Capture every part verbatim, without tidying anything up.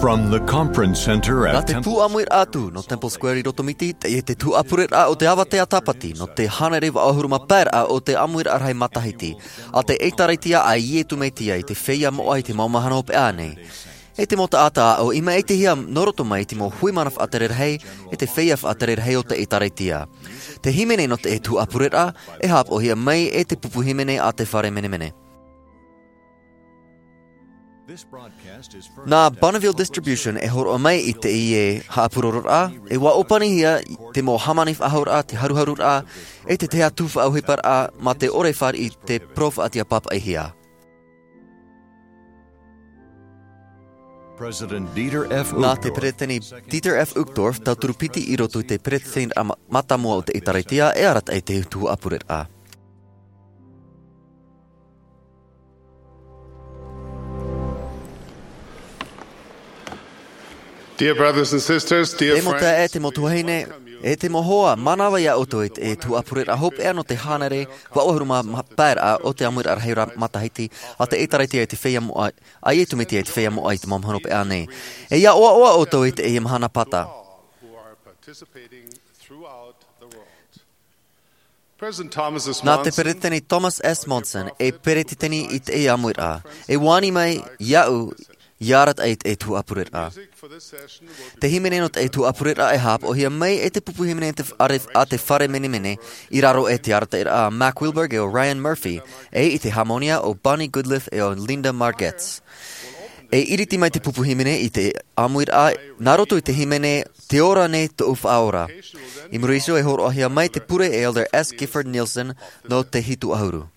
From the conference center at Nā te Temple pūʻāmuiraʻa atu nō Temple Square i Rotomiti, teie te tuhaʻa pureraʻa o te avatea tāpati nō te hānere vaʻu ʻahuru mā pae raʻa o te ʻāmuiraʻa rahi matahiti, a te ʻĒtārētia a Iesu Mesia i te feiā moʻa i te mau mahana hopeʻa nei. E te mau taʻata ʻāʻau i maʻitihia nō roto mai i te mau hui mana faʻatere rahi, e te feiā faʻatere rahi o te ʻĒtārētia. Te hīmene nō te tuhaʻa pureraʻa, e haʻapaʻohia mai e te pupu hīmene a te Fare Menemene. Nā Bonneville Distribution e hōroʻa mai i teie haʻapurororaʻa, e ʻua ʻōpanihia te mau hāmani faʻahouraʻa, te haruharuraʻa, e te tahi atu faʻaʻohiparaʻa mā te ʻore e fāriʻi i te parau faʻatiʻa pāpaʻihia. President Dieter F. Nā te Uchtdorf, Peretiteni Dieter F. Uchtdorf, tauturu piti i roto i te Peretiteni ma-, mātāmua o te ʻĒtārētia, e arataʻi te tuhaʻa pureraʻa. Dear brothers and sisters, dear friends, e te mau taeaʻe, e te mau tuahine, e te mau hoa, mānava ia ʻoutou i te tuhaʻa pureraʻa hopeʻa nō te hānere vaʻu ʻahuru mā pae raʻa o te ʻāmuiraʻa rahi matahiti a te ʻĒtārētia i te feiā moʻa, a Iesu Mesia i te feiā moʻa i te mau mahana hopeʻa nei. E ia ʻoaʻoa ʻoutou i teie mahana pata. President Thomas S. Nā te Monson, Peretiteni Thomas S. Monson, e peretiteni i teie ʻāmuiraʻa, e ani mai iāʻu ia arataʻi i te tuhaʻa pureraʻa. Te hīmene nō te tuhaʻa pureraʻa e haʻapaʻohia mai e te pupu hīmene te f-, a re-, a te Fare Menemene, i raro i te arataʻiraʻa a Mack Wilberg e ʻo Ryan Murphy, e i te hāmonia ʻo Bonnie Goodliff e ʻo Linda Margetts. E iriti mai te pupu hīmene i te ʻāmuiraʻa, nā roto i te hīmene Te Ora Nei Tōʻu Faʻaora. I muri iho e hōroʻahia mai te pure e Elder S. Gifford Nielsen nō te hitu ʻahuru.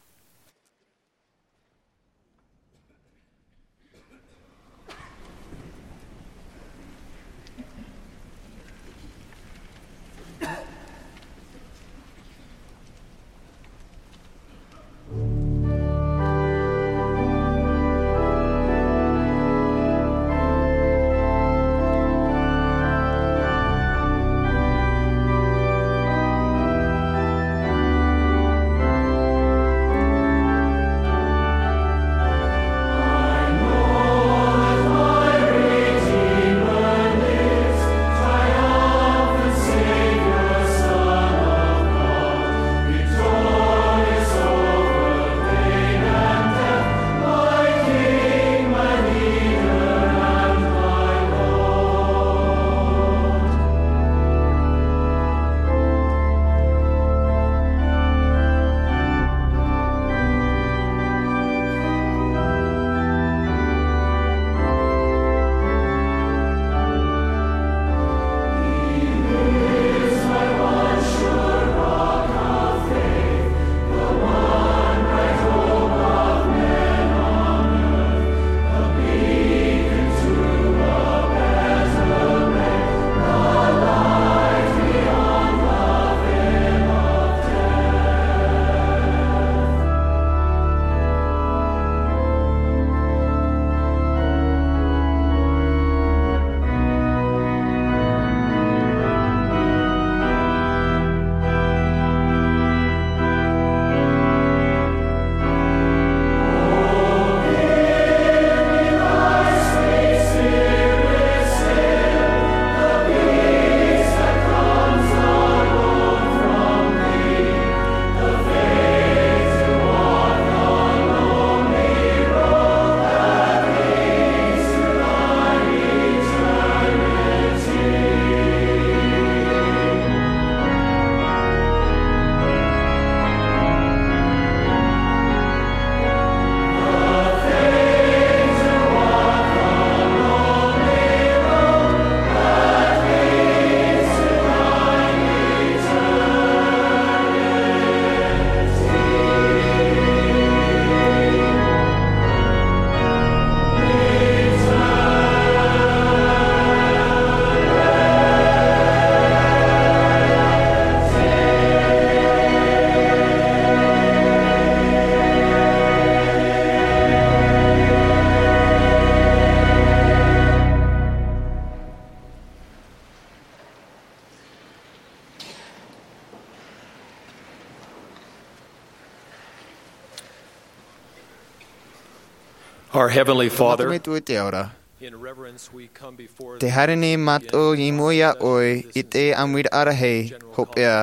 Our Heavenly Father, Tamaiti ʻoe i te ao ra, Te haere nei mātou i mua iā ʻoe i te ʻāmuiraʻa rahi hopeʻa.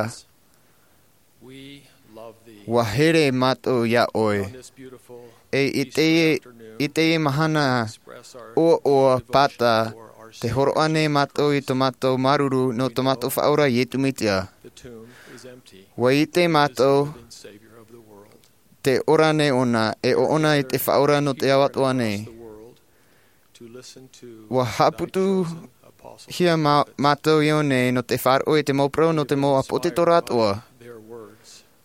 ʻUa here mātou iā ʻoe. E i teie, i teie mahana ʻoaʻoa pāta, te hōroʻa nei mātou i tō mātou māuruuru nō tō mātou Faʻaora Iesu Mesia. ʻUa ʻite mātou te ora nei ʻōna, e ʻōna i te Faʻaora nō te ao atoʻa nei. ʻUa haʻaputuhia mā-, mātou i ʻō nei nō te faʻaroʻo i te mau parau nō te mau ʻāpōsetolo atoʻa.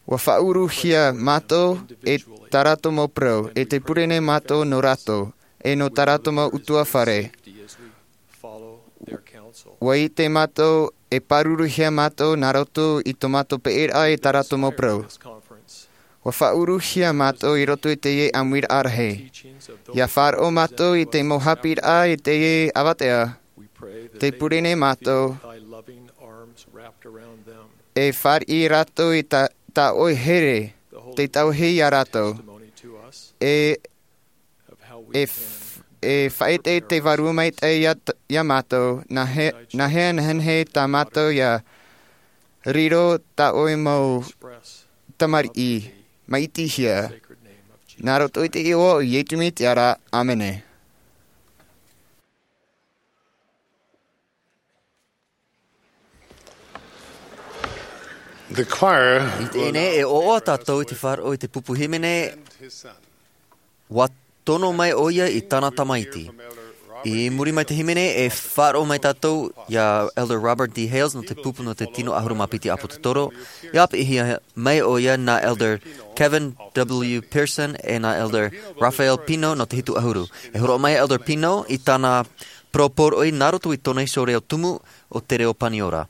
ʻUa faʻauruhia mātou e tā rātou mau parau, e tē pure nei mātou nō rātou, e nō tā rātou mau ʻutuāfare. ʻUa ʻite mātou e pāruruhia mātou nā roto i tō mātou peʻeraʻa i tā rātou mau parau. ʻUa faʻauruhia mātou i roto i teie ʻāmuiraʻa rahi. ʻIa faʻaroʻo mātou i te mau haʻapiʻiraʻa i teie avatea. Tē pure nei mātou e fāriʻi rātou i tā, tā ʻoe here, tē tauihaʻa iā rātou. E, e f-, e faʻaʻite te Vārua Maitaʻi iā t-, iā mātou, nā he-, nā hea nehenehe tā mātou ʻia riro tā ʻoe mau tamariʻi, maʻitihia. Nā roto i te iʻoa o Iesu Mesia ra, ʻāmene. The choir. I teie nei, e ʻoaʻoa tātou i te faʻaroʻo i te pupu hīmene, ʻUa tono mai ʻoia i tāna tamaiti. I muri mai te hīmene, e faʻaroʻo mai tātou iā Elder Robert D. Hales nō te pupu nō te tino ʻahuru mā piti ʻāpōsetolo. ʻIa āpeʻihia mai ʻoia nā Elder Kevin W. Pearson e nā Elder Raphael Pino nō te hitu ʻahuru. E hōroʻa mai Elder Pino i tāna parau poroʻi nā roto i tōna iho reo tumu o te reo Paniora.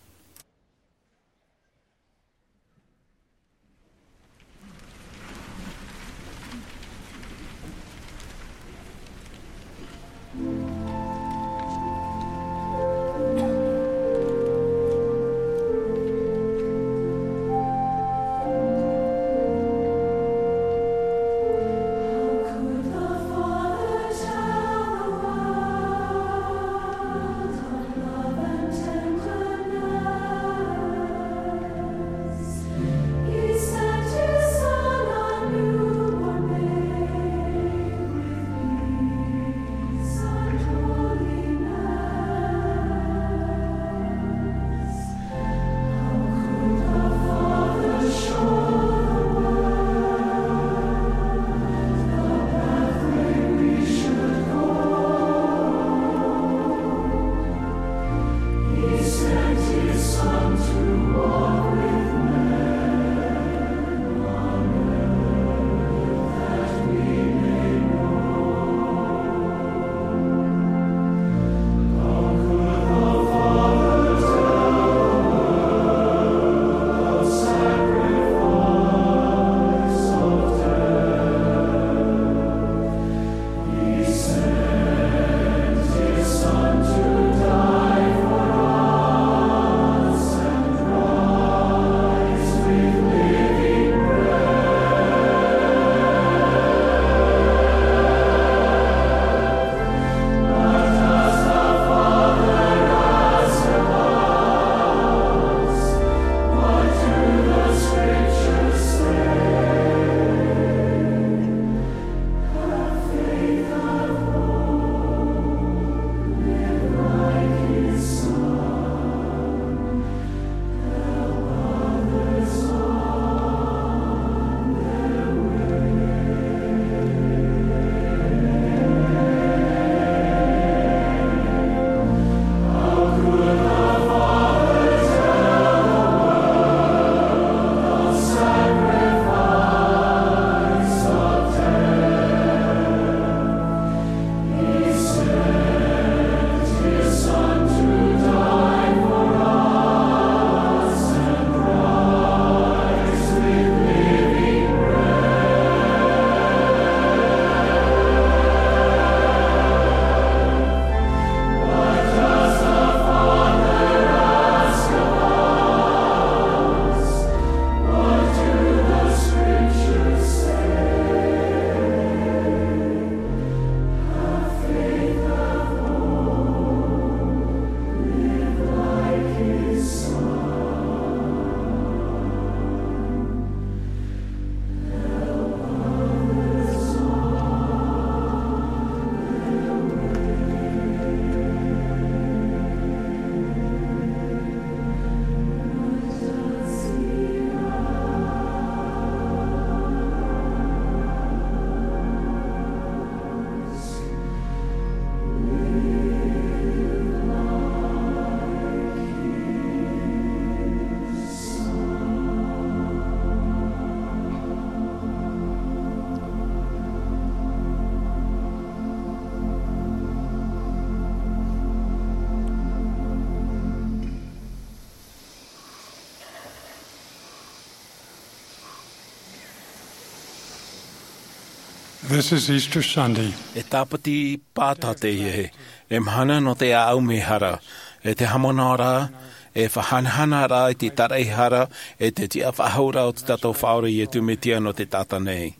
This is Easter Sunday. E Tāpati Pāta teie, e mahana nō te ʻāʻau mehara, e te haʻamanaʻo ra, e faʻahanahana ra i te taraʻehara, e te tiʻafaʻahou ra o tō tātou Faʻaora Iesu Mesia nō te taʻata nei.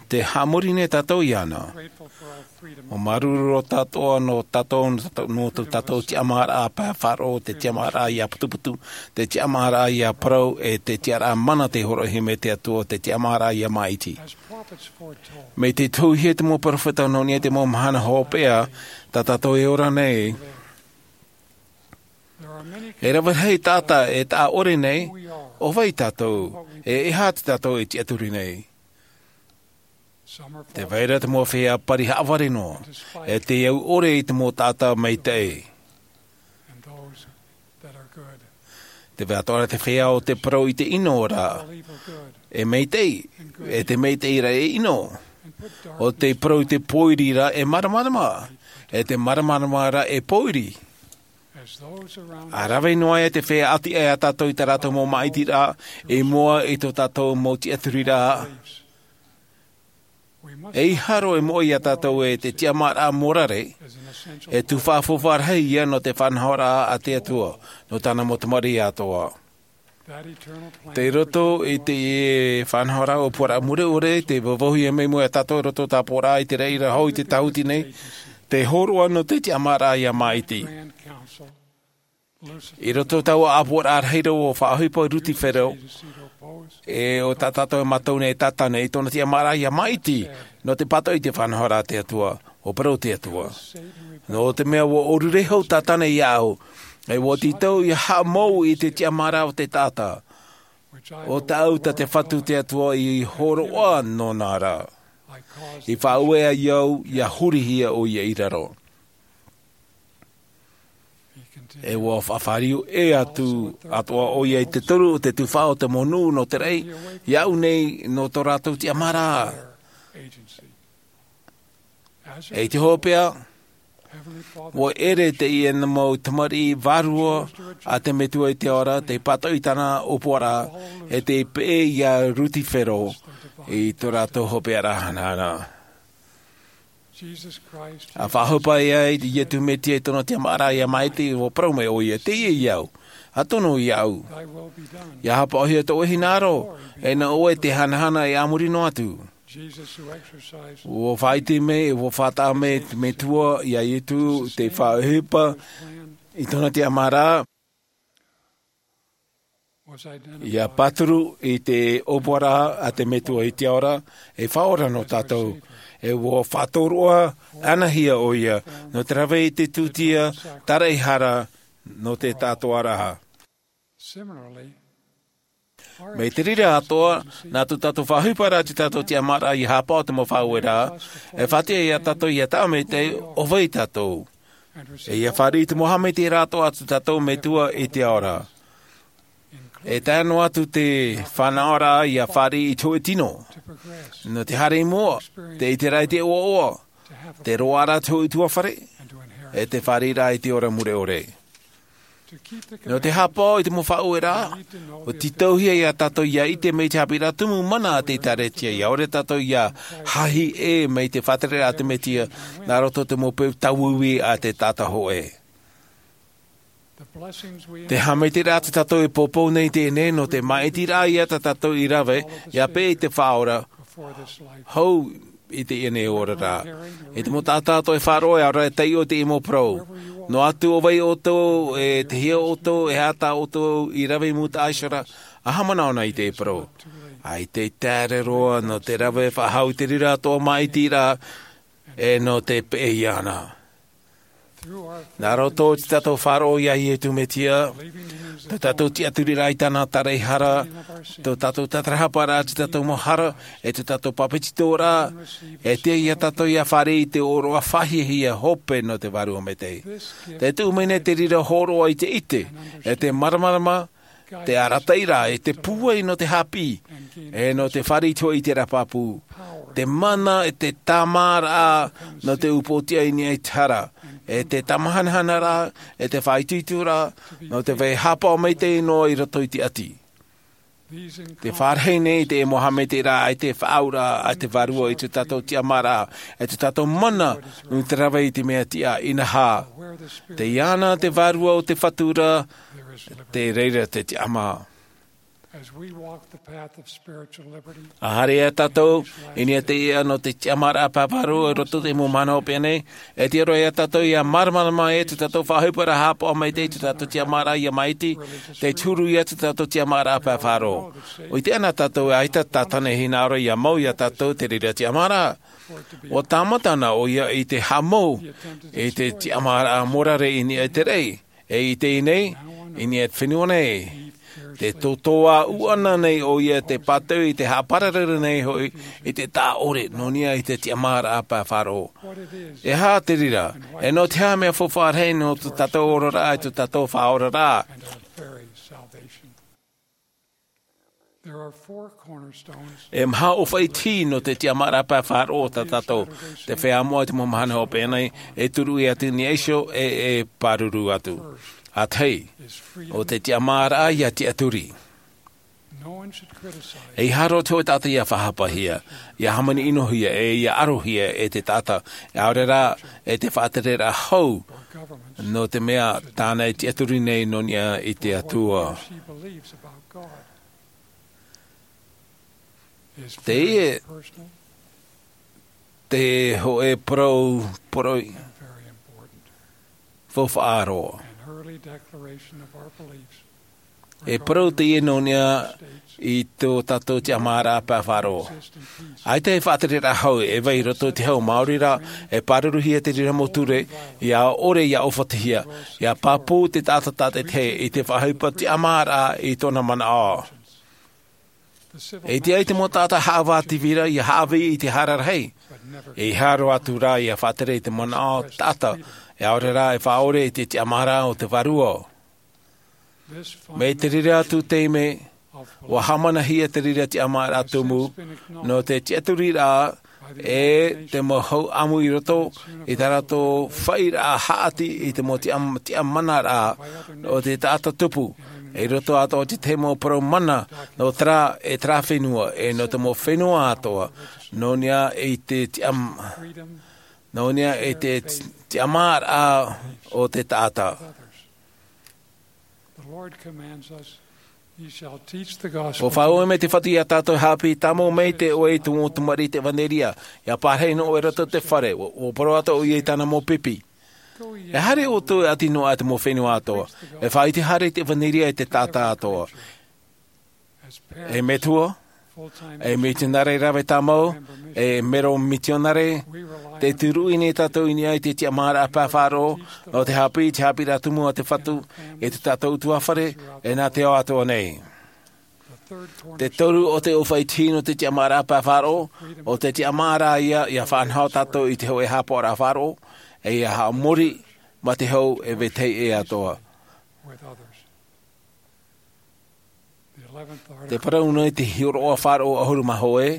Te haʻamori nei tātou iāna. ʻO māuruuru roa tātou nō tātou, nō tō tātou tiʻamāraʻa pae faʻaroʻo, te tiʻamāraʻa ʻia putuputu, te tiʻamāraʻa ʻia parau, e te tiʻaraʻa mana tei hōroʻahia mai te Atua, te tiʻamāraʻa ʻia māʻiti. Mai te tohuhia te mau peropheta nō niʻa i te mau mahana hopeʻa tā tātou e ora nei, e rave rahi taʻata e taʻa ʻore nei ʻo vai tātou, e e aha tā tātou e tiʻaturi nei. Tē vai ra te mau feiā pari haʻavare noa, e te au ʻore i te mau taʻata maitaʻi. Tē vai atoʻa ra te feiā ʻo tē parau i te ʻino ra, e maitaʻi, e te maitaʻi ra e ʻino, ʻo tē parau i te pōiri ra e māramarama, e te māramarama ra e pōiri. ʻA rave noa ia te feiā ʻati aʻe ia tātou i tā rātou mau māʻitiraʻa, i mua i tō tātou mau tiʻaturiraʻa. E ʻeiaha roa e moʻe ia tātou e te tiʻamāraʻa mōrare, e tuhaʻa faufaʻa rahi ia nō te faʻanahoraʻa a te Atua, nō tāna mau tamariʻi atoʻa. Tei roto i te faʻanahoraʻa ʻōpuaraʻa mure ʻore, tei vauvauhia mai mua ia tātou i roto tāpōraʻa i te reira hou i te tāhuti nei, te hōroʻa nō te tiʻamāraʻa ʻia māʻiti. I roto taua ʻāpuaraʻa rahi roa ʻo faʻaʻohipa Rutifero, e ʻo tā tātou e mātau nei e taʻata nei i tōna tiʻamāraʻa ʻia māʻiti, nō te pātoʻi i te faʻanahoraʻa a te Atua, ʻo parau te Atua. Nō te mea ʻua ʻōrure hou Tātana iāʻu, e ʻua tītau ʻia haʻamou i te tiʻamāraʻa o te taʻata, ʻo tāʻu tā te Fatu te Atua i hōroʻa nōna ra. I faʻaueʻa au, ʻia hurihia ʻoia i raro. E ʻua faʻafāriu ʻē atu atoʻa ʻoia i te toru o te tuhaʻa o te mau nuʻu nō te raʻi, iāʻu nei nō tō rātou tiʻamāraʻa. E i te hopeʻa, ʻua ʻere teie mau tamariʻi vārua a te Metua i te ao ra, tei pātoʻi i tāna ʻōpuaraʻa, e tei peʻe ia Rutifero i tō rātou hopeʻa ra hanahana. ʻA faʻaʻohipa ia Iesu Mesia i tōna tiʻamāraʻa ʻia māʻiti, ʻua parau mai ʻoia, teie au, ʻa tono iāʻu. ʻIa haʻapaʻohia tō ʻoe hinaʻaro, e nā ʻoe te hanahana e a muri noa atu. ʻUa faʻaʻite mai, ʻua faʻataʻa mai te Metua iā Iesu, tei faʻaʻohipa i tōna tiʻamāraʻa, ʻia pāturu i te ʻōpuaraʻa a te Metua i te ao ra, e Faʻaora nō tātou, e ʻua faʻatōroʻa anahia ʻoia, nō te rave i te tūtia taraʻehara nō te taʻatoʻaraʻa. Mai te reira atoʻa, nā tō tātou faʻaʻohipa ra tō tātou tiʻamāraʻa ʻia haʻapaʻo te mau faʻaueraʻa, e faʻatiʻa ia tātou ʻia taʻa maitaʻi ʻo vai tātou. E ʻia fāriʻi i te mau haʻamaitaʻiraʻa atoʻa a tō tātou Metua i te ao ra. E tae noa atu te fānaʻoraʻa ʻia fāriʻi i te hōʻē tino. Nō te haere i mua, te ʻiteraʻa i te ʻoaʻoa, te roaʻa ra te hōʻē ʻutuāfare, e te fāriʻiraʻa i te ora mure ʻore. Nō te haʻapaʻo i te mau faʻaueraʻa, ʻua tītauhia ia tātou ʻia ʻite mai te haʻapiʻiraʻa tumu mana a te ʻĒkālesia, ʻia ʻore tātou ʻia hahi ʻē mai te faʻatereraʻa a te Mesia, nā roto i te mau peu tauiui a te taʻata hōʻē. Te haʻamaitaʻiraʻa tā tātou e poupou nei i teie nei, nō te māʻitiraʻa ia tā tātou i rave, ʻia peʻe i te Faʻaora, hou i teie nei oraraʻa. E te mau taʻata atoʻa e faʻaroʻo, ʻaore rā e taiʻo i teie mau parau. Noa atu ʻo vai ʻoutou, e te hea ʻoutou, e aha tā ʻoutou i rave i mūtaʻa iho ra, ʻa haʻamanaʻo na i te parau. ʻAita e taere roa nō te rave faʻahou i te reira atoʻa māʻitiraʻa, e nō te peʻe iāna. Nā roto i tō tātou faʻaroʻo iā Iesu Mesia, tō tātou tiʻaturiraʻa i tāna taraʻehara, tō tātou tātarahaparaʻa i tō tātou mau hara, e tō tātou pāpetitoraʻa, e tiʻa ia tātou ʻia fāriʻi i te ʻōroʻa faʻahiahia hope nō te Vārua Maitaʻi. Tē tuʻu mai nei te reira hōroʻa i te ʻite, e te māramarama, te arataʻiraʻa, e te pūai nō te haʻapiʻi, e nō te fāriʻi hoʻi i te reira pāpū. Te mana, e te tāmāraʻa nō te upoʻotiʻa i niʻa i te hara, e te tāmāhanahanaraʻa, e te faʻaitoitoraʻa, nō te vai haʻapaʻo maitaʻi noa i roto i te ʻati. Te fārahi nei te mohamete rā ai te faʻauraʻa a te vārua i tō tātou tiʻamāraʻa, e tō tātou mana nō te rave i te mea tiʻa. Inaha te iana te vārua o te fatura, te reira te tiʻamā. As we walk the path of spiritual liberty, a haere ia tātou i niʻa te iʻa nō te tiʻamāraʻa pae faʻaroʻo i roto i te mau mahana hopeʻa nei, e tiʻa roa ia tātou ia māramarama e tō tātou faʻaʻohiparaʻa haʻapaʻo mai te tō tātou tiʻamāraʻa ia māʻiti, te turu ia tō tātou tiʻamāraʻa pae faʻaroʻo. ʻUa ʻite ana tātou e ʻaita tātane hinaʻaro ia mau ia tātou te reira tiʻamāraʻa. ʻUa tāmata ana ʻoia i te haʻamou i te tiʻamāraʻa mōrare i niʻa i te rei, e i teie nei, i niʻa i te fenua nei. Te tōtōʻa ʻuʻana nei ʻoia te pātau i te haʻapararau nei hoʻi i te taʻa ʻore nō niʻa i te tiʻamāraʻa pae faʻaroʻo. E aha te reira, e nō te aha mea faufaʻa rahi nō tō tātou oraraʻa i tō tātou faʻaoraraʻa? There are four cornerstones. E maha ʻōfaʻi tihi nō te tiʻamāraʻa pae faʻaroʻo tā tātou, te feiā moʻa i te mau mahana hopeʻa nei, e turuʻi atu i niʻa iho, e, e pāruru atu. ʻA tahi, ʻo te tiʻamāraʻa ia tiʻaturi. No one should criticize. E ʻeiaha roa te hōʻē taʻata ia faʻahapahia, ia hāmani ʻinohia, e ia ʻarohia e te taʻata, ʻaore rā, e te faʻatereraʻa hou, nō te mea tāna e tiʻaturi nei nō niʻa i te Atua. She believes about God. Is very personal. Teie te hōʻē parau, parau and very important. Faufaʻa roa. An early declaration of our beliefs. E parau teie nō niʻa i tō tātou tiʻamāraʻa pae faʻaroʻo. ʻAita e faʻatereraʻa hou e vai i roto i te hau, maori rā, e pāruruhia te reira mau ture, ia ʻore ia ʻōfatihia, ia pāpū te taʻata tātaʻitahi i te faʻaʻohipa tiʻamāraʻa i tōna manaʻo. E tiʻa ai te mau taʻata haʻavā tīvira ia haʻavī i te hara rahi. E ʻeiaha roa atu rā ia faʻatere i te manaʻo taʻata, e ʻaore rā e faʻaʻore i te tiʻamāraʻa o te Vārua. Mai te reira atu taime, ʻua hāmanahia te reira tiʻamāraʻa tumu, nō te tiʻaturiraʻa e te mau hau ʻamu i roto i tā rātou faʻiraʻa haʻati i te mau tiʻa-, tiʻamanaraʻa o te taʻata tupu, i roto atoʻa i te mau parau mana nō terā, e terā fenua, e nō te mau fenua atoʻa, nō niʻa i te tiʻam-, nō niʻa i te tiʻamāraʻa o te taʻata. The Lord commands us, "Ye shall teach the gospel." ʻUa faʻaue mai te Fatu ia tātou haʻapiʻi, tāmau mai te ʻoe i te mau tamariʻi i te ʻevanelia, ia pārahi noa ʻoe i roto i te fare, ʻua, ʻua parau atu ʻoia i tāna mau pipi. E haere ʻoutou e ʻati noa i te mau fenua atoʻa, e faʻaʻite haere i te ʻevanelia i te taʻata atoʻa. E metua, e mitionare rave tāmau, e mero mitionare, tē turuʻi nei tātou i niʻa i te tiʻamāraʻa pae faʻaroʻo, nō te haʻapiʻi, te haʻapiʻiraʻa tumu a te Fatu, i tō tātou ʻutuāfare, e nā te ao atoʻa nei. Te toru o te ʻōfaʻi tihi nō te tiʻamāraʻa pae faʻaroʻo, ʻo te tiʻamāraʻa ia, ia faʻanaho tātou i te hōʻē haʻapaʻoraʻa faʻaroʻo, e ia haʻamori mā te hau e vetahi ʻē atoʻa. Te parau nei te hiʻoraʻa faʻaroʻo ʻahuru mā hōʻē,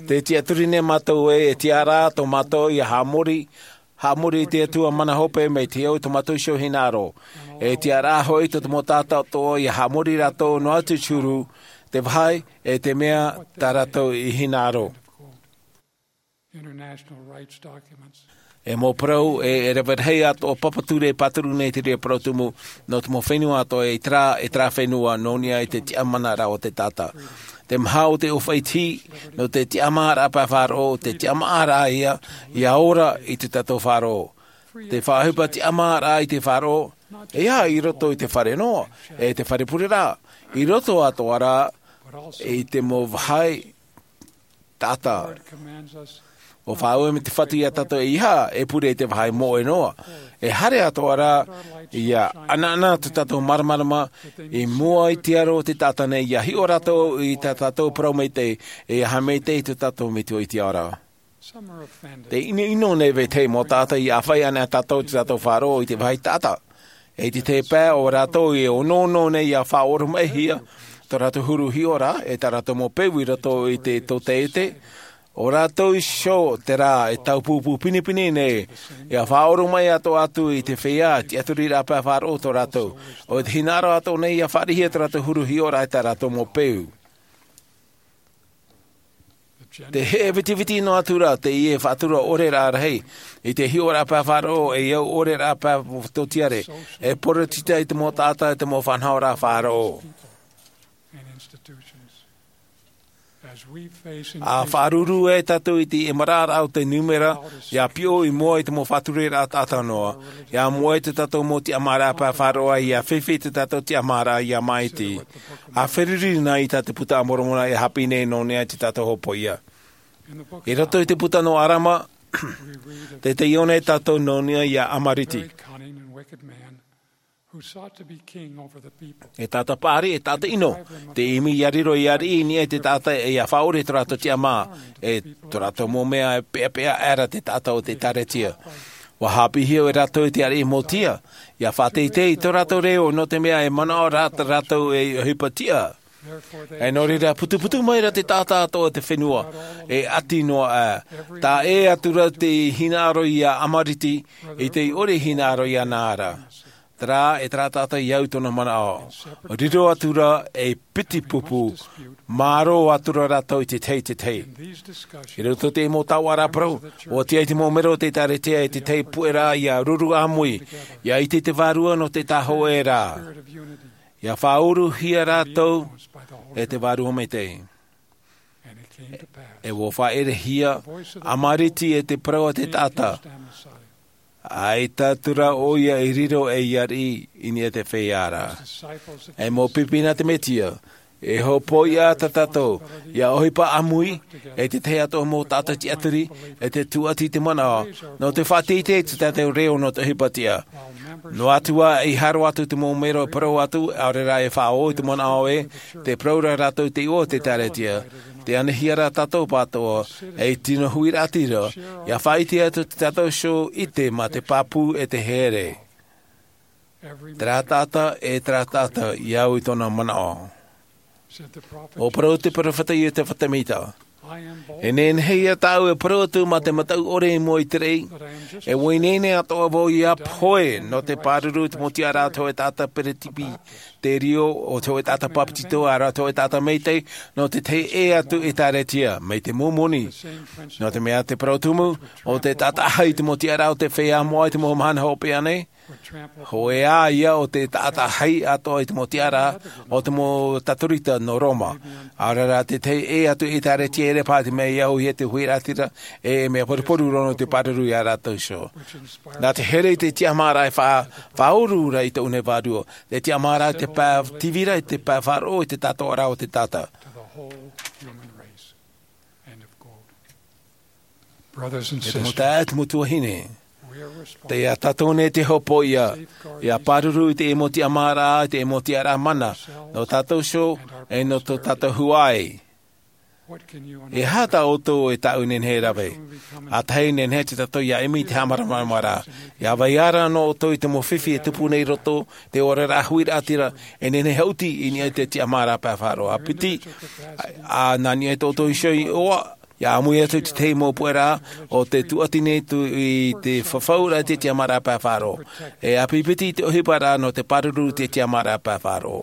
tē tiʻaturi nei mātou ē, e tiʻa rā tō mātou ia haʻamori, haʻamori i te Atua mana hope mai te au i tō mātou iho hinaʻaro. E tiʻa rā hoʻi tō te mau taʻata atoʻa ia haʻamori rātou noa atu i te huru, te vāhi, e te mea tā rātou i hinaʻaro. International rights documents. E mau parau, e, e rave rahi atoʻa papa ture e pāturu nei te reira parau tumu, nō te mau fenua atoʻa, e terā, e terā fenua, nō niʻa i te tiʻamanaraʻa o te taʻata. Te maha o te ʻōfaʻi tihi, nō te tiʻamāraʻa pae faʻaroʻo, te tiʻamāraʻa ia, ia ora i tō tātou faʻaroʻo. Te faʻaʻohipa tiʻamāraʻa i te faʻaroʻo, e ʻeiaha i roto i te fare noa, e te fare pure rā, i roto atoʻa rā, i te mau vāhi taʻata. ʻUa faʻaue mai te Fatu ia tātou e ʻeiaha e pure i te vāhi moʻe noa. E haere atoʻa rā, ia ʻanaʻana tō tātou māramarama i mua i te aro o te taʻata nei, ia hiʻo rātou i tā tātou parau maitaʻi, e ʻeiaha maitaʻi tō tātou Metua i te ao ra. Tē ʻinoʻino nei vetahi mau taʻata ia ʻāfaʻi ana tātou i tō tātou faʻaroʻo i te vāhi taʻata. I te tahi pae, ʻo rātou e onoono nei ia faʻaoromaʻihia tō rātou huru hiʻoraʻa, e tā rātou mau peu i roto i te tōtaiete, ʻo rātou iho terā e taupupū pinepine nei, ia faʻaoromaʻi atoʻa atu i te feiā tiʻaturiraʻa pae faʻaroʻo tō rātou. ʻO te hinaʻaro atoʻa nei ia fāriʻihia tō rātou huru hiʻoraʻa e tā rātou mau peu. Te heʻe vitiviti noa atu ra teie faʻatura ʻore rā rahi i te hiʻoraʻa pae faʻaroʻo, e au ʻore rā pae tōtiare, e poritita i te mau taʻata, e te mau faʻanahoraʻa faʻaroʻo. A faʻaruru ai tātou i te ʻemaraʻaraʻa o te nūmera, ia piʻo i mua i te mau faʻatureraʻa taʻata noa, ia moʻe tō tātou mau tiʻamāraʻa pae faʻaroʻo, ia fifi tō tātou tiʻamāraʻa ia māʻiti. A feruri na i tā te puta a Moromona e hāpī nei nō niʻa i tō tātou hōpoiʻa. I roto i te puta nō Arama, te taione tātou nō niʻa iā Amariti. E taʻata paʻari, e taʻata ʻino, te ʻimi ia riro ia riʻi i niʻa i te taʻata, e ia faʻaʻore tō rātou tiʻamā, e tō rātou mau mea e peʻapeʻa aʻera te taʻata o te ʻĒtārētia. ʻUa hāpīhia e rātou i te ariʻi Motia, ia faʻateitei i tō rātou reo, nō te mea e manaʻo rā rātou ei ʻohipa tiʻa. E nō reira, putuputu mai ra te taʻata atoʻa o te fenua, e ʻati noa aʻe. Taʻa ʻē atu ra te hinaʻaro iā Amariti, i te ʻore hinaʻaro iāna ra. Terā, e terā taʻata i au i tōna manaʻo. Riro atu ra ei piti pupu, mārō atu ra rātou i te tahi i te tahi. I roto i te mau taoʻa parau, ʻua tiʻa i te mau mero o te ʻĒtārētia e te tahi puʻeraʻa ia ruru ʻāmui, ia ʻite i te Vārua nō te taʻata hōʻē ra. Ia faʻauruhia rātou e te Vārua Maitaʻi. E ʻua faʻaʻerehia Amariti e te parau a te taʻata. ʻAita atu ra ʻoia i riro ei ariʻi i niʻa i te feiā ra. E mau pipi nā te Mesia, e hōpoiʻa tā tātou, ia ʻohipa ʻāmui, e te tahi atoʻa mau taʻata tiʻaturi, e te tūʻati i te manaʻo, nō te faʻateitei i tō tātou reo nō te ʻohipa tiʻa. Noa atu ā, e haro atu te mau mero e parau atu, ʻaore rā e faʻaō i te manaʻo ē, tē parau ra rātou i te iʻoa o te ʻĒtārētia, tē anahia ra tātou pātoʻa, ei tino huiraʻatira, ia faʻaʻite atu tō tātou iho ʻite mā te pāpū e te here. Terā taʻata, e terā taʻata, i au i tōna manaʻo. ʻUa parau te peropheta Iotefa Semita. E nehenehe ia tāʻu e parau atu mā te mataʻu ʻore i mua i te raʻi, e ʻua ineine atoʻa vau ia pohe, nō te pāruru i te mau tiʻaraʻa a te hōʻē taʻata peresibiterio, o te hōʻē taʻata bāpetizo, ʻaore rā te hōʻē taʻata maitaʻi, nō te tahi ʻē atu ʻĒtārētia, mai te mau moni. Nō te mea te parau tumu, ʻo tē taʻa-taʻa-hia i te mau tiʻaraʻa o te feiā moʻa i te mau mahana hopeʻa nei, hōʻē ā ia ʻo tē taʻa-taʻa-hia atoʻa i te mau tiʻaraʻa o te mau tatorita nō Roma. ʻAore rā te tahi ʻē atu ʻĒtārētia, ʻeʻere paha te mea i auhia te huiraʻatira, e, e mea poruporu roa nō te pāruru ia rātou iho. Nā te here i te tiʻamāraʻa e fa-, faʻauru ra i tōʻu nei Vārua, te tiʻamāraʻa i te pae tīvira, i te pae faʻaroʻo, i te tātoʻaraʻa o te taʻata. E te mau taeaʻe, e te mau tuahine, tei ia tātou nei te hōpoiʻa, ia pāruru i te mau tiʻamāraʻa, i te mau tiʻaraʻa mana, nō tātou iho, e nō tō tātou huaʻai. E aha tā ʻoutou e tāʻu e nehenehe e rave? ʻA tahi, nehenehe tātou ia ʻimi i te haʻamāramaramaraʻa, ia vai ra nō ʻoutou i te mau fifi e tupu nei i roto, te oraraʻa huiraʻatira, e nehenehe e haʻuti i niʻa i te tiʻamāraʻa pae faʻaroʻo. ʻA piti, ʻa, ʻa nā niʻa i tō ʻoutou iho iʻoa, ia ʻāmui atu i te tahi mau puʻeraʻa, ʻo tē tūʻati nei atu i te fafauraʻa i te tiʻamāraʻa pae faʻaroʻo. E ʻāpipiti i te ʻohiparaʻa nō te pāruru i te tiʻamāraʻa pae faʻaroʻo.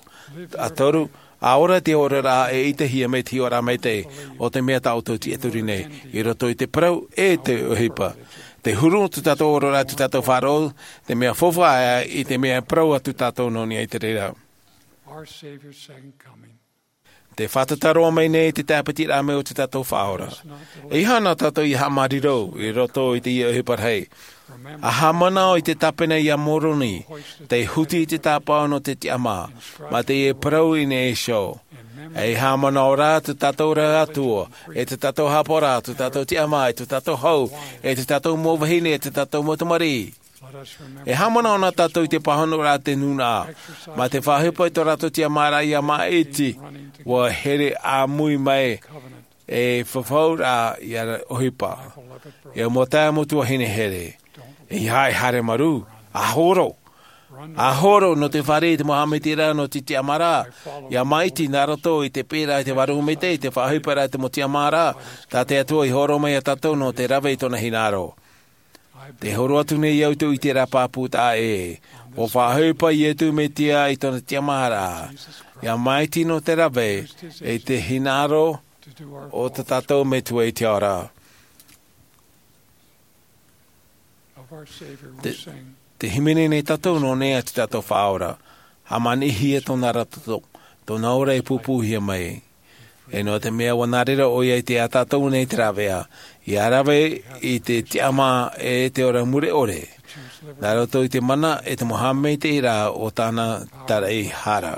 ʻA toru, ʻa ora te oraraʻa e ʻitehia mai te hiʻoraʻa maitaʻi, ʻo te mea tā ʻoutou tiʻaturi nei, i roto i te parau e te ʻohipa. Te huru tō tātou oraraʻa, tō tātou faʻaroʻo, te mea faufaʻa i te mea e parau atu tātou nō niʻa i te reira. Our Savior's second coming. Te fātata roa mai nei te tāpitiraʻa mai o tō tātou Faʻaora. E ʻeiaha nā tātou ia haʻamāuruuru i roto i teie ʻohipa rahi. ʻA haʻamanaʻo i te tāpena iā Moroni, tei huti i te tāpaʻo nō te tiʻamā, mā teie parau i niʻa iho. E haʻamanaʻo rā tō tātou Atua, e tō tātou haʻapaʻoraʻa, tō tātou tiʻamā, e tō tātou hau, e tō tātou mau vahine, e tō tātou mau tamariʻi. E haʻamanaʻo na tātou i te pāhonoraʻa a te nūnaʻa, mā te faʻaʻohipa i tō rātou tiʻamāraʻa ia māʻiti, ʻua here ʻāmui mai e fafauraʻa ia ʻohipa. E mau taeaʻe, mau tuahine here, e haere, haere marū, ʻa horo. ʻA horo nō te fāriʻi i te mau haʻamaitaʻiraʻa nō te tiʻamāraʻa ia māʻiti nā roto i te pēraʻa i te Vārua Maitaʻi, i te faʻaʻohiparaʻa i te mau tiʻamāraʻa, tā te Atua i hōroʻa mai iā tātou nō te rave i tōna hinaʻaro. Tē horo atu nei au i tōʻu ʻiteraʻa pāpū taʻa ʻē. ʻUa faʻaʻohipa Iesu Mesia i tōna tiʻamāraʻa ia māʻiti nō te rave i te hinaʻaro o tā tātou Metua i te ao ra. Te, te hīmene nei tātou nō nei a te tātou Faʻaora. Hāmanihia tōna ra toto, tōna ora e pūpūhia mai. E nō te mea ʻua nā reira ʻoia i te ā tātou nei te rāveʻa, ʻia rave i te tiʻamā e te ora mure ʻore, nā roto i te mana e te mau haʻamaitaʻiraʻa o tāna taraʻehara.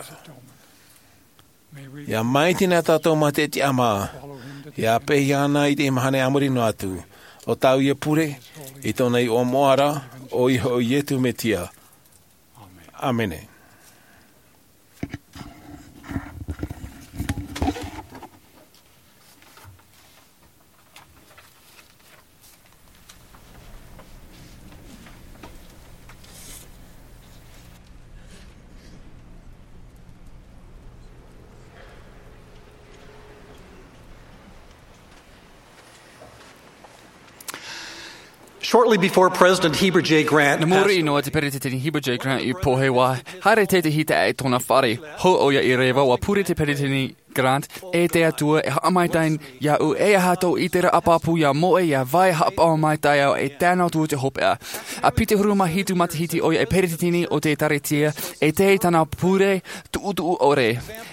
ʻIa maitaʻi nei tātou mā te tiʻamā, ʻia peʻe iāna i te mahana a muri noa atu, ʻo tāʻu ia pure, i tōna iʻoa moʻa ra, ʻoia hoʻi Iesu Mesia. ʻĀmene. Shortly before President Heber J. Grant Nā muri passed noa te Peretiteni Heber J. Grant i pohe, ʻua haere tētahi taeaʻe i tōna fare. Hou ʻoia i reva, ʻua pure te Peretiteni Grant, e te Atua, e haʻamaitaʻi iāʻu, e aha tō ʻiteraʻa pāpū ʻia moʻe, ʻia vai haʻapaʻo maitaʻi au, e tae noa atu i te hopeʻa. ʻA piti ʻahuru mā hitu matahiti ʻoia e Peretiteni o te ʻĒkālesia, e tae i tāna pure tuʻutuʻu ʻore.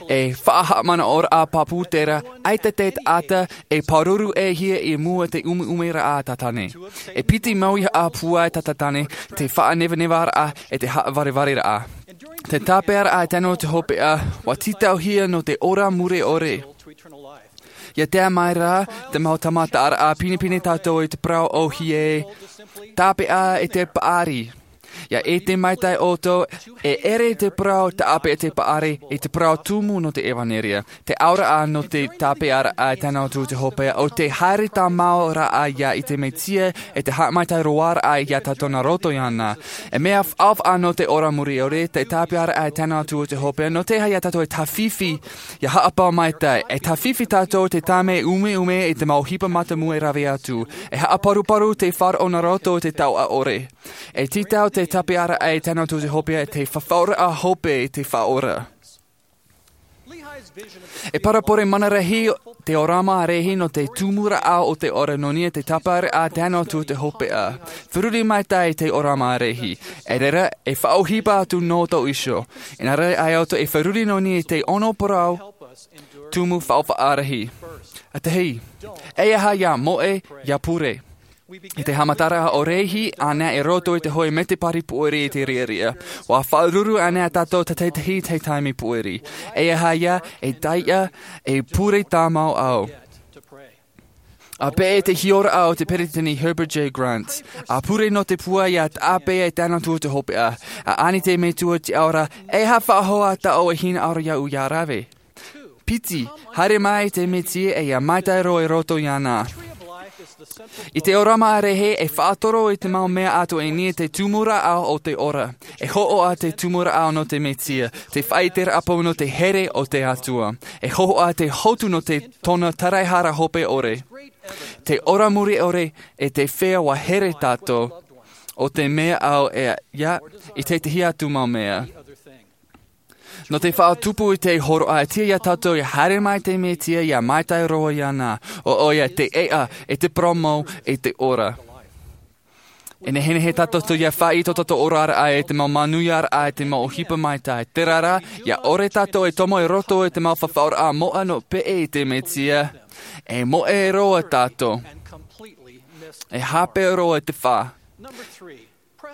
E faʻahaʻamanaʻoraʻa pāpū terā, ʻaita te taʻata e pāruru ʻē hia i mua i te ʻumeʻumeraʻa a Tātane. E piti mau ʻīhaʻa pūai tā Tātane, te faʻanevanevaraʻa, e te haʻavarevare raʻa. Te tāpeʻaraʻa e tae noa atu i te hopeʻa, ʻua tītauhia nō te ora mure ʻore. ʻIa tae mai rā te mau tāmataraʻa, pinepine tātou i te parau ʻōhie, tāpeʻa e te paʻari. ʻIa ʻite maitaʻi ʻoutou, e ʻere te parau tāpeʻa e te paʻari, e te parau tumu nō te ʻevanelia. Te auraʻa nō te tāpeʻaraʻa e tae noa atu i te hopeʻa, ʻo te haere tāmau raʻa ia i te Mesia, e te haʻamaitaʻi roa raʻa ia tātou nā roto iāna. E mea faʻaʻoaʻoa nō te ora mure ʻore, te tāpeʻaraʻa e tae noa atu i te hopeʻa, nō te aha ia tātou e tāfifi, ʻia haʻapaʻo maitaʻi, e tāfifi tātou i te tāmau ʻumeʻume i te mau ʻohipa mātāmua e rave atu. E haʻaparuparu te faʻaroʻo nā roto i te taoʻa ʻore. E tītau te tāpeʻaraʻa e tae noa atu i te hopeʻa, te fafauraʻa hope i te Faʻaora. E parabole mana rahi te ʻōrama ʻārehi nō te tumu raʻa o te ora nō niʻa i te tāpeʻaraʻa e tae noa atu i te hopeʻa. Feruri maitaʻi te ʻōrama ʻārehi. E reira, e faʻaʻohipa atu nō tō iho. Inā rā, ʻaita ʻoutou e feruri nō niʻa i te ono parau tumu faʻaʻohipa rahi. ʻA tahi, e aha ʻia moʻe, ʻia pure. I te haʻamataraʻa ʻo Lehi, ʻānā i roto i te hōʻē mētēpari pūʻere i te riʻariʻa. ʻUa faʻaruru anaʻe tātou tātaʻitahi i te taime pūʻere. E aha ïa, e taiʻa, e pure tāmau au. ʻA peʻe i te hiʻoraʻa o te Peretiteni Heber J. Grant. ʻA pure nō te pūai ʻia tāpeʻa e tae noa atu i te hopeʻa. ʻA ani te Metua i te ao ra, e aha faʻahou ā tāʻu e hinaʻaro iāʻu ʻia rave. Piti, haere mai te Mesia e ʻia maitaʻi roa i roto iāna. I te ʻōrama ʻārehi e faʻatoro i te mau mea atoʻa i niʻa i te tumu rāʻau o te ora. E hōhoʻa te tumu rāʻau nō te Mesia, te faʻaʻiteraʻa pau nō te here o te Atua. E hōhoʻa te hotu nō te tōna taraehara hope ʻore. Te ora mure ʻore e te feiā ʻua here tātou. ʻO te mea au e ʻia, i te tahi atu mau mea. Nō te faʻatupu i te hōroʻa, e tiʻa iā tātou ʻia haere mai te Mesia ʻia maitaʻi roa iāna, ʻo ʻoia te ʻēʻa, e te parau mau, e te ora. E nehenehe tātou ʻia faʻaʻite tō tātou oraraʻa i te mau manuiaraʻa, i te mau ʻohipa maitaʻi. Terā rā, ʻia ʻore tātou e tomo i roto i te mau fafauraʻa moʻa nō peʻe i te Mesia, e moʻe roa tātou. E hape roa i te fā.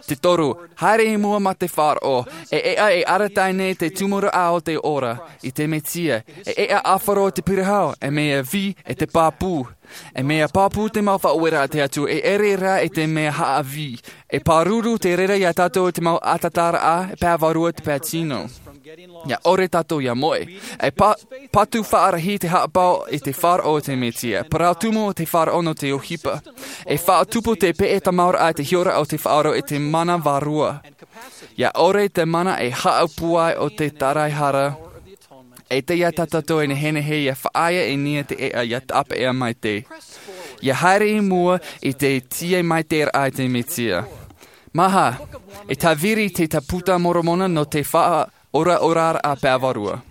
Te toru, haere i mua mā te faʻaroʻo, e ʻēʻa e arataʻi nei te tumu rāʻau o te ora, i te Mesia, e ʻēʻa ʻāfaro i te pirahau, e mea vī, e te pāpū. E mea pāpū te mau faʻaueraʻa a te Atua, e ʻere rā i te mea haʻavī. E pāruru te reira iā tātou i te mau ʻatataraʻa, e pae vārua te pae tino. ʻIa ʻore tātou ʻia moʻe. E pā-, patu faʻarahi te haʻapaʻo i te faʻaroʻo o te Mesia. Parau tumu o te faʻaroʻo nō te ʻohipa. E faʻatupu te peʻe tāmauraʻa i te hiʻoraʻa o te faʻaroʻo i te mana vārua. ʻIa ʻore te mana e haʻapūai o te taraehara. E tiʻa iā tātou e nehenehe ʻia faʻaea i niʻa i te ʻēʻa ʻia tāpeʻa maitaʻi. ʻIa haere i mua i te tiʻa maitaʻiraʻa i te Mesia. Maha, e tāviri te Puta a Moromona nō te faʻa- ora, ora a pae vārua.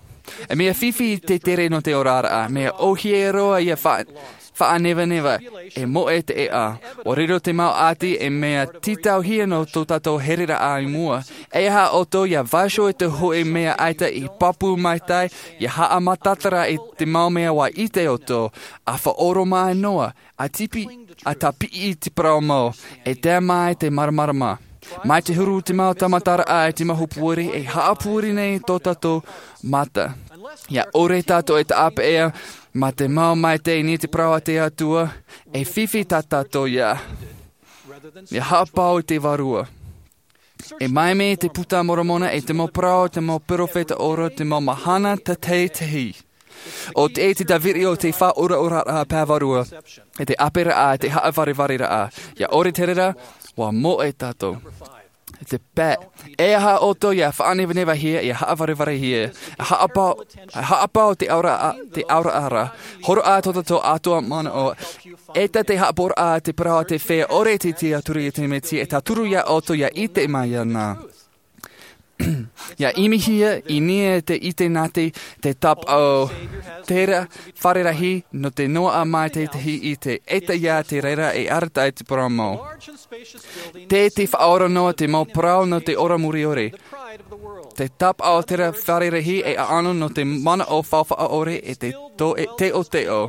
E mea fifi te tere nō te oraraʻa, mea ʻohie roa ia fa-, faʻanevaneva, e moʻe te ʻēʻa. ʻUa riro te mau ʻāti e mea tītauhia nō tō tātou hereraʻa i mua. E aha ʻoutou ia vaiiho i te hoʻi mea ʻaita i pāpū maitaʻi, ia haʻamataʻitara i te mau mea ʻua ʻite ʻoutou, ʻa faʻaʻoromaʻi noa, ʻa tipi, ʻa tāpiʻi i te parau mau, e tae mai te māramarama. Mai te huru te mau tāmataraʻa e te mau hōpoi, e haʻapūuri nei tō tātou mata. Ia ʻore tātou e tāpeʻa, mā te mau maitaʻi i niʻa i te parau a te Atua, e fifi tā tātou ia. Ia haʻapāʻō i te Vārua. E mai mai te Puta Moromona e te mau parau, te mau perofeta ora, te mau mahana tātaʻitahi. ʻO te, te tāviri o te faʻaʻoraʻoraʻa pae Vārua, e te ʻāperaʻa, te haʻavarevare raʻa. Ia ʻore te reira, ʻua moʻe tātou. E te pae, e aha ʻoutou ia faʻanevanevahia, ia haʻavarevare hia. E haʻapāʻō, e haʻapāʻō te aura, te aura ara. Horoʻa tō tātou atoʻa manaʻo. E tā te haʻapaʻoraʻa te parau a te feiā ʻore te tiaturi i te Mesia, e tauturu ia ʻoutou ia ʻite mai iāna. Ia ʻimihia i niʻa i te ʻite nā te, te tāpaʻo terā fare rahi nō te noaʻa mai tētahi ʻite, e tae ia te reira e arataʻi te parau mau. Te, te faʻaora noa te mau parau nō te ora muriore. Te tāpaʻo terā fare rahi e ʻaʻano nō te manaʻo faʻaora e te to-, e teʻoteʻo.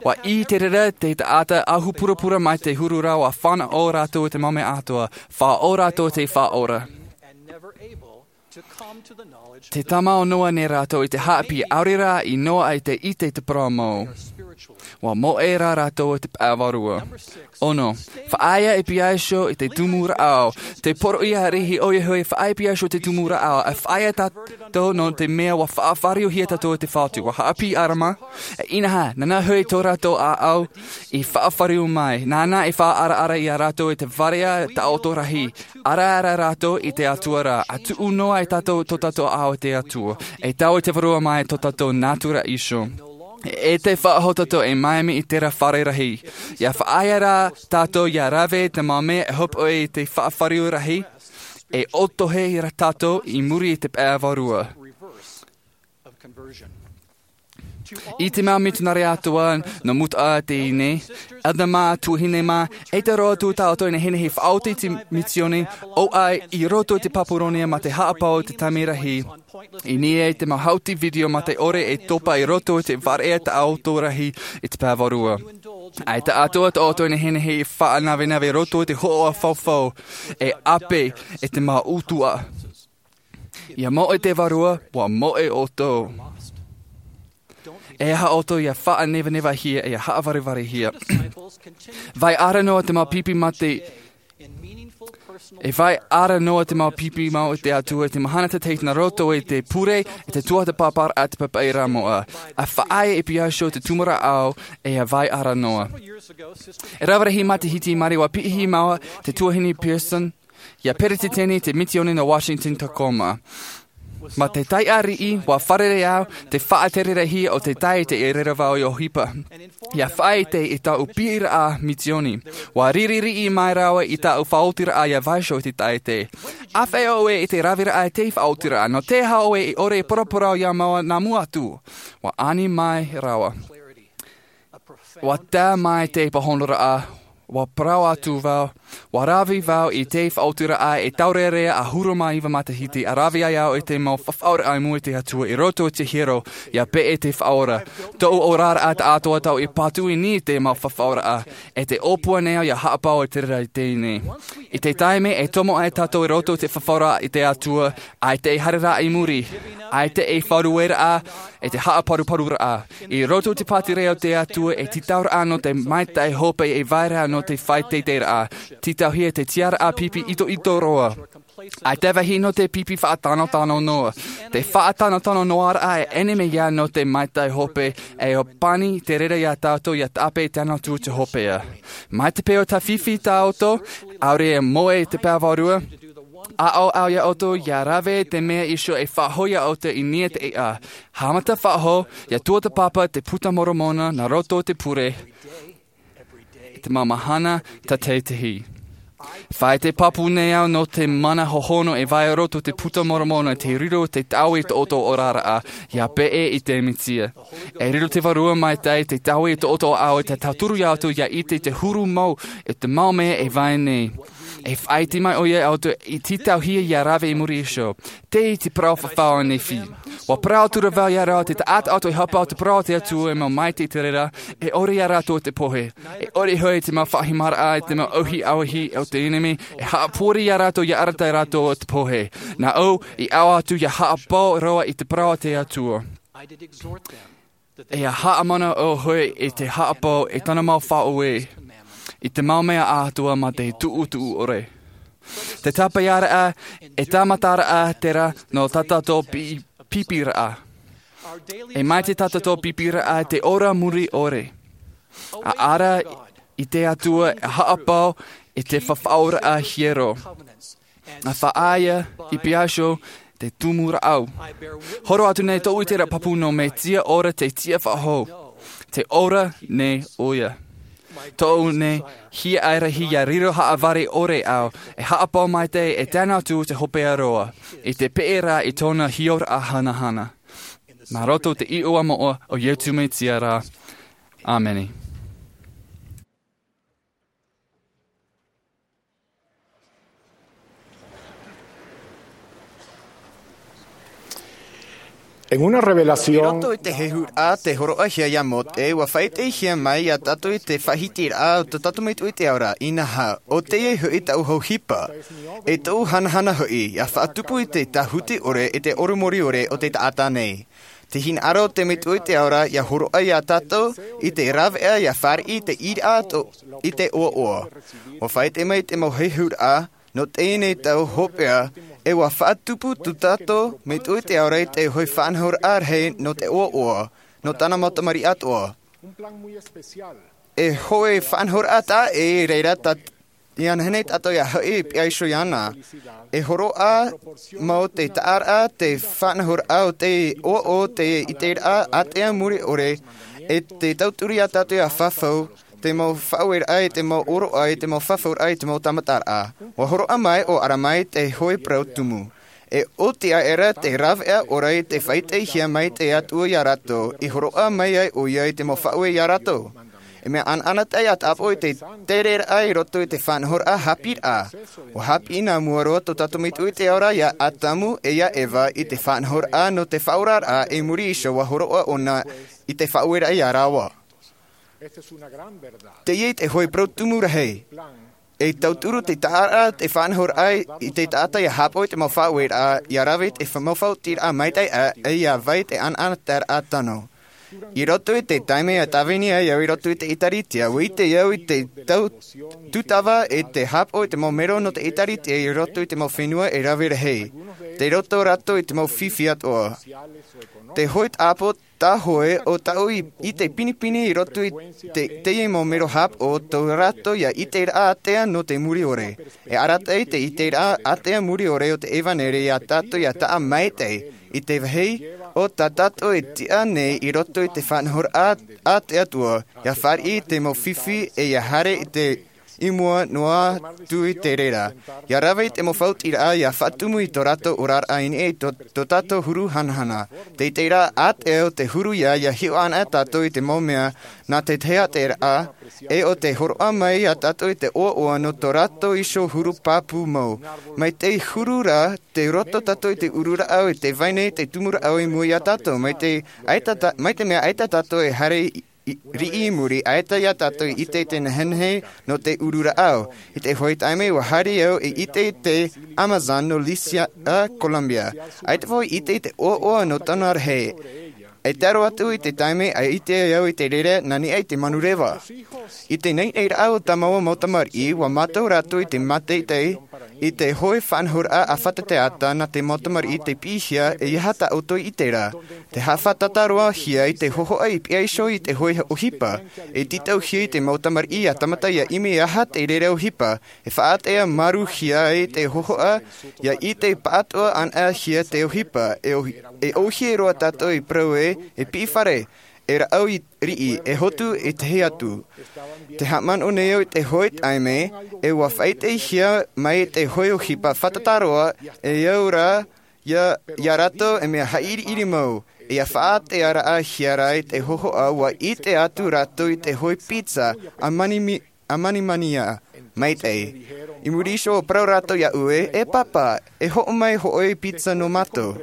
ʻUa ʻī te reira te taʻata ahu purapura mai te huru ra, ʻua fānaʻo rātou i te mau mea atoʻa, faʻaora rātou te faʻaora. Te tāmau noa nei rātou i te haʻapiʻi, ʻaore rā i noaʻa i te ʻite i te parau mau. ʻUa moʻe rā rātou i te pae Vārua. Ono, faʻaea e piha iho i te tumu rāʻau. Te poroʻi ariʻi ʻoia hoʻi, faʻaea e piha iho i te tumu rāʻau, e faʻaea tātou nō te mea ʻua faʻafāriuhia tātou e te Fatu. ʻUa haʻapiʻi ʻĀrama, e inaha, nāna hoʻi tō rātou ʻāʻau i faʻafāriu mai. Nāna i faʻaʻaraʻara ia rātou i te varea taʻoto rahi. ʻAraʻara rātou i te Atua ra, ʻa tuʻu noa e tātou tō tātou ʻāʻau i te Atua. E taui te Vārua mai tō tātou nātura iho. E te faʻahou tātou e mai mai i terā fare rahi. Ia faʻaea rā tātou ia rave te mau mea e hōpoi i te faʻafāriu rahi, e ʻotohe rā tātou i muri i te pae Vārua. I te mau mitionare atoʻa nō Mutaʻa teie nei, Elder mā, tuahine mā, ʻaita roa atu tātou e nehenehe e faʻaoti i te misiōni, ʻo ʻai i roto i te Papuronia mā te haʻapaʻo i te taime rahi. I niʻa i te mau hauti video mā te ʻore e topa i roto i te varea taʻoto rahi i te pae Vārua. ʻAita atoʻa tātou e nehenehe e faʻanavenave i roto i te hoʻoʻa faufaʻa, e ʻape i te mau ʻutuʻa. Ia moʻe te Vārua, ʻua moʻe ʻoutou. E aha ʻoutou ia faʻanevanevahia, ia haʻavarevare hia. Vai ara noa te mau pipi mā te, e vai ara noa te mau pipi mau i te Atua, i te mahana tātaʻitahi nā roto i te pure, i te tuatāpaparaʻa a te papaʻi ra moʻa. ʻA faʻaea e piha iho te tumu rāʻau, e ʻa vai ara noa. E rave rahi matahiti mai, ʻua piʻihia māua te tuahine Pearson, ia peretiteni te misiōni nō Washington Tacoma. Mā te taiʻa riʻi, ʻua fārerei au, te faʻatereraʻa o te taiete i reira vau i ʻohipa. Ia faʻaʻite i tāʻu piʻiraʻa misiōni. ʻUa riri riʻi mai rāua i tāʻu faʻaotiraʻa ia vaiiho i te taiete. ʻĀfaʻi ʻoe i te raveraʻa i te faʻaotiraʻa, nō te aha ʻoe i ʻore i paraparau ia māua nā mua atu. ʻUa ani mai rāua. ʻUa tae mai te pāhonoraʻa, ʻua parau atu vau, ʻua rave vau i te faʻaotiraʻa e taurearea ʻahuru mā iva matahiti, ʻa rave ai au i te mau fafauraʻa i mua i te Atua i roto i te hiero, ia peʻe te Faʻaora. Tōʻu oraraʻa tāʻātoʻa tau i patu i niʻa i te mau fafauraʻa, e te ʻōpua nei au ia haʻapaʻo i te reira i teie nei. I te taime e tomo ai tātou i roto i te fafauraʻa i te Atua, ʻaita e haereraʻa i muri, ʻaita e faʻarueraʻa, e te haʻaparuparuraʻa. I roto i te pātireia o te Atua, e tītauraʻa nō te maitaʻi hope, e vai ra nō te faʻateiteiraʻa. Tītauhia te tiaraʻa pipi itoito roa. ʻAita e vāhi nō te pipi faʻatanotano noa. Te faʻatanotano noaraʻa e ʻenemi ia nō te maitaʻi hope, e ʻōpani te reira ia tātou ia tāpeʻa i te Atua Tano Atu i te hopeʻa. Mai te peu tāfifi tāʻoto, ʻaore e moʻe i te pae Vārua, ʻaʻau au ia ʻoutou ia rave te mea iho e faʻahou ia ʻoutou i niʻa i te ʻēʻa. Haʻamata faʻahou, ia tuatāpapa te Puta Moromona nā roto i te pure, i te mau mahana tātaʻitahi. Faʻaite pāpū nei au nō te mana hohonu e vai roto te puta Moromona te riro te taui i tō ʻoutou oraraʻa, ia peʻe i te Mesia. E riro te Vārua Maitaʻi te taui i tō ʻoutou ʻāʻau, e te tauturu ia ʻoutou ia ʻite te huru mau e te mau mea e vai nei. E faʻaite mai ʻoia ia ʻoutou i te tauhia ia rave i muri iho. Tei te parau fafau a Nephi. ʻUa parau atu ra vau ia rātou te taʻata ʻoutou e haʻapaʻo te parau a te Atua e mau maitaʻi i te reira, e ʻore ia rātou te pohe. E ʻore hoʻi te mau faʻahimaraʻa, e te mau ʻauhi ʻauhi o te ʻenemi, e haʻapori ia rātou ia arataʻi rātou o te pohe. Nā ʻu, i ʻaʻau atu ia haʻapaʻo roa i te parau a te Atua. E ia haʻamanaʻo hoʻi i te haʻapaʻo i tōna mau faʻaueraʻa, i te mau mea atoʻa mā te tuʻutuʻu ʻore. Te tāpeʻaraʻa, e tāmataraʻa terā nō tā tātou pi-, pīpīraʻa. E maitaʻi tā tātou pīpīraʻa te ora muri ʻore. ʻA ara i te Atua e haʻapaʻo i te fafauraʻa hiero. ʻA faʻaea i piaso te tumu rāʻau. Horo atu nei tōʻu ʻiteraʻa pāpū nō Mesia ora te tiʻa faʻahou. Te ora nei ʻoia. Tōʻu nei hiaʻai rahi ia riro haʻavare ʻore au, e haʻapaʻo maitaʻi e tae noa atu te hopeʻa roa, i te peʻe ra i tōna hiʻoraʻa hanahana. Nā roto te iʻoa moʻa o Iesu Mesia ra. ʻĀmene. En una I revelación roto i te hehuraʻa te hōroʻahia ia Mōte, ʻua faʻaʻitehia mai ia tātou i te faʻahitiraʻa o tō tātou Metua i te ao ra, inaha, ʻo teie hoʻi taʻu ʻohipa. E tōʻu hanahana hoʻi, ia faʻatupu i te tāhuti ʻore, i te ʻorometua ʻore o te taʻata nei. Te hinaʻaro o te Metua i te ao ra, ia hōroʻa ia tātou, i te rāveʻa, ia fāriʻi i te ʻīraʻa tō, i te ʻoaʻoa. ʻUa faʻaʻite mai te mau hehuraʻa, nō teie nei tau hopeʻa, e ʻua faʻatupu tō tātou Metua i te ao ra i te hoʻi faʻanahoraʻa rahi nō te ʻoaʻoa, nō tāna mau tamariʻi atoʻa. E hoʻi faʻanahoraʻa taʻa ʻē, i reira tā, ia nehenehe tātou ia hoʻi i piha iho iāna. E hōroʻa mau te taʻaraʻa, te faʻanahoraʻa o te ʻoaʻoa, te ʻiteraʻa ātea mure ʻore, e te tauturu ia tātou ia fafau, te mau faʻaueraʻa, te mau ʻōroʻa, te mau fafauraʻa, te mau tāmataraʻa. ʻUa hōroʻa mai ʻo Aramai te hoʻi parau tumu. E oti aʻera te rāveʻa ʻore i te faʻaʻitehia mai te Atua ia rātou, i hōroʻa mai ai ʻoia i te mau faʻaue ia rātou. E mea anaanatae ia tātou i te tereraʻa i roto i te faʻanahoraʻa haʻapiʻiraʻa. ʻUa haʻapiʻi nā mua roa tō tātou Metua i te ao ra ia Atamu e ia Eva i te faʻanahoraʻa nō te faʻaoraraʻa, i muri iho ʻua hōroʻa ʻōna i te faʻaueraʻa ia rāua. Teie te hoʻi parau tumu rahi. E tauturu te taʻaraʻa, te faʻanahoraʻa i te taʻata ia haʻapaʻo i te mau faʻaueraʻa, ia rave i te fa-, mau faʻaotiraʻa maitaʻi, ʻe ia vai te anaanataeraʻa tano. I roto i te taime ia tāvini ai au i roto i te ʻĒtārētia, ʻua ʻite au i te tau-, tūtava e te haʻapaʻo i te mau mero nō te ʻĒtārētia i roto i te mau fenua e rave rahi. Tei roto rātou i te mau fifi atoʻa. Te hoʻi tāpaʻo tā hoʻi ʻo tāʻu i, i te pinepine i roto i te, teie mau mero haʻapaʻo tō rātou ia ʻiteraʻa ātea nō te mure ʻore. E arataʻi te ʻiteraʻa ātea mure ʻore o te ʻevanelia ia tātou ia taʻa maitaʻi i te vāhi o tā tātou e tiʻa nei i roto i te faʻanahoraʻa a te Atua, ia fāriʻi i te mau fifi ʻe ia haere i te i mua noa atu i te reira. Ia rave i te mau faʻaotiraʻa, ia faʻatumu i tō rātou oraraʻa i niʻa i tō, tō tātou huru hanahana. Te ʻiteraʻa ātea o te huru ia, ia hiʻo anaʻe tātou i te mau mea nā te tahi ʻiteraʻa, ʻe ʻo te hōroʻa mai ia tātou i te ʻoaʻoa nō tō rātou iho huru pāpū mau. Mai te huru ra, tei roto tātou i te ururaʻa, i te vai nei te tumu rāʻau i mua ia tātou. Mai te ʻaita tā-, mai te mea ʻaita tātou e haere i i, riʻi i muri, ʻaita ia tātou i ʻite i te nehenehe nō te ururaʻa. I te hoʻi taime ʻua haere au i ʻite i te Amazon nō British Columbia. ʻAita vau i ʻite i te ʻoaʻoa nō tōna rahi. E taro atu i te taime ʻa ʻite au i te reira nā niʻa i te manureva. I te naʻinaʻiraʻa o tā māua mau tamariʻi, ʻua mātau rātou i te mātaʻitaʻi, i te hoʻi faʻanahoraʻa ʻāfata taʻata nā te mau tamariʻi tei piʻihia, e aha tā ʻoutou i ʻite ra. Te haʻafātata roa hia i te hōhoʻa i piha iho i te hoʻi ʻohipa. E tītauhia i te mau tamariʻi ia tāmata ia ʻimi e aha te reira ʻohipa. E faʻaʻātea māuruhia ai te hōhoʻa, ia ʻite pāʻatoʻa anaʻe hia te ʻohipa. E ʻohi-, e ʻōhie roa tātou i parau ē, e piʻifare. e rāʻau i riʻi e hotu i te hei atu. Te haʻamanaʻo nei au i te hoʻi taime e ua faʻaʻitehia mai te hoʻi ʻohipa fātata roa, e au rā ia ia rātou e mea haʻiriʻiri mau. Ia faʻatearaʻahia rā i te hohoʻa ua ʻite atu rātou i te hoʻi pizza a manimi a manimania maitaʻi. I muri iho ua parau rātou iāʻu e e pāpā, e hoʻo mai hoʻi pizza nō mātou.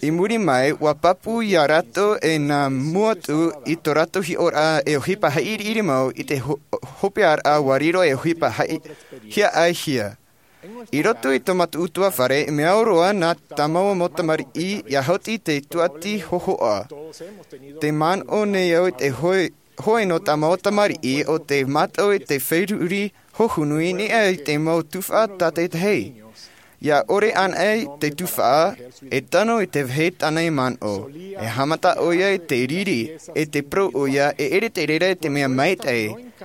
I muri mai ua pāpū iā rātou e nā mua atu i tō rātou hiʻoraʻa e ʻohipa haʻiriʻiri mau i te hopearaʻa ua riro e ʻohipa haʻihia ʻaihia. I roto i tō mātou ʻutuāfare e mea au roa nā tāmau mau tamariʻi ia hauti te tuati hohoʻa. Te manaʻo nei au i te hoʻi nō tāmau tamariʻi o te mātau i te feruri hohonu i niʻa i te mau tufaʻa tātaitahi. Ia ʻore anaʻe te tufaʻa e tano i te vāhi tāna i manaʻo. E haʻamata ʻoia i te riri e te parau ʻoia e ʻere te reira i te mea maitaʻi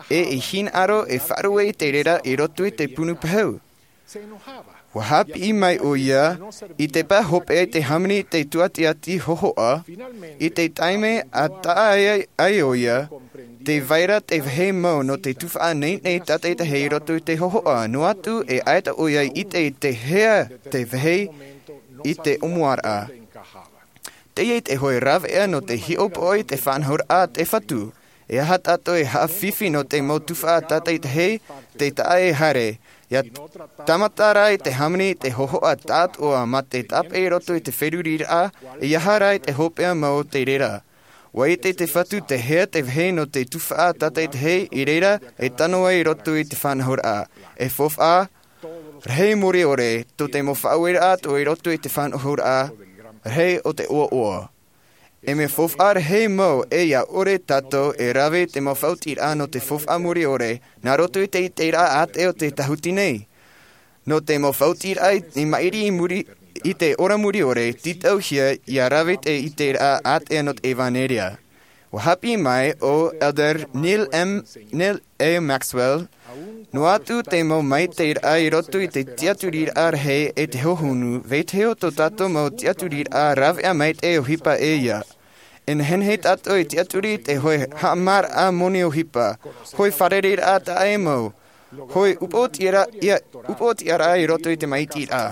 e i hinaʻaro e faʻaruʻe i te reira i roto i te punu pahu. Ua haʻapiʻi mai ʻoia i te pā hopeʻa i te hāmani i te tuatiati hohoʻa. I te taime a taʻa ai ʻoia te vaira te vāhi mau nō te tufaʻa neinei tātaitahi i roto i te hohoʻa noa atu e ʻaita ʻoia i ʻite i te hea te vāhi i te ʻomuaraʻa. Teie te hoʻi raveʻa nō te hiʻopoʻa i te faʻanahoraʻa a te fatu. E aha tātou e haʻafifi nō te mau tufaʻa tātaitahi te taʻa e haere ia tāmata rā i te hāmani i te hohoʻa tāʻatoʻa mā te tāpeʻa i roto i te feruriraʻa e aha rā i te hopeʻa mau o te reira. Ua ʻite te fatu te hea te vāhi nō te tufaʻa tātaitahi i reira e tano ai i roto i te faʻanahoraʻa. E faufaʻa rahi mōriʻore tō te mau faʻaueraʻa atoʻa i roto i te faʻanahoraʻa rahi o te ʻoaʻoa. E mea faufaʻa rahi mau e ia ʻore tātou e rave i te mau faʻaotiraʻa nō te faufaʻa mōriʻore nā roto i te ʻiteraʻa ʻātea o te tāhuti nei. Nō te mau faʻaotiraʻa i maʻiri i muri i te ora mōriʻore tītauhia ia rave i te ʻiteraʻa ʻātea nō te ʻevanelia. Ua haʻapiʻi mai ʻo elder neil m neil a maxwell. Noa atu te mau maitaʻiraʻa i roto i te tiʻaturiraʻa rahi e te hohonu vetahi o tō tātou mau tiʻaturiraʻa raveʻa maitaʻi ʻohipa e ia. E nehenehe tātou e tiʻaturi i te hoʻi haʻamāraʻa moni ʻohipa, hoʻi fārereiraʻa taʻa e mau, hoʻi upoʻotiʻaraʻa i roto i te maitaʻiraʻa,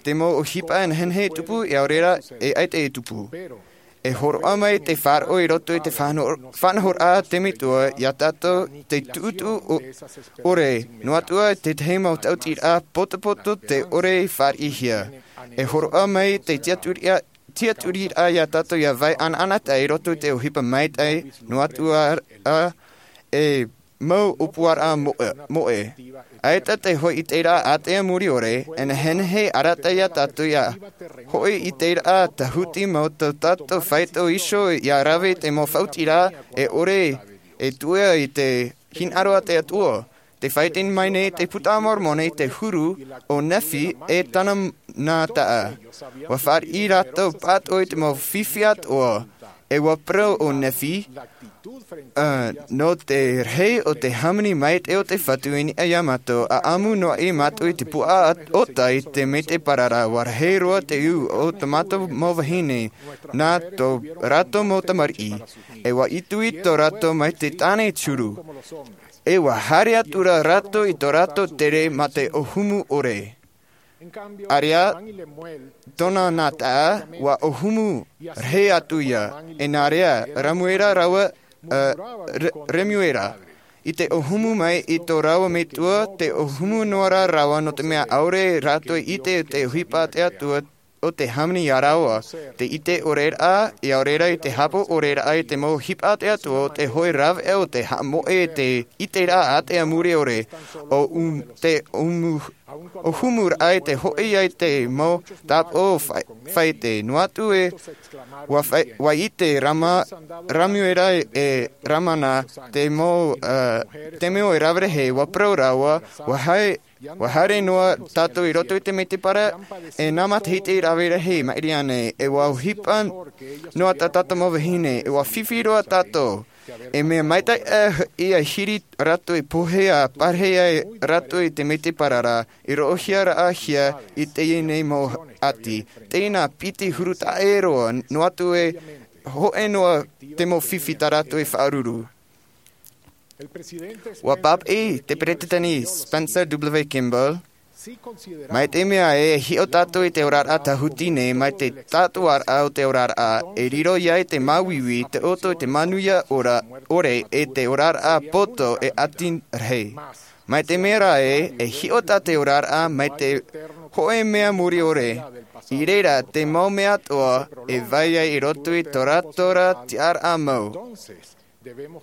te mau ʻohipa e nehenehe e tupu e ʻaore rā e ʻaita e tupu. E hōroʻa mai te faʻaroʻo i roto i te faʻanahoraʻa a te metua iā tātou te tuʻutuʻu ʻore noa atu ā tētahi mau taʻutiraʻa potopoto te ʻore i fāriʻihia. E hōroʻa mai te tiʻaturiraʻa iā tātou ia vai ʻanaʻanataʻa i roto i te ʻohipa maitaʻi noa atu ā e mau ʻōpuaraʻa moʻe. ʻAita te hoʻi ʻiteraʻa ʻātea mōriʻore e nehenehe arataʻi iā tātou ia hoʻi ʻiteraʻa tāhuti mau tō tātou faito iho ia rave i te mau faʻaotiraʻa e ʻore e tuʻu i te hinaʻaro a te atua. Te faʻaite mai nei te puta a moromona i te huru o nephi e tāna nā taʻa. Ua fāriʻi rātou pāʻatoʻa i te mau fifi atoʻa. E ua parau ʻo nephi nō te rahi o te hāmani maitaʻi o te fatu i niʻa iā mātou a ʻamu noa ʻē mātou i te puʻa ʻota i te mete parara ua rahi roa te ū o tō mātou mau vahine nā tō rātou mau tamariʻi. E ua ʻitui tō rātou mai te tāne turu. E ua haere atu rā rātou i tō rātou tere mā te ʻōhumu ʻore. Areʻa tōna nā taʻa ua ʻōhumu rahi atu ia. E nā reira ramuera rāua remuera i te ʻōhumu mai i tō rāua metua te ʻōhumu noa rā rāua nō te mea ʻaore rātou i ʻite te ʻohipa a te atua o te hāmani iā rāua. Te ʻite ʻore raʻa i ʻaore rā i te hāpaʻo ʻore raʻa i te mau ʻohipa a te atua o te hoʻi raveʻa o te haʻamoʻe i te ʻiteraʻa ʻātea mōriʻore o te ʻōhumu raʻa i te hoʻi ai te mau tāpaʻo faʻaite noa atu e ua ʻite ramuera e ramana te mau te mea e rave rahi ua parau rāua ua haere noa tātou i roto i te mete parara e nā matahiti rave rahi maʻiri ānei e ua ʻohipa noa tā tātou mau vahine e ua fifi roa tātou. E mea maitaʻi ia hiri rātou i pohe a pārahi ai rātou i te mete parara i roʻohia raʻahia i teie nei mau ʻati. Teie nā piti huru taʻa ʻē roa noa atu e hōʻē noa te mau fifi tā rātou e faʻaruru. ʻUa pāpaʻi te peretiteni Spencer W. Kimball, mai te mea e hiʻo tātou i te oraraʻa tāhuti nei, mai te tātuaraʻa o te oraraʻa, e riro ia i te māuiui, te ʻoto i te manuia ora, ʻore, e te oraraʻa poto e ʻati rahi. Mai te mea rā ē, e hiʻo tā te oraraʻa mai te hōʻē mea mure ʻore, i reira te mau mea atoʻa e vai ai i roto i tō rātou tiʻaraʻa mau. ʻUa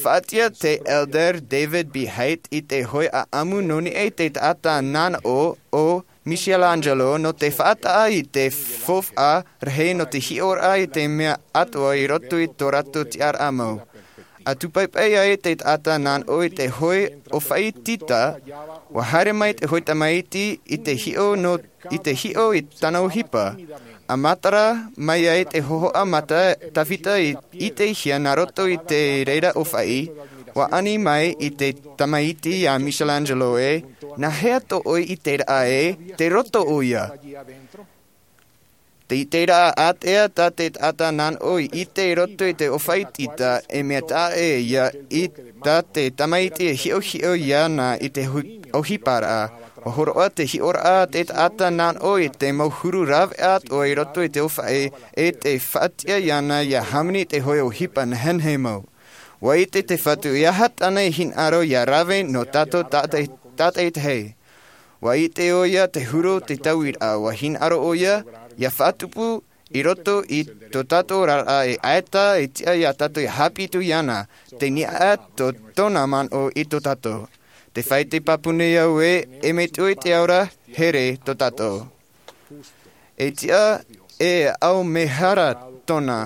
faʻatiʻa te Elder David B. Haight i te hoʻi ʻāʻamu nō niʻa i te taʻata nanaʻo o Michelangelo nō te faʻataʻa i te faufaʻa rahi nō te hiʻoraʻa i te mea atoʻa i roto i tō rātou tiʻaraʻa mau. ʻA tūpaipai ai te taʻata nanaʻo i te hoʻi ʻōfaʻi tita, ʻua haere mai te hoʻi tamaiti i te hiʻo nō, i te hiʻo i tāna ʻohipa. ʻA matara mai ai te hōhoʻa mata tāvita i, i te hia nā roto i te reira ʻōfaʻi, ʻua ani mai i te tamaiti iā Michelangelo ē, nā hea tō ʻoe ʻiteraʻa ē, tei roto ʻoia. Te ʻiteraʻa ātea tā te taʻata nanaʻo i ʻite i roto i te ʻōfaʻi tita, e mea taʻa ʻē ia i tā te tamaiti e hiʻohiʻo iāna i te hu-, ʻohiparaʻa. ʻUa hōroʻa te hiʻoraʻa a te taʻata nanaʻo i te mau huru rāveʻa atoʻa i roto i te ʻōfaʻi, e tē faʻatiʻa iāna ʻia hāmani i te hoʻi ʻohipa nehenehe mau. ʻUa ʻite te Fatu e aha tāna e hinaʻaro ʻia rave nō tātou tātaʻi, tātaʻitahi. ʻUa ʻite ʻoia te huru o te tauiraʻa, ʻua hinaʻaro ʻoia ʻia faʻatupu i roto i tō tātou oraraʻa e ʻaita e tiʻa iā tātou ʻia haʻapiʻi atu iāna, tei niʻa atu tōna manaʻo i tō tātou. Tē fāʻite pāpū nei au ē, e mea tuʻu i te ao ra, here tō tātou. E tiʻa, e ʻaumehara tōna.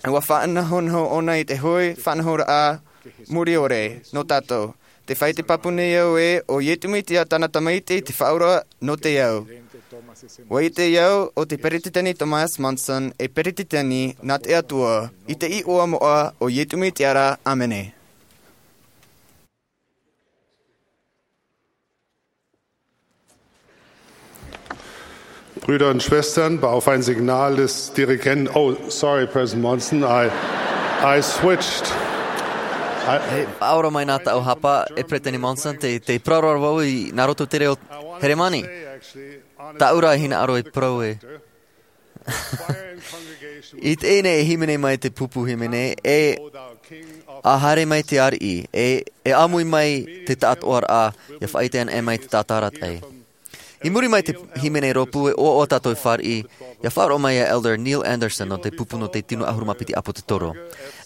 ʻUa faʻanahonaho ʻōna i te hoʻi faʻanahoraʻa mure ʻore nō tātou. Tē fāʻite pāpū nei au ē, ʻo Iesu Mesia tāna tamaiti te Faʻaora nō te ao. ʻUa ʻite au, ʻo te Peretiteni Thomas Monson, e Peretiteni nā te Atua, i te iʻoa moʻa o Iesu Mesia ra, ʻāmene. Brüder und Schwestern, auf ein Signal des Dirigenten, oh, sorry, President Monson, I, I switched. I E faʻaora mai nā taʻu hapa, e Peretiteni Monson, tē, tē parau ra vau i, nā roto i te reo Heremani. Tāʻu rā e hinaʻaro e parau ē. I teie nei e hīmene mai te pupu hīmene, e ʻa haere mai te ariʻi, e, e ʻāmui mai te taʻatoʻaraʻa, ʻia faʻaʻite anaʻe mai te taʻata arataʻi. I muri mai te hīmene rōpū e ʻoaʻoa tātou e fāriʻi, ʻia faʻaroʻo mai iā Elder Neil Andersen nō te pupu nō te tino ʻahuru mā piti ʻāpōsetolo.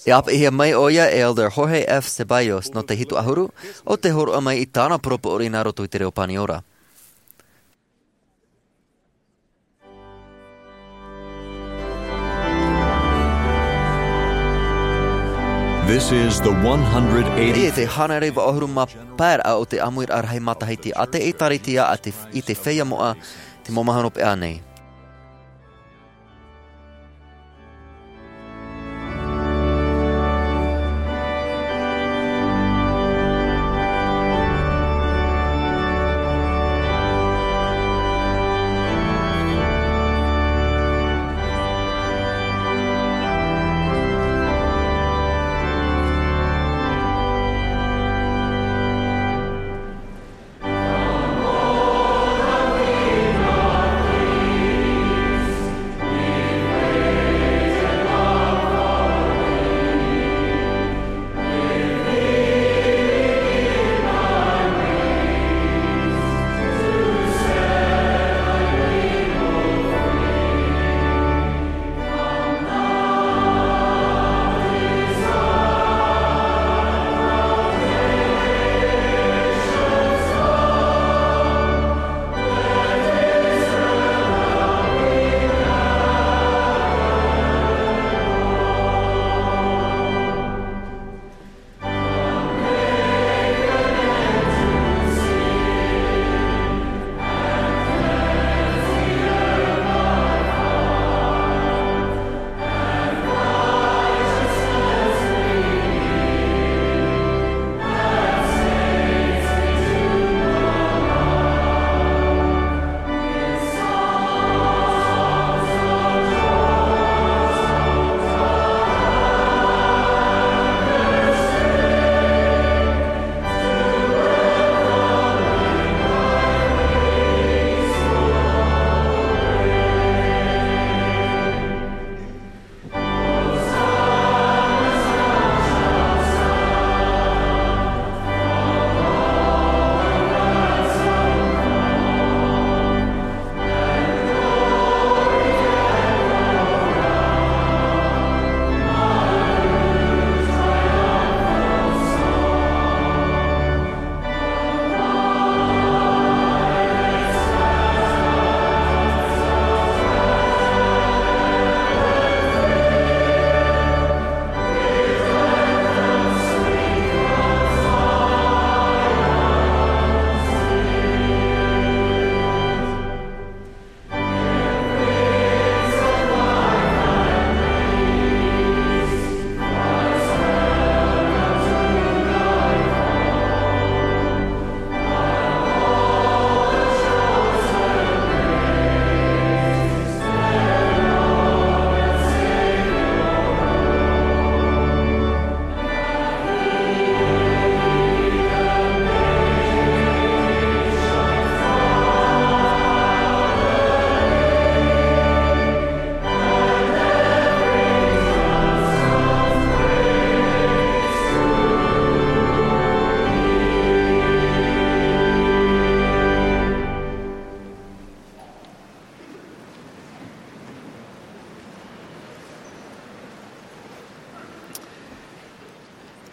E ʻāpeʻehia mai ʻoia e Elder Jorge F. Ceballos nō te hitu ʻahuru, ʻo tē hōroʻa mai i tāna poroʻi nā roto i te reo Paniora. This is the one hundred eighty. Teie te hānere vaʻu ʻahuru mā pae raʻa o te ʻāmuiraʻa rahi matahiti a te ʻĒtārētia a te, i te feiā moʻa, te mau mahana hopeʻa nei.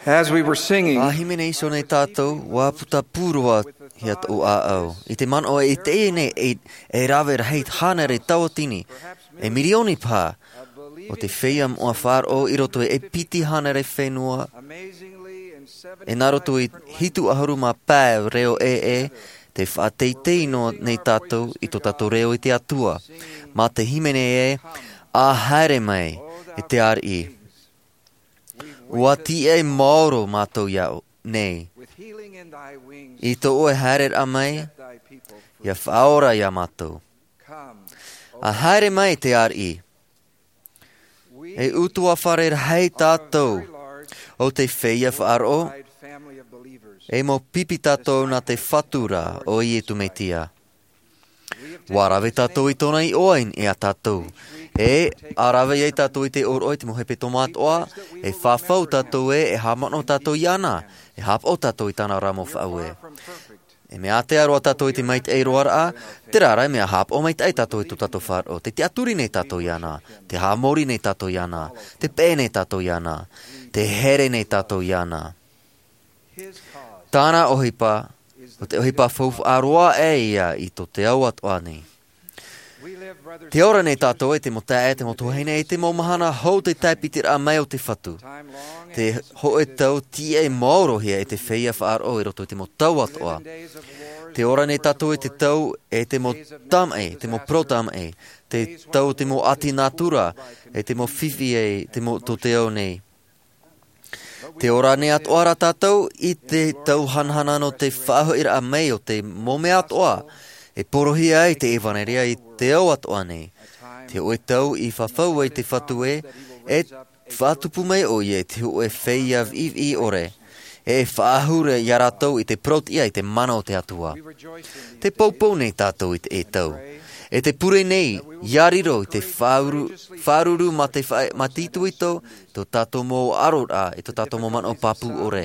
As we were singing, a hīmene iho nei tātou, ʻua puta pū roa hia tōʻu ʻāʻau. I te manaʻo e teie nei, e, e rave rahi hānere tauatini, e mirioni paha, o te feiā moʻa faʻaroʻo i roto i e piti hānere fenua, e nā roto i hitu ʻahuru mā pae reo ʻē, tē faʻateitei noa nei tātou i tō tātou reo i te Atua. Mā te hīmene ē, ʻA haere mai, e te ariʻi. ʻUa tīaʻi maoro mātou iā ʻō nei. I tō ʻoe haereraʻa mai, ʻia faʻaora iā mātou. ʻA haere mai, te ariʻi. E ʻutuāfare rahi tātou o te feiā faʻaroʻo, e mau pipi tātou nā te Fatu ra ʻo Iesu Mesia. ʻUa rave tātou i tōna iʻoa i niʻa iā tātou. E, ʻa rave ai tātou i te ʻōroʻa i te mau hepetoma atoʻa, e fafau tātou ē, e haʻamanaʻo tātou iāna, e haʻapaʻo tātou i tāna ra mau faʻaue. E mea ātea roa tātou i te maitaʻi roaraʻa, terā rā e mea haʻapaʻo maitaʻi tātou i tō tātou faʻaroʻo, tē tiʻaturi nei tātou iāna, tē haʻamori nei tātou iāna, tē peʻe nei tātou iāna, tē here nei tātou iāna. Tāna ʻohipa, ʻo te ʻohipa faufaʻa roa ʻē ia i tō te ao atoʻa nei. Tē ora nei tātou e te mau taeaʻe, te mau tuahine, e te mau mahana hou te tāpitiraʻa mai o te Fatu. Te hōʻē tau tīaʻi maorohia e te feiā faʻaroʻo i roto i te mau tau atoʻa. Tē ora nei tātou i te tau e te mau tamaʻi, te mau parau tamaʻi, te tau o te mau ʻati nātura, e te mau fifi e te mau tō te ao nei. Tē ora nei atoʻa rā tātou i te tau hanahana nō te faʻahoʻiraʻa mai o te mau mea atoʻa, e porohia ai te ʻevanelia i te ao atoʻa nei. Te hōʻē tau i fafau ai te Fatu ē, e faʻatupu mai ʻoia i te hōʻē feiā viʻiviʻi ʻore, e faʻahou iā rātou i te parauʻtiʻa i te mana o te Atua. Tē poupou nei tātou i te ʻē tau. E tē pure nei, ʻia riro i te faʻauru-, faʻaruru mā te fa-, mā te itoito, tō tātou mau ʻaroraʻa, i tō tātou mau manaʻo pāpū ʻore.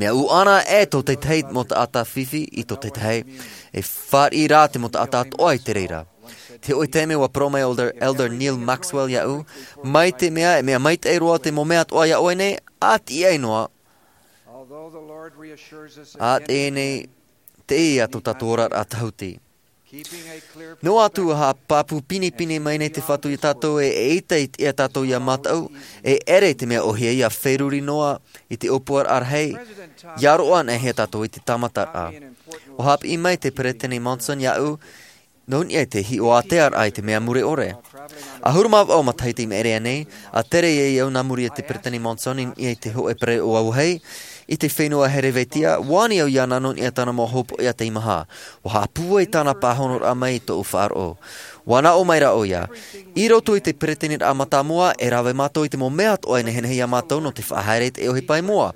Mea ʻuʻana ē tō te tahi mau taʻata fifi i tō te tahi, e fāriʻi rā te mau taʻata atoʻa i te reira. Te hōʻē taime ʻua parau mai Elder, Elder Neal Maxwell iāʻu, mai te mea, e mea maitaʻi roa te mau mea atoʻa iā ʻoe nei, ʻa tīaʻi noa, ʻa teie nei, teie tō tātou oraraʻa tahuti. Noa atu ʻa pāpū pinepine mai nei te Fatu iā tātou e, eʻita i te, iā tātou ʻia mātau, e ʻere te mea ʻōhie ʻia feruri noa i te ʻōpuaraʻa rahi, ʻia roaʻa anaʻe hia tātou i te tāmataraʻa. ʻUa haʻapiʻi mai te Peresideni Monson iāʻu, nō niʻa i te hiʻo ātea raʻa i te mea mure ʻore. ʻAhuru mā vaʻu matahiti i maʻiri aʻe nei, ʻa tere ai au nā muri i te Peresideni Monson i niʻa i te hōʻē pereʻoʻo auahi, i te fenua Herevetia, ʻua ani au iāna nō niʻa i tāna mau hopoiʻa teimaha. ʻUa haʻapūai tāna pāhonoraʻa mai i tōʻu faʻaroʻo. ʻUa naʻo mai rā ʻoia. I roto i te Peresideniraʻa mātāmua, e rave mātou i te mau mea atoʻa e nehenehe iā mātou nō te faʻahaere i te ʻohipa i mua.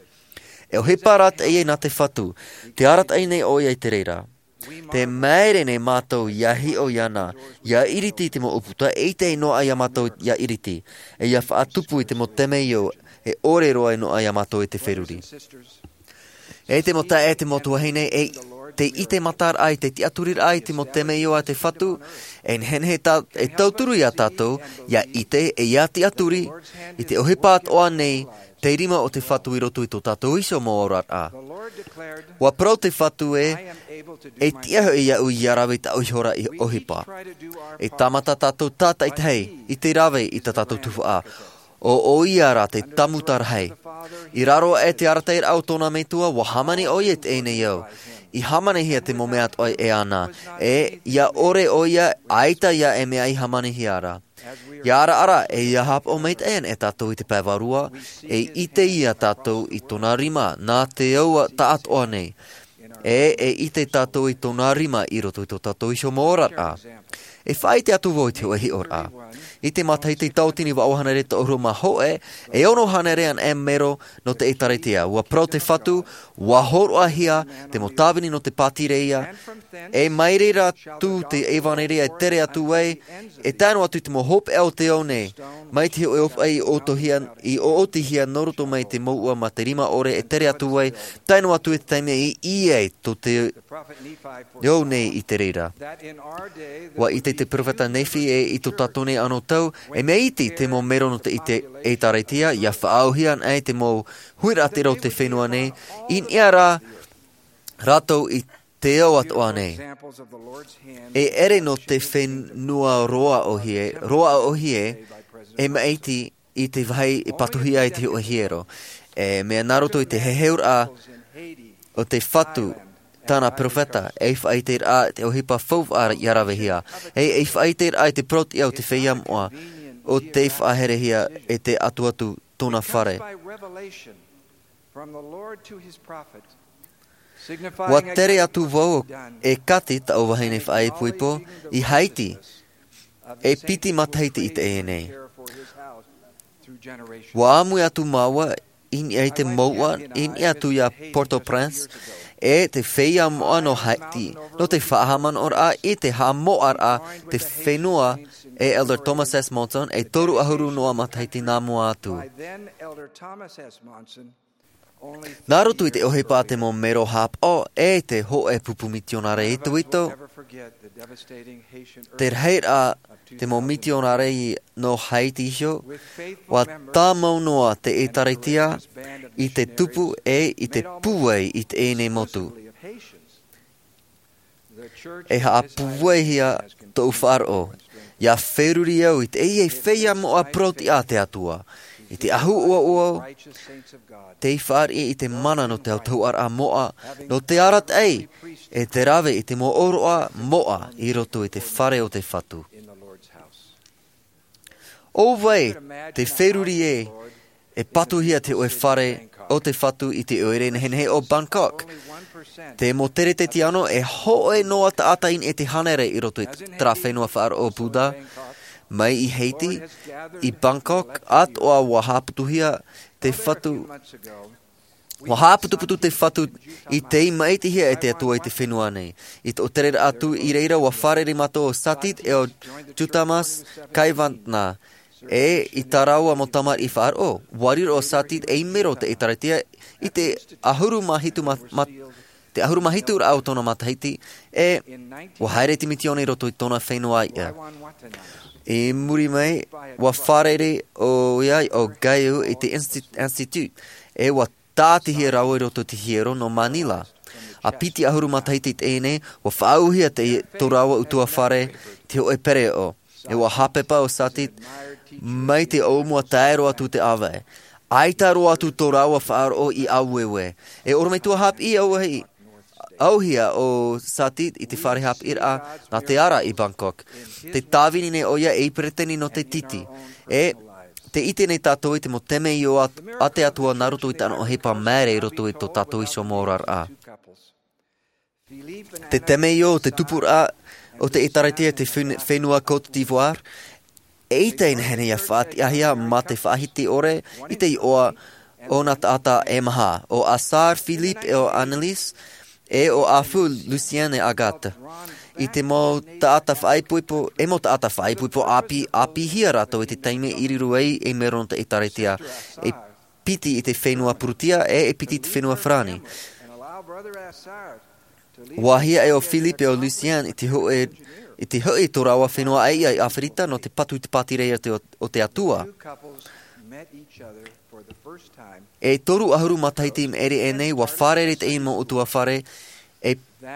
E ʻohipa rā teie nā te Fatu. Tē arataʻi nei ʻoia i te reira. Tē māere nei mātou ʻia hiʻo iāna, ʻia ʻiriti i te mau ʻūputa, eʻita e noaʻa iā mātou ʻia ʻiriti, e ʻia faʻatupu i te mau temeio, e ʻore roa e noaʻa iā mātou i te feruri. E te mau taeaʻe, te mau tuahine, e te ʻite mataraʻa i te tiʻaturiraʻa i te mau temeio a te Fatu, e nehenehe tā-, e tauturu iā tātou, ʻia ʻite, e ʻia tiʻaturi, i te ʻohipa atoʻa nei, te rima o te Fatu i roto i tō tātou iho mau oraraʻa. ʻUa parau te Fatu ē, e tiʻa hoʻi iāʻu ʻia rave i tāʻu iho ra i ʻohipa. E tāmata tātou tātaʻitahi, i te rave i tā tātou tuhaʻa. ʻO, ʻo ia rā te tāmuta rahi. I raro aʻe te arataʻiraʻa o tōna metua, ʻua hāmani ʻoia i teie nei ao. I hāmanihia te mau mea atoʻa e ana. E, ʻia ʻore ʻoia, ʻaita ia e mea i hāmanihia ra. ʻIa ara, ara, e ʻia haʻapaʻo maitaʻi ana e tātou i te pae vārua, e ʻite ia tātou i tōna rima, nā te ao taʻatoʻa nei. E, e ʻite tātou i tōna rima i roto i tō tātou iho mau oraraʻa. E faʻaʻite atu vau i te hōʻē hiʻoraʻa. I te matahiti tauatini vaʻu hānere toʻahuru mā hōʻē, e ono hānere ana e mero nō te ʻĒtārētia. ʻUa parau te Fatu, ʻua hōroʻahia te mau tāvini nō te pātireia, e mai reira atu te ʻevanelia e tere atu ai, e tae noa atu i te mau hopeʻa o te ao nei, mai te hōʻē ʻōpuaʻi i ʻōtohia, i ʻōʻotihia nō roto mai te mouʻa mā te rima ʻore e tere atu ai, tae noa atu i te taime i ʻī ai tō te ao nei i te reira. ʻUa ʻite te peropheta Nephi e i tō tātou nei anō tau, e mea iti te mau mero nō te ʻite ʻĒtārētia, ʻia faʻaauhia anaʻe te mau huiraʻatira o te fenua nei, i niʻa rā rātou i te ao atoʻa nei. E ʻere nō te fenua roa ʻōhie, roa ʻōhie, e maʻiti i te vāhi e patuhia ai te hōʻē hiero. E mea nā roto i te heheuraʻa o te Fatu, tāna peropheta, e faʻaʻiteraʻa te ʻohipa faufaʻa ʻia ravehia. E, e faʻaʻiteraʻa i te parauʻtiʻa o te feiā moʻa, o te faʻaherehia e te atuatu tōna fare. Ua tere atu vau e Kathy, taʻu vahine faʻaipoipo, i Haiti, e piti matahiti i teie nei. Ua ʻāmui atu māua i niʻa i te mouʻa, i niʻa atu iā Port-au-Prince, e te feiā moʻa nō Haiti, nō te faʻahaʻamanaʻoraʻa i te haʻamoʻaraʻa te fenua e Elder Thomas S. Monson, e toru ʻahuru noa matahiti nā mua atu. Nā roto i te ʻohipa a te mau mero haʻapaʻo e te hōʻē pupu mitionare itoito, te rahiraʻa te mau mitionare nō Haiti iho, ua tāmau noa te ʻĒtārētia i te tupu e i te pūai i teie nei motu. E haʻapūaihia tōʻu faʻaroʻo, ʻia feruri au i teie feiā moʻa parauʻtiʻa a te Atua, i te ʻahu ʻoaʻoa, tei fāriʻi i te mana nō te autahuʻaraʻa moʻa, nō te arataʻi, e te rave i te mau ʻōroʻa moʻa i roto i te fare o te Fatu. ʻO vai te feruri ē, e patuhia te hōʻē fare o te Fatu i te ʻoire nehenehe o Bangkok. Te mau teretete anō, e hōʻē noa taʻata i niʻa i te hānere i roto i terā fenua faʻaroʻo Buddha, mai i Haiti, i Bangkok, atoʻa ua haʻaputuhia te Fatu, ua haʻaputuputu te Fatu i tei maʻitihia e te Atua i te fenua nei. I tō tereraʻa atu i reira, ua fārerei mātou ʻo Satit e ʻo Juthamas Kaivatna, e i tā rāua mau tamariʻi faʻaroʻo. Ua riro ʻo Satit ei mero o te ʻĒtārētia i te ʻahuru mā hitu ma-, ma-, te ʻahuru mā hitu raʻa o tōna matahiti, e ua haere te mitioni i roto i tōna fenua ʻāiʻa. I muri mai, ua fārerei ʻoia ʻo Gayu i te insti-, institute, e ua tātihia rāua i roto i te hiero nō Manila. ʻA piti ʻahuru matahiti i teie nei, ua faʻaauhia te, tō rāua ʻutuāfare, te hōʻē pereoʻo. E ua haʻapepa ʻo Satit, mai te ʻōmua tae roa atu te ʻāvae. ʻAita roa atu tō rāua faʻaroʻo i ʻāueue. E ʻorometua haʻapiʻi ʻauahi, ʻauhia ʻo Satit i te fare haʻapiʻiraʻa nā te ara i Bangkok. Te tāvini nei ʻoia ei peretiteni nō te titi. E te ʻite nei tātou i te mau temeio a, a te Atua nā roto i tāna ʻohipa māere i roto i tō tātou iho mau oraraʻa. Te temeio o te tupuraʻa o te ʻĒtārētia i te fen-, fenua Côte d'Ivoire, eʻita e nehenehe ʻia faʻatiʻahia mā te faʻahiti ʻore i te iʻoa o nā taʻata e maha, ʻo Assar Philippe e ʻo Annelies, e ʻo Afu Lucien e Agathe. I te mau taʻata faʻaipoipo, e mau taʻata faʻaipoipo ʻāpī, ʻāpīhia rātou i te taime i riro ai ei mero nō te ʻĒtārētia, e piti i te fenua Purutia, e, e piti i te fenua Farāni. Ua hiaʻai ʻo Philippe e ʻo Lucien i te hoʻi, i te hoʻi i tō rāua fenua ʻāiʻa i ʻĀfirita nō te patu i te pātireia o te, o te Atua. E toru ʻahuru matahiti i maʻiri aʻe nei, ua fārerei teie mau ʻutuāfare e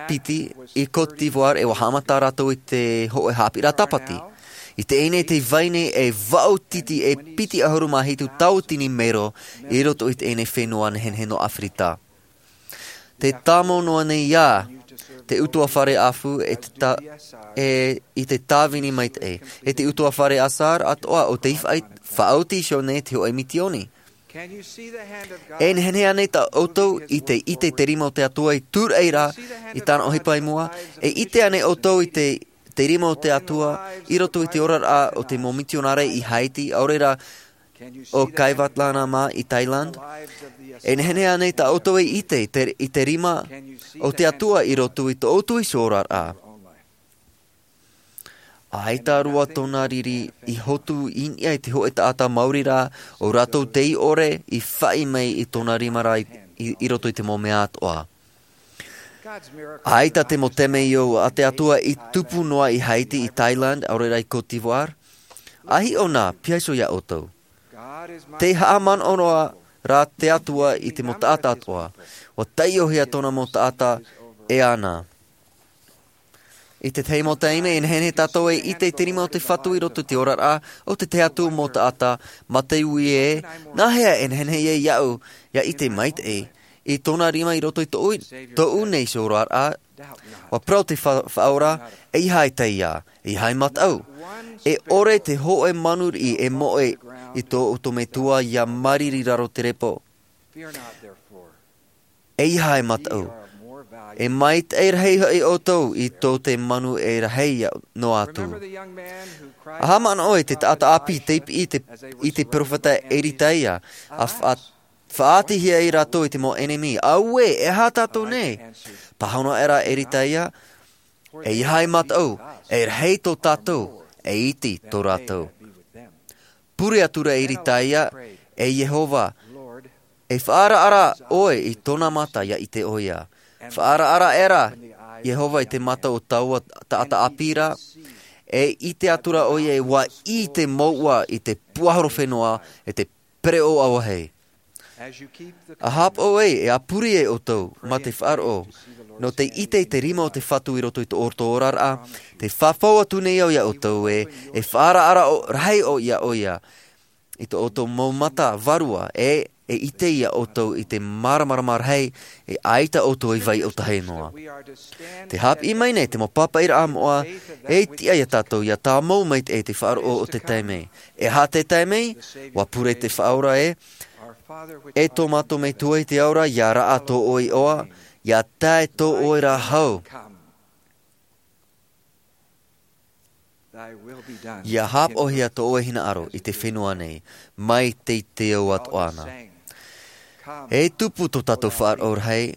piti i Côte d'Ivoire, e ua haʻamata rātou i te hoʻi haʻapiʻiraʻa tāpati. I teie nei te vai nei e vaʻu titi e piti ʻahuru mā hitu tauatini mero i roto i teie nei fenua nehenehe nō ʻĀfirita. Te tāmau noa nei ā te ʻutuāfare Afu e te tā-, e i te tāvini maitaʻi, e te ʻutuāfare Assar atoʻa ʻo tei faʻa-, faʻaoti iho nei te hoʻi mitioni. E nehenehe ānei tā ʻoutou i te ʻite i te rima o te Atua i tūraʻi ra i tāna ʻohipa i mua? E ʻite ānei ʻoutou i te, te rima o te Atua i roto i te oraraʻa o te mau mitionare i Haiti, ʻaore rā ʻo Kaivatlana mā i Thailand? E nehenehe ānei tā ʻoutou e ʻite i te, i te rima o te Atua i roto i tō ʻoutou iho oraraʻa? ʻAita roa tōna riri i hotu i niʻa i te hoʻi taʻata maori rā, ʻo rātou tei ʻore i faʻi mai i tōna rima rā i, i, i roto i te mau mea atoʻa. ʻAita te mau temeio a te Atua i tupu noa i Haiti, i Thailand, ʻaore rā i Côte d'Ivoire. ʻA hiʻo nā, piha iho iā ʻoutou. Te haʻamanaʻo noa rā te Atua i te mau taʻata atoʻa. ʻUa taiʻohia tōna mau taʻata e ana. I te tahi mau taime, e nehenehe tātou e ʻite i te rima o te Fatu i roto i te oraraʻa o te tahi atu mau taʻata, mā te ui ē, nāhea e nehenehe ai iāʻu ʻia ʻite maitaʻi i tōna rima i roto i tōʻu, tōʻu nei iho oraraʻa? ʻUa parau te fa-, Faʻaora, ʻeiaha e taiā, ʻeiaha e mataʻu. E ʻore te hōʻē manu riʻi e moʻe i tō ʻoutou Metua ʻia māriri i raro te repo. ʻEiaha e mataʻu. E maitaʻi rahi hoʻi ʻoutou i tō te manu e rahi noa atu. ʻA haʻamanaʻo i te taʻata ʻāpī tei piʻi i te, i te peropheta Eritaia, ʻa fa-, faʻaʻitehia ai rātou e te mau ʻenemi. Auē, e aha tātou nei? Pāhono aʻera Eritaia, ʻeiaha e mataʻu, e rahi tō tātou, e iti tō rātou. Pure atura Eritaia, e Iehova, e faʻaaraʻara ʻoe i tōna mata ʻia ʻite ʻoia. Faʻaaraʻara aʻera Iehova i te mata o taua taʻata ʻāpī ra, e ʻite atura ʻoia ē ʻua ʻī te mouʻa i te puahoro fenua, e te pereʻoʻo ʻauahi. ʻA haʻapaʻo ai, e ʻa pure ai ʻoutou, mā te faʻaroʻo, nō te ʻite i te rima o te Fatu i roto i tō ʻoutou oraraʻa, tē fafau atu nei au iā ʻoutou ē, e faʻaaraʻara ʻo-, rahi ʻoia iā ʻoia, i tō ʻoutou mau mata vārua, e, e ʻite iā ʻoutou i te māramarama rahi, e ʻaita ʻoutou i vai ʻōtahi noa. Tē haʻapiʻi mai nei te mau pāpaʻiraʻa moʻa, e tiʻa iā tātou ʻia tāmau maitaʻi i te faʻaroʻo o te taime. E aha te taime? ʻUa pure te Faʻaora ē, E tō mātou Metua i te ao ra, ʻia raʻa tō ʻoe iʻoa, ʻia tae tō ʻoe ra hau. ʻIa haʻapaʻohia tō ʻoe hinaʻaro i te fenua nei, mai te, te ao atoʻa na. E tupu tō tātou faʻaroʻo rahi.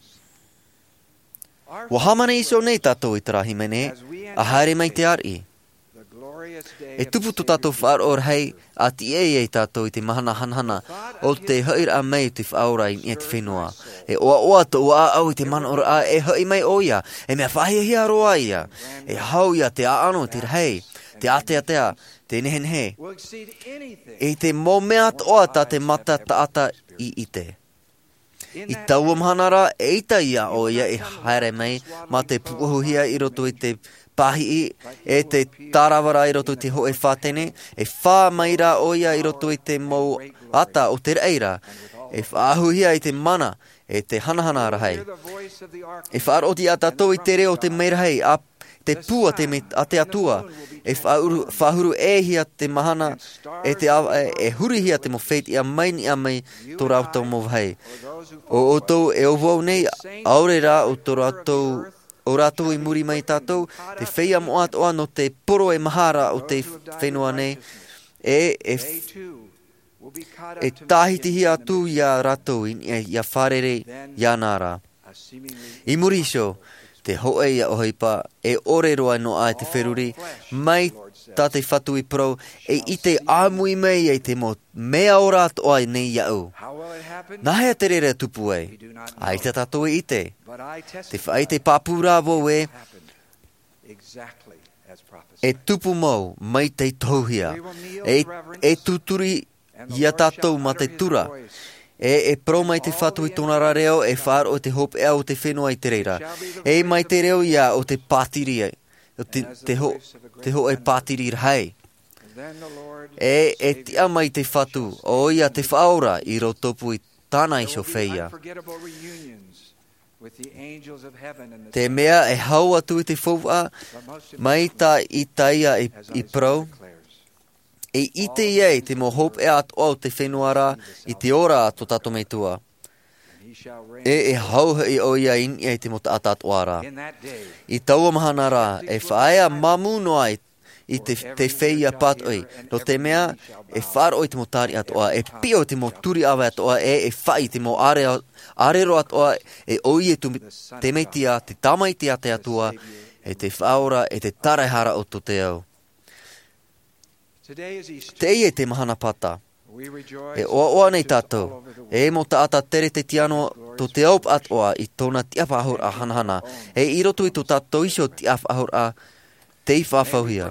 ʻUa hāmani iho nei tātou i terā hīmene, ʻa haere mai te ariʻi. E tupu tō tātou faʻaroʻo rahi, ʻa tiʻa ai tātou i te mahana hanahana, o te hoʻiraʻa mai o te Faʻaora i niʻa i te fenua. E ʻoaʻoa tō ʻoe ʻāʻau i te manaʻoraʻa, e hoʻi mai ʻoia, e mea faʻahiahia roa ia. E hau ia te ʻaʻano, te rahi, te āteatea, te nehenehe. I te mau mea atoʻa tā te mata taʻata i ʻite. I taua mahana ra, eʻita iā ʻoia e haere mai, mā te pūʻohuhia i roto i te pāhiʻi, e te tārava ra i roto i te hōʻē fātene, e fā mai rā ʻoia i roto i te mau ata o te raʻi ra, e faʻahuhia i te mana, e te hanahana rahi. E faʻaroʻo iā tātou i te reo o te merahi, ʻa te pū a te me-, a te Atua, e faʻahuru, faʻahuru ʻē hia te mahana, e te ava, e, e hurihia te mau fetiʻa mai niʻa mai tō rātou mau vāhi. ʻO ʻoutou e ʻo vau nei, ʻaore rā ʻo tō rātou, ʻo rātou i muri mai tātou, te feiā moʻa atoʻa nō te poro e maha ra o te fenua nei, e, e, e tāhitihia atu iā rātou i niʻa, ʻia fārerei iāna ra. I muri iho, te hōʻē ia ʻohipa, e ʻore roa noa i te feruri, mai tā te Fatu i parau, e ʻite ʻāmui mai ai te mau mea ora atoʻa nei iāʻu. Nāhea te reira e tupu ai? ʻAita tātou e ʻite. Te faʻaʻite pāpū rā vau ē, e tupu mau, mai tei tohuhia. E, e tūturi iā tātou mā te tura. E, e parau mai te Fatu i tōna ra reo, e faʻaroʻo te hopeʻa o te fenua i te reira. E mai te reo ia o te pātiri, o te, te ho-, te hōʻē pātiri rahi. E, e tiʻa mai te Fatu, ʻoia te Faʻaora i rotopū i tāna iho feiā. Te mea e hau atu i te faufaʻa, mai tā Isaia i, i parau, e ʻite ia i te mau hopeʻa atoʻa o te fenua ra, i te ora a tō tātou Metua. E, e hau hoʻi ʻoia i niʻa i te mau taʻata atoʻa ra. I taua mahana ra, e faʻaea māmū noa i, i te, te feiā pātoʻi, nō te mea, e faʻaroʻo i te mau tari atoʻa, e piʻo i te mau turi ʻāvae atoʻa, e, e faʻi i te mau ʻare-, ʻārero atoʻa, e ʻo ia te, te Mesia, te Tamaiti a te Atua, e te Faʻaora, e te Taraehara o tō te ao. Teie te mahana Pāta. E ʻoaʻoa nei tātou, e mau taʻata tere te tiano tō te ao atoʻa i tōna tiʻa faʻahouraʻa hanahana, e i roto i tō tātou iho tiʻa faʻahouraʻa tei faʻafauhia.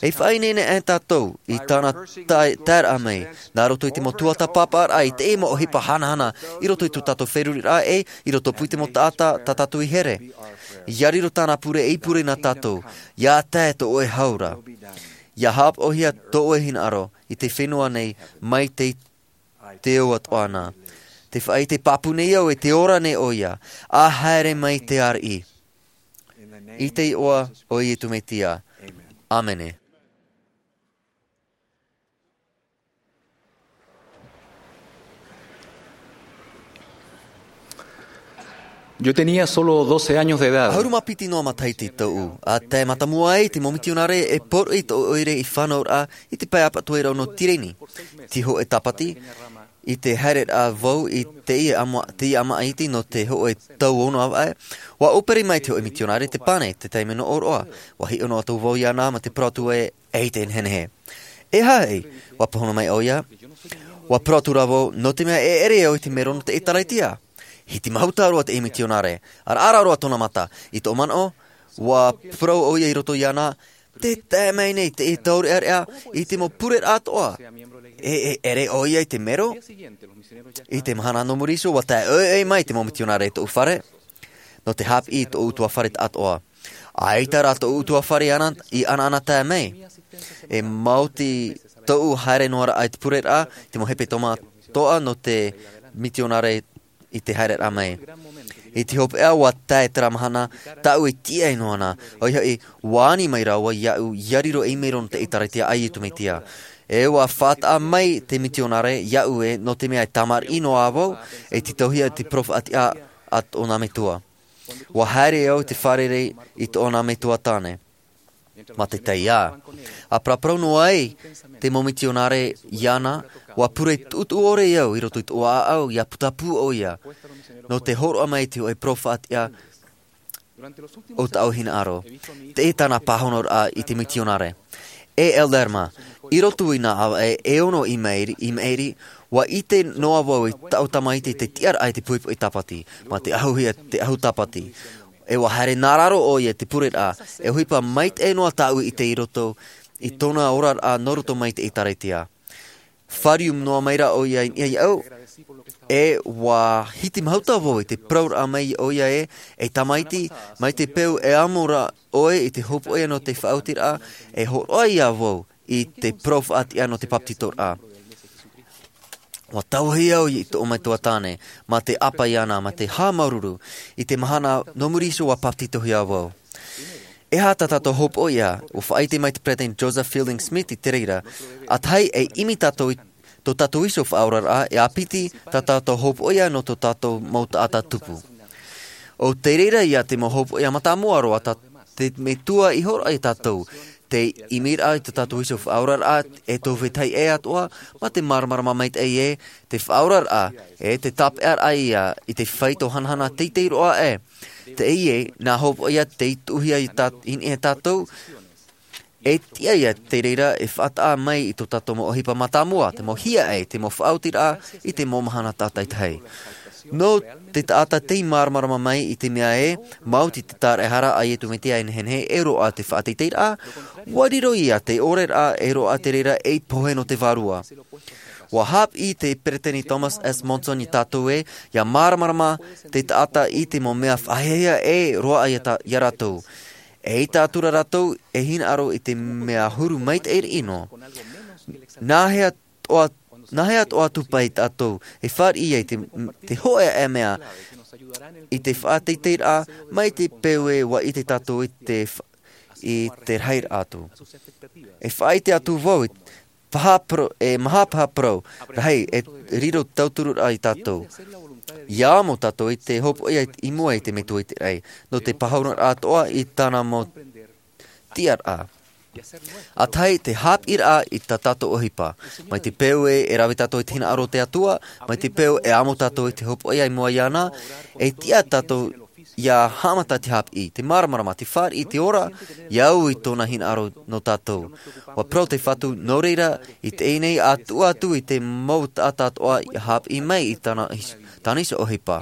E faʻaineine ʻē tātou i tāna tae-, taeraʻa mai, nā roto i te mau tuatāpaparaʻa i te mau ʻohipa hanahana, i roto i tō tātou feruriraʻa e i roto pū i te mau taʻata tā tātou i here. ʻIa riro tāna pure e pure nā tātou, ʻia tae tō ʻoe hau ra. ʻIa haʻapaʻohia tō ʻoe hinaʻaro i te fenua nei mai te, te ao atoʻa na. Te faʻaʻite pāpū nei au e te ora nei ʻoia, ʻa haere mai te ariʻi. I te iʻoa o Iesu Mesia. ʻĀmene. Yo tenía solo doce años de edad. ʻAhuru mā piti noa matahiti tōʻu, ʻa tae mātāmua ai te mau mitionare e poroʻi i tōʻu ʻoire i fānauraʻa i te pae ʻāpapa ʻo Tireni. Te hōʻē tāpati, i te haereraʻa vau i teie ʻāma-, teie ʻāmaʻa iti nō te hōʻē tau ono ʻāvaʻe, ʻua ʻōpere mai te hōʻē mitionare te pane, te taime nō ʻōroʻa, ʻua hiʻo noa atu vau iāna mā te parau atu ē, ʻeita e nehenehe. E aha? ʻUa pāhono mai ʻoia, ʻua parau atu ra vau, nō te mea e ʻere au i te mero nō te ʻĒtārētia. Hiti mahuta roa te mitionare, ʻaraʻara roa tōna mata, i tōʻu manaʻo, ʻua parau ʻoia i roto iāna, tē tae mai nei te taureʻareʻa i te mau pureraʻa atoʻa. E, e ʻere ʻoia i te mero? I te mahana nō muri iho, ʻua tae ʻoiʻoi mai te mau mitionare i tōʻu fare, nō te haʻapiʻi i tōʻu ʻutuāfare taʻatoʻa. ʻAita rā tōʻu ʻutuāfare ana, i ʻanaʻanatae mai. E maoti tōʻu haere noa ra i te pureraʻa, te mau hepetoma atoʻa nō te mitionare i te haereraʻa mai. I te hopeʻa, ʻua tae terā mahana, tāʻu e tīaʻi noa na, ʻoia hoʻi, ʻua ani mai rāua iāʻu, ʻia riro ei mero nō te ʻĒtārētia a Iesu Mesia. E ʻua faʻataʻa mai te mitionare iāʻu ē, nō te mea e tamariʻi noa vau, e tītauhia te parau faʻatiʻa a tōna metua. ʻUa haere au i te fārerei i tōna metua tāne. Mā te taiā. ʻA paraparau noa ai te mau mitionare iāna, ʻua pure tuʻutuʻu ʻore au i roto i tōʻu ʻāʻau, ʻia putapū ʻoia, nō te hōroʻa mai i te hōʻē parau faʻatiʻa o tāʻu hinaʻaro. Teie tāna pāhonoraʻa i te mitionare. E Elder mā, i roto i nā ʻāvaʻe e ono i maʻiri, i maʻiri, ʻua ʻite noa vau i tāʻu tamaiti te tiʻaraʻa i te poʻipoʻi tāpati, mā te ʻahuhia te ʻahu tāpati. E ʻua haere nā raro ʻoia i te pureraʻa, e ʻohipa maitaʻi noa tāʻu i ʻite i roto i tōna oraraʻa nō roto mai te ʻĒtārētia. Fāriu noa mai rā ʻoia i niʻa iāʻu, e ʻua hiti mahuta vau i te parauraʻa mai ʻoia ē, e tamaiti, mai te peu e amo ra ʻoe i te hopoiʻa nō te faʻaotiraʻa, e hōroʻa ïa vau i te parau faʻatiʻa nō te papetitoraʻa. ʻUa tauahi au i tōʻu metua tāne, mā te ʻāpā iāna, mā te haʻamāuruuru, i te mahana nō muri iho ʻua papetitohia vau. E aha tā tātou hopoiʻa? ʻUa faʻaʻite mai te Peresideni Joseph Fielding Smith i te reira, ʻa tahi e ʻimi tātou i tō tātou iho faʻaoraraʻa, e ʻāpiti tā tātou hopoiʻa nō tō tātou mau taʻata tupu. ʻO te reira ïa te mau hopoiʻa mātāmua roa tā te Metua i hōroʻa ia tātou, te ʻimiraʻa i tō tātou iho faʻaoraraʻa, e tō vetahi ʻē atoʻa, mā te māramarama maitaʻi ē, te faʻaoraraʻa, e te tāpeʻaraʻa ïa i te faito hanahana teitei roa ē. Teie, nā hopoiʻa tei tuʻuhia i tā-, i niʻa ia tātou, e tiʻa ïa te reira e faʻataʻa mai i tō tātou mau ʻohipa mātāmua, te mau hiaʻai, te mau faʻaotiraʻa, i te mau mahana tātaitahi. Nō te taʻata tei māramarama mai i te mea ē, maoti te tāraʻehara a Iesu Mesia e nehenehe e roaʻa te faʻateiteiraʻa, ʻua riro ïa te ʻoreraʻa e roaʻa te reira ei pohe nō te Vārua. ʻUa haʻapiʻi te Peresideni Thomas S. Monson ia tātou ē, ʻia māramarama te taʻata i te mau mea faʻahiahia e roaʻa ia tā-, ia rātou. ʻEita atu ra rātou e hinaʻaro i te mea huru maitaʻi riʻi noa. Nāhea toʻa, nāhea toʻa atu paʻi tātou e fāriʻi ai te, te hōʻē mea i te faʻateiteiraʻa mai te peu ē ʻua ʻite tātou i te fa-, i te rahiraʻa atu. E faʻaʻite atu vau i paha pro-, e maha paha parau rahi e riro tautururaʻa ia tātou. ʻIa amo tātou i te hopoiʻa i mua i te Metua i te raʻi, nō te pāhonoraʻa atoʻa i tāna mau tiʻaraʻa. ʻA tahi te haʻapiʻiraʻa i tā tātou ʻohipa. Mai te peu ē e rave tātou i te hinaʻaro o te Atua, mai te peu e amo tātou i te hopoiʻa i mua iāna, e tiʻa tātou ia haʻamata te hāpiʻi, te māramarama, te fāriʻi, te ora, ia au i tōna hinaʻaro nō tātou. Ua parau te Fatu, nō reira, i teie nei, ʻa tuʻu atu i te mau taʻata atoʻa ia hāpiʻi mai i tāna, tāna iho ʻohipa.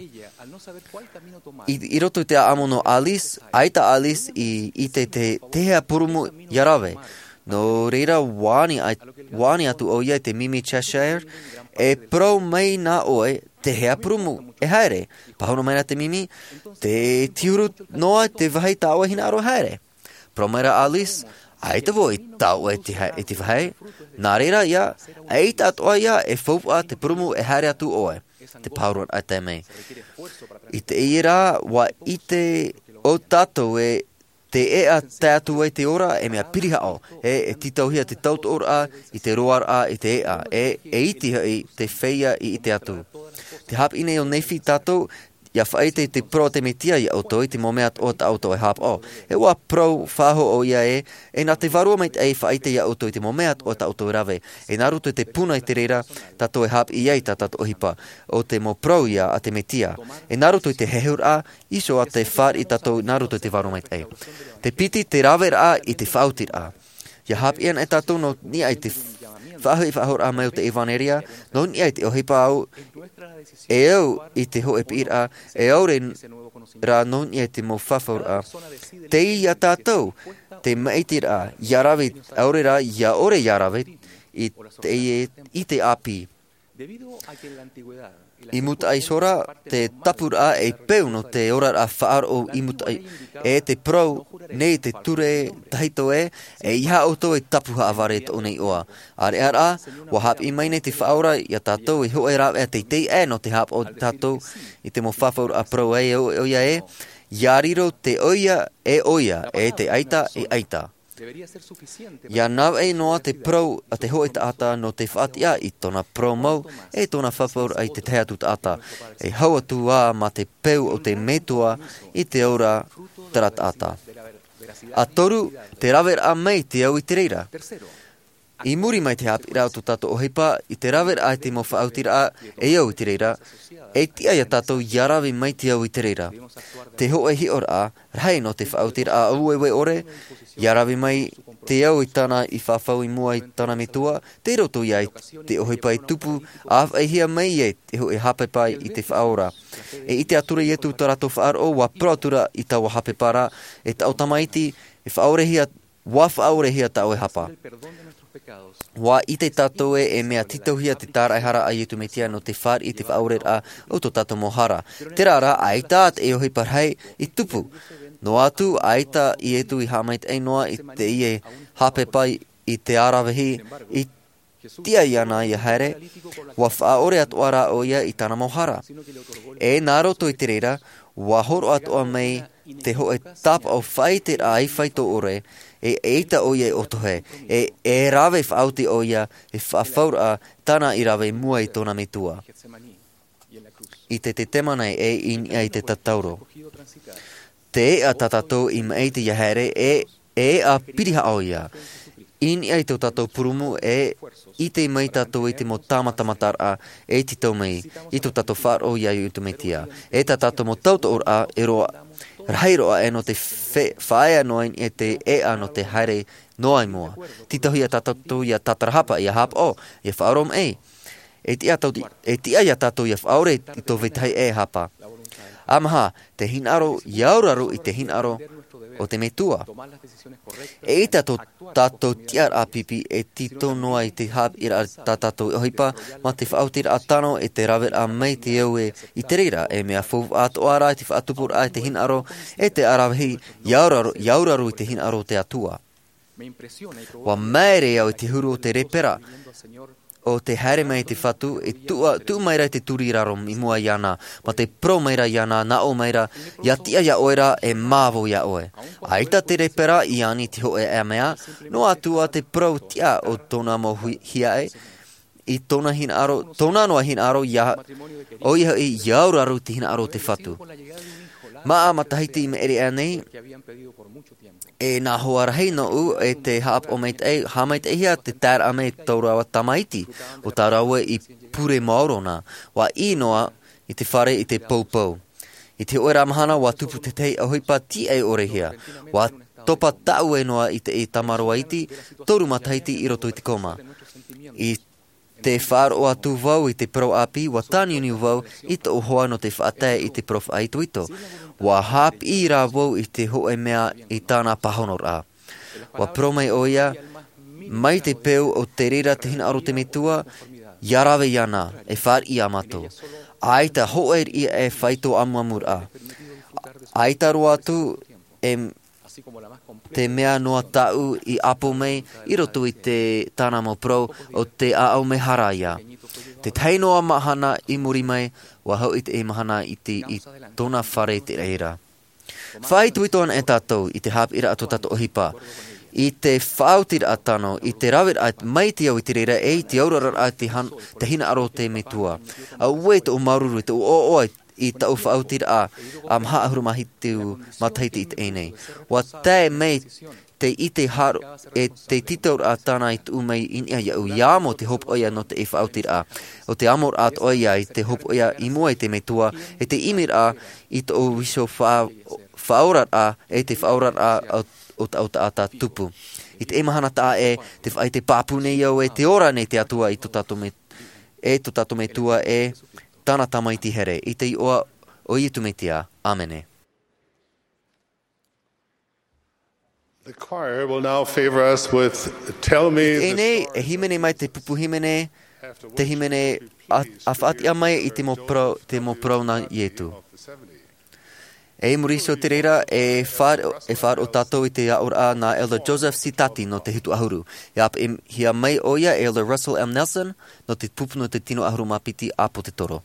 I, i roto i te ʻāʻamu nō Alice, ʻaita Alice i, i te, te, te hea purūmu ia rave. Nō reira, ua ani ai, ua ani atu ʻoia i te mimi Cheshire, e parau mai nā ʻoe, te hea purūmu, e haere. Pāhono mai rā te mimi, te tiuru noa te vāhi tā ʻoe hinaʻaro e haere. Parau mai rā Alice, ʻaita vau i tae atu i te ha-, i te vāhi. Nā reira ia, ʻaita atoʻa ia e faufaʻa te purūmu e haere atu ʻoe. Te pāhono ʻaita mai. I teie rā, ua ʻite ʻo tātou ē te ʻēʻa tae atu ai te ora, e mea pirihaʻo, e, e tītauhia te tautoʻoraʻa i te roaraʻa i te ʻēʻa, e, e iti hoʻi te feiā i ʻite atu. Tē hāpiʻi nei ʻo Nephi tātou, ia faʻaʻite i te parau a te Mesia ia ʻoutou i te mau mea atoʻa tā ʻoutou e haʻapaʻo. E ua parau faʻahou ʻoia ē, e nā te Vārua Maitaʻi e faʻaʻite ia ʻoutou i te mau mea atoʻa tā ʻoutou e rave. E nā roto i te puna i te reira, tātou e hāpiʻi ai tā tātou ʻohipa. ʻO te mau parau ia a te Mesia. E nā roto i te hehuraʻa, iho ā te fāriʻi tātou nā roto i te Vārua Maitaʻi. Te piti, te raveraʻa i te faʻaotiraʻa. Ia hāpiʻi ana e tātou nō niʻa i te faʻahoʻi faʻahouraʻa mai o te ʻevanelia, nō niʻa i te ʻohipa au, e au i te hōʻē piʻiraʻa, e ʻaore rā nō niʻa i te mau fafauraʻa. Tei ia tātou, te maʻitiraʻa, ia rave, ʻaore rā, ia ʻore ia rave, i te, i te ʻāpī. I mūtaʻa iho ra, te tapuraʻa e peu nō te oraraʻa faʻaroʻo i mūtaʻa, e te parau nei te ture tahito ē, e ʻeiaha ʻoutou e tapu haʻavare tōʻu nei iʻoa. ʻĀreʻa rā, ua hāpiʻi mai nei te Faʻaora ia tātou e hōʻē rāveʻa teitei aʻe nō te haʻapaʻo tātou i te mau fafauraʻa parau ai ʻo, ʻoia ē, ia riro te ʻoia e ʻoia, e te ʻaita e ʻaita. Ia navaʻi noa te parau a te hōʻē taʻata nō te faʻatiʻa i tōna parau mau, e tōna fafauraʻa i te tahi atu taʻata, e hau atu ā mā te peu o te Metua i te aura terā taʻata. ʻA toru, te raveraʻa mai te au i te reira. I muri mai te hāpiʻiraʻa o tō tātou ʻohipa, i te raveraʻa i te mau faʻaotiraʻa e au i te reira, e tiʻa ia tātou ia rave mai te au i te reira. Te hōʻē hiʻoraʻa, rahi nō te faʻaotiraʻa aueue ʻore, ia rave mai te au i tāna i fafau i mua i tāna Metua, tei roto ia i te ʻohipa e tupu, ʻa faʻaʻitehia mai e te hōʻē haʻapepa i te Faʻaora. E ʻite atu ra Ietu i tō rātou faʻaroʻo, ua parau atu ra i taua haʻapepa ra, e tāʻu tamaiti, e faʻaorehia, ua faʻaorehia tāʻu e hapa. Ua ʻite tātou ē, e mea tītauhia te tāraʻehara a Ietu Mesia nō te fāriʻi i te faʻaoreraʻa o tō tātou mau hara. Terā rā, ʻaita te ʻohipa rahi i tupu. Noa atu, ʻaita Ietu i haʻamaitaʻi noa i teie haʻapepa i te aravihi, i tiʻa iāna ia haere, ua faʻaʻore atoʻa rā ʻoia i tāna mau hara. E nā roto i te reira, ua hōroʻa atoʻa mai te hōʻē tāpaʻo faʻaʻiteraʻa ʻaifai tō ʻore, e ʻaita ʻoia e ʻotohe, e, e rave faʻaoti ʻoia, e fafauraʻa tāna i rave i mua i tōna Metua. I te Tetemane e i niʻa i te tatauro. Te ʻēʻa tā tātou i maʻiti ia haere, e, e ʻēʻa pirihaʻa ʻoia. I niʻa i tō tātou purūmu, e ʻite mai tātou i te mau tāmatamataraʻa, e tītau mai i tō tātou faʻaroʻo ia Ietu Mesia. E tā tātou mau tautoʻoraʻa, e roa, rahi roa aʻe nō te fe-, faʻaea noa i niʻa i te ʻēʻa nō te haere noa i mua. Tītauhia tā tātou ia tātarahapa, ia haʻapaʻo, ia faʻaoromaʻi. E tiʻa tātou, e tiʻa ia tātou ia faʻaʻore i tō vetahi e hapa. ʻA maha, te hinaʻaro, ia auraro i te hinaʻaro o te Metua. E ʻita tō tātou tiʻaraʻa pipi e tītau noa i te haʻapiʻiraʻa tā tātou ʻohipa, mā te faʻaotiraʻa tano e te raveraʻa mai te au e i te reira, e mea faufaʻa atoʻa rā i te faʻatupuraʻa i te hinaʻaro, e te aravihi, ia auraro, ia auraro i te hinaʻaro o te Atua. Ua maere au i te huru o te lepera, ʻo tē haere mai i te Fatu, e tuʻu, tuʻu mai ra i te turi i raro i mua iāna, mā te parau mai ra iāna, nā ʻō mai ra, ia tiʻa ia ʻoe ra, e mā vau ia ʻoe. ʻAita te lepera i ani i te hōʻē mea, noa atu ā te parau tiʻa o tōna mau hui-, hiaʻai, i tōna hinaʻaro, tōna noa hinaʻaro ia, ʻoia hoʻi ia auraro i te hinaʻaro o te Fatu. Māʻa matahiti i maʻiri aʻe nei, e nā hoa rahi nōʻu e te haʻapaʻo maitaʻi, haʻamaitaʻihia te taeraʻa mai tō rāua tamaiti, ʻo tā rāua i pure maoro na, ua ʻī noa i te fare i te poupou. I te hoʻē ra mahana, ʻua tupu te tahi ʻohipa tiʻa ʻore hia. ʻUa topa tāʻue noa i te tamaroa iti, toru matahiti i roto i te koma. I te faʻaroʻo atu vau i te parau ʻāpī, ʻua tāniuniu vau i tōʻu hoa nō te faʻatae i te parau faʻaitoito. ʻUa haʻapiʻi rā vau i te hoʻē mea i tāna pāhonoraʻa. ʻUa parau mai ʻoia, mai te peu o te reira te hinaʻaro o te Metua, ʻia rave iāna, e fāriʻi iā mātou. ʻAita hōʻē riʻi e faito ʻamuʻamuraʻa. ʻAita roa atu, e te mea noa tāʻu i ʻapo mai i roto i te tāna mau parau o te ʻāʻau mea hara ia. Te tahi noa mahana i muri mai, ʻua hau i te mahana i te, i tōna fare te reira. Faʻaitoito ana e tātou i te haʻapiʻiraʻa tō tātou ʻohipa. I te faʻaotiraʻa tano, i te raveraʻa mai te au i te reira e i te auraraʻa te han-, te hinaʻaro o te Metua. Auē tōʻu māuruuru, tōʻu ʻoaʻoa i tōʻu faʻaotiraʻa, ʻa maha ʻahuru mā hitu matahiti i teie nei. ʻUa tae mai te ʻite haro, e te titauraʻa tāna i tuʻu mai i niʻa iāʻu, ʻia amo te hopoiʻa nō te faʻaotiraʻa. ʻO te amoraʻa atoʻa ia i te hopoiʻa i mua i te Metua, e te ʻimiraʻa i tōʻu iho fa-, faʻaoraraʻa, e te faʻaoraraʻa o, o, o taʻata tupu. I te mahana taʻa ʻē, tē faʻaʻite pāpū nei au e tē ora nei te Atua i tō tātou Me-, e tō tātou Metua e tāna Tamaiti here. I te iʻoa o Iesu Mesia. ʻĀmene. The choir will now favor us with Tell Me the Teie nei, Story. E hīmene mai te pupu hīmene, te hīmene a, a faʻatiʻa mai i te mau parau, te mau parau nā Ietu. E i muri iho i te reira, e faʻa-, e faʻaroʻo tātou i te aʻoraʻa nā Elder Joseph Sitati nō te hitu ʻahuru. E ʻāpeʻehia mai ʻoia e Elder Russell M. Nelson nō te pupu nō te tino ʻahuru mā piti ʻāpōsetolo.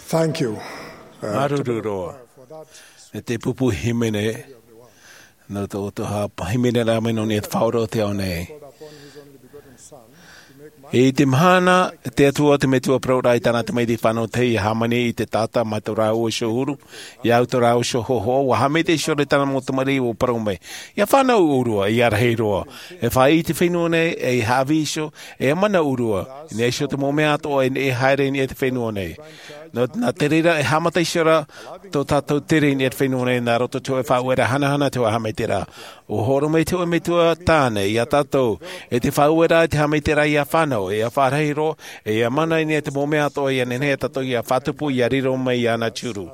Thank you. Māuruuru roa. E te pupu hīmene, nō tō, tō ha hīmene rā mai nō niʻa i te Faʻaora o te ao nei. I te mahana, te Atua te Metua parau ra i tāna Tamariʻi fānau teie, ia hāmani i te taʻata mai tō rāua iho huru, ia au tō rāua iho hōhoʻa, ʻua haʻamaitaʻi iho ra i tāna mau tamariʻi, ʻua parau mai, ʻia fānau ʻōrua, ʻia rahi roa. E faʻaʻī i te fenua nei, e haʻavī iho, e mana ʻōrua, i niʻa iho te mau mea atoʻa e neʻe haere i niʻa i te fenua nei. Nō, nā te reira e haʻamata iho ra tō tātou tere i niʻa i te fenua nei, nā roto i te hōʻē faʻaueraʻa hanahana, te hōʻē haʻamaitaʻiraʻa. ʻUa hōroʻa mai te hōʻē Metua tāne iā tātou, e te faʻaueraʻa, e te haʻamaitaʻiraʻa ʻia fānau, e ʻia faʻarahi roa, e ʻia mana i niʻa i te mau mea atoʻa ʻia nehenehe ā tātou ʻia fātupu, ʻia riro mai iāna te huru.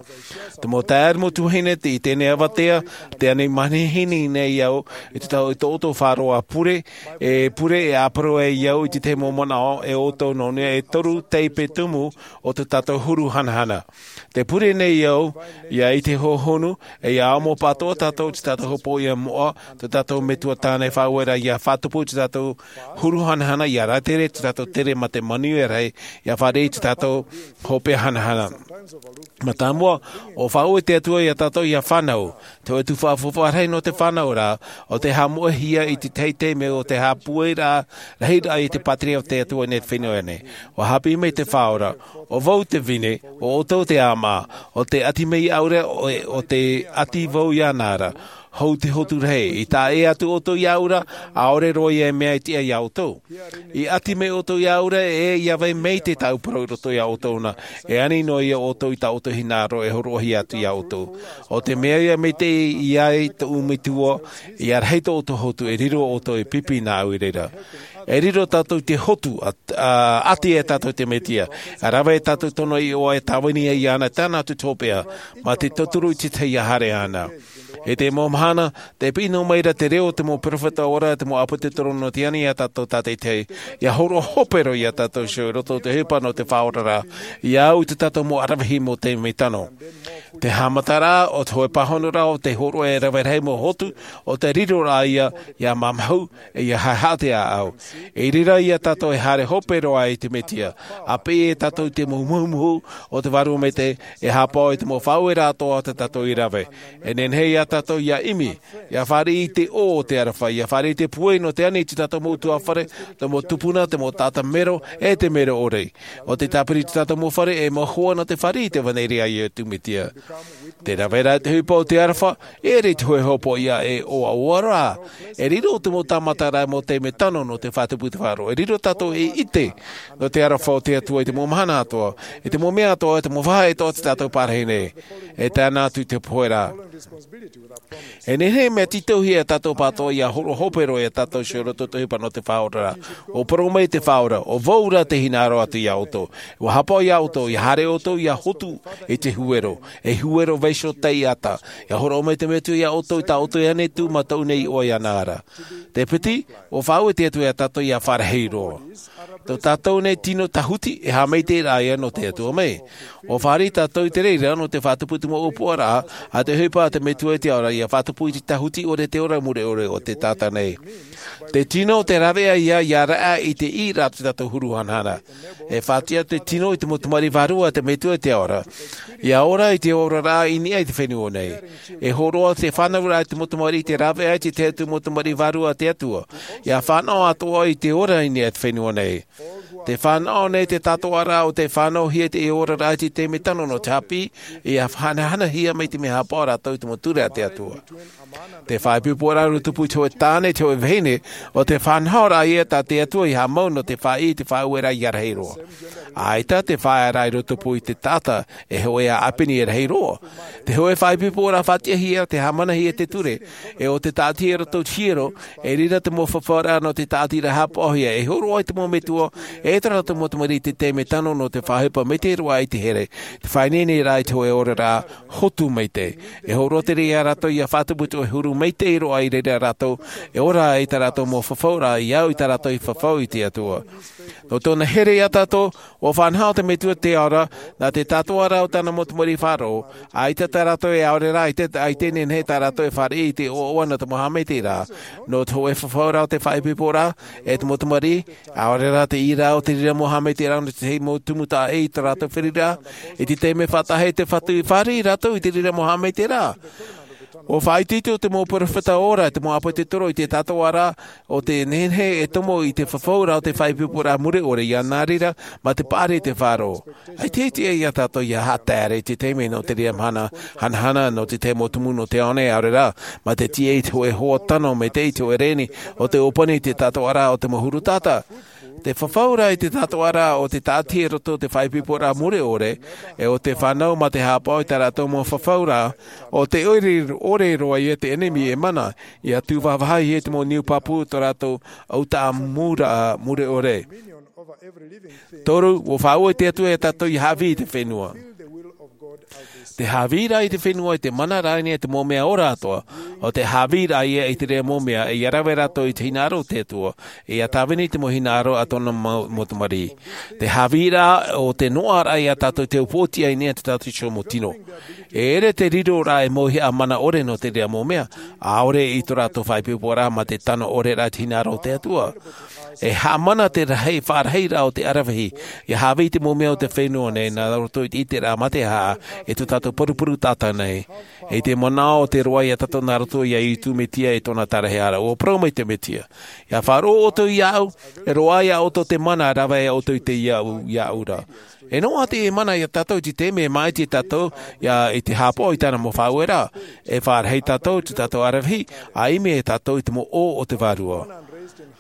Te mau taeaʻe, mau tuahine, te, i teie nei avatea, tē ani manihini nei au i te tau, i tō ʻoutou faʻaroʻo pure, e pure, e ʻāparau ai au i te tahi mau manaʻo, e ʻoutou nō niʻa e toru taipe tumu o tō tātou huru hanahana. Tē pure nei au, ʻia ʻite hohonu, e ʻia amo pātoʻa tātou i tō tātou hopoiʻa moʻa, tō tātou Metua tāne e faʻaueraʻa ʻia fātupu i tō tātou huru hanahana, ʻia rātere i tō tātou tere mā te manuia rahi, ʻia fāriʻi i tō tātou hopeʻa hanahana. Mātāmua, ʻua faʻaue te Atua iā tātou ʻia fānau, te hōʻē tuhaʻa faufaʻa rahi nō te fānauraʻa, ʻo te haʻamoʻehia i te teitei mea ʻo te haʻapūairaʻa, rahiraʻa i te pātireia o te Atua i niʻa i te fenua nei. ʻUa haʻapiʻi mai te Faʻaora, ʻo vau te vine, ʻo ʻoutou te ʻāmaʻa, ʻo tē ʻati mai iāʻu ra, ʻo, ʻo tē ʻati vau iāna ra. Hou te hotu rahi, i tae atu ʻoutou iāʻu ra, ʻaore roa ia mea e tiʻa iā ʻoutou. I ʻati mai ʻoutou iāʻu ra, e ʻia vai maitaʻi tāʻu parau i roto iā ʻoutou na, e ani noa ia ʻoutou i tā ʻoutou hinaʻaro e hōroʻahia atu iā ʻoutou. ʻO te mea ia maitaʻi i ai tōʻu Metua, ʻia rahi tō ʻoutou hotu, e riro ʻoutou ei pipi nāʻu i reira. E riro tātou i te hotu, ʻa, ʻa, ʻati e tātou i te Mesia, ʻa rave e tātou i tōna iʻoa, e tāvini ai iāna, tāna atu te hopeʻa, mā te tauturu i te tahi ʻia haere iāna. I te mau mahana, tē piʻi noa mai ra te reo o te mau peropheta ora, te mau ʻāpōsetolo nō te ani iā tātou tātaʻitahi, ʻia hōroʻa hope roa iā tātou iho i roto i te ʻohipa nō te faʻaoraraʻa, ʻia au i tō tātou mau ʻaravihi mau taime tano. Te haʻamataraʻa o te hōʻē pāhonoraʻa, ʻo te hōroʻa e rave rahi mau hotu, ʻo te riroraʻa ia, ʻia mamahu, e ʻia haʻehaʻa te ʻāʻau. I reira ia tātou e haere hope roa i te Mesia, ʻa piʻi e tātou i te mau muhumuhu o te Vārua Maitaʻi, e haʻapaʻo i te mau faʻaueraʻa atoʻa tā tātou i rave. E nehenehe ia tātou ʻia ʻimi, ʻia fāriʻi i te ʻō o te aroha, ʻia fāriʻi i te pūai nō te ani i tō tātou mau ʻutuāfare, te mau tupuna, te mau taʻata mero, e te mero ʻore. ʻO te tāpiri i tō tātou mau fare, e mau hoa nō te fāriʻi i te ʻevanelia a Iesu Mesia. Te rave ra i te ʻohipa o te aroha, e ʻere i te hōʻē hopoiʻa e ʻoaʻoa ra. E riro te mau tāmataraʻa mau taime tano nō te faʻatupu i te faʻaroʻo. E riro tātou ei ʻite nō te aroha o te Atua i te mau mahana atoʻa, i te mau mea atoʻa, i te mau vāhi atoʻa tā tātou e parahi nei. E tae noa atu i te pohe ra. E nehenehe mea tītauhia ia tātou pātoʻa ʻia hōroʻa hope roa ia tātou iho i roto i te ʻohipa nō te faʻaoraraʻa. ʻUa parau mai te Faʻaora, ʻo vau ra tē hinaʻaro atu iā ʻoutou. ʻUa haʻapaʻo iā ʻoutou, ʻia haere ʻoutou, ʻia hotu i te huero, ei huero vaiiho taʻata. ʻIa hōroʻa mai te Metua iā ʻoutou i tā ʻoutou i ʻānei atu, mā tōʻu nei iʻoa iāna ra. Te piti, ʻua faʻaue te Atua ia tātou ʻia fārahi roa. Tō tātou nei tino tāhuti, e haʻamaitaʻiraʻa ia nō te Atua mai. ʻUa fāriʻi tātou i te reira nō te faʻatupu i te mau ʻōpuaraʻa a te ʻohipa a te Metua i te ao ra, ʻia faʻatupu i te tāhuti ʻore, te ora mure ʻore o te taʻata nei. Te tino te rāveʻa ia, ʻia raʻa i te ʻī ra tō tātou huru hanahana. E faʻatiʻa te tino i te mau tamariʻi vārua a te Metua i te ao ra, ʻia ora i te oraraʻa i niʻa i te fenua nei. E hōroʻa te fānauraʻa i te mau tamariʻi i te rāveʻa i te tahi atu mau tamariʻi vārua a te Atua, ʻia fānaʻo atoʻa i te ora i niʻa i te fenua nei. Te fānaʻo nei te tātoʻaraʻa o te fānaʻohia i te oraraʻa i te taime tano nō te haʻapiʻi, ʻia hanahanahia mai te mea haʻapaʻo rātou i te mau ture a te Atua. Te faʻaipoiporaʻa i rotopū i te hōʻē tāne, te hōʻē vahine, ʻo te faʻanahoraʻa ia tā te Atua i haʻamau nō te faʻaʻī i te faʻaueraʻa ʻia rahi roa. ʻAita te faʻaearaʻa i rotopū i te taʻata, e hōʻē ʻāpeni e rahi roa. Te hōʻē faʻaipoiporaʻa faʻatiʻahia, te haʻamanahia i te ture, e ʻo te tāʻatiraʻa i roto i te hiero, e riro te mau fafauraʻa nō te tāʻatiraʻa haʻapaʻohia, e hōroʻa i te mau metua, e tā rātou mau tamariʻi i te taime tano nō te faʻaʻohipa maitaʻi roa i te here, te faʻaineineraʻa i te hōʻē oraraʻa hotu maitaʻi. E hōroʻa te reira ia rātou ʻia faʻatupu i te hōʻē huru maitaʻi roa i reira ia rātou, e ora ai tā rātou mau fafauraʻa, ʻia au i tā rātou i fafau i te Atua. Nō tōna here ia tātou, ʻua faʻanaho te Metua i te ao ra, nā te tātoʻaraʻa o tāna mau tamariʻi faʻaroʻo, ʻaita tā rātou e ʻaore rā, ʻaita, ʻaita e nehenehe tā rātou e fāriʻi i te ʻoaʻoa nō te mau haʻamaitaʻiraʻa, nō te hōʻē fafauraʻa o te faʻaipoiporaʻa, e te mau tamariʻi, ʻaore rā te ʻīraʻa o te reira mau haʻamaitaʻiraʻa nō te tahi mau tumu taʻa ʻē i tō rātou feruriraʻa. I te taime faʻataʻa e te Fatu i fāriʻi rātou i te reira mau haʻamaitaʻiraʻa. ʻUa faʻaitoito te mau peropheta ora, te mau ʻāpōsetolo i te tātou ara, ʻo tē nehenehe e tomo i te fafauraʻa o te faʻaipoiporaʻa mure ʻore ia nā reira, mā te paʻari i te faʻaroʻo. ʻAita e tiʻa ia tātou ia haʻataere i te taime nō te reira mahana, hanahana nō te tahi mau tumu nō te ao nei, ʻaore rā, mā te tiʻa i te hōʻē hoa tano maitaʻi, te hōʻē reni, ʻo te ʻōpani i te tātou ara o te mau huru taʻata. Te fafauraʻa i te tātou ara ʻo te tāʻati i roto i te faʻaipoiporaʻa mure ʻore, e ʻo te fānau mā te haʻapaʻo i tā rātou mau fafauraʻa, ʻo te ʻore, ʻore roa ia te ʻenemi e mana, ia tūvāvāhia te mau niu pāpū tō rātou ʻautaʻamuraʻa mure ʻore. Toru, ʻua faʻaue te Atua ia tātou ia haʻavī i te fenua. Te haʻavīraʻa i te fenua i te mana rānei e te mau mea ora atoʻa, ʻo te haʻavīraʻa ia i te reira mau mea, ia rave rātou i te hinaʻaro o te Atua, ia tāvini te mau hinaʻaro a tōna mau, mau tamariʻi. Te haʻavīraʻa ʻo te noaʻaraʻa ia tātou te upootiʻa i niʻa i tō tātou iho mau tino. E ʻere te riroraʻa e mauhaʻa mana ʻore nō te reira mau mea, ʻaore i tō rātou faʻaipoiporaʻa mā te tano ʻore rā i te hinaʻaro o te Atua. E haʻamana te rahi, faʻarahiraʻa o te ʻaravihi, ia haʻavī i te mau mea o te fenua nei, nā roto i te ʻiteraʻa mā te haʻa, e tō tātou purupuru taʻata nei. E te manaʻo o te roaʻa ia tātou nā roto ia Iesu Mesia e tōna taraehara, ʻua parau mai te Mesia. Ia faʻaroʻo ʻoutou iāʻu, e roaʻa iā ʻoutou te mana, rave ʻoutou i te iāʻu, iāʻu ra. E noaʻa te mana ia tātou i te taime e māʻiti tātou, ia i te haʻapaʻo i tāna mau faʻaueraʻa. E faʻarahi tātou, tō tātou ʻaravihi, ʻa ʻimi e tātou i te mau ʻō o te Vārua.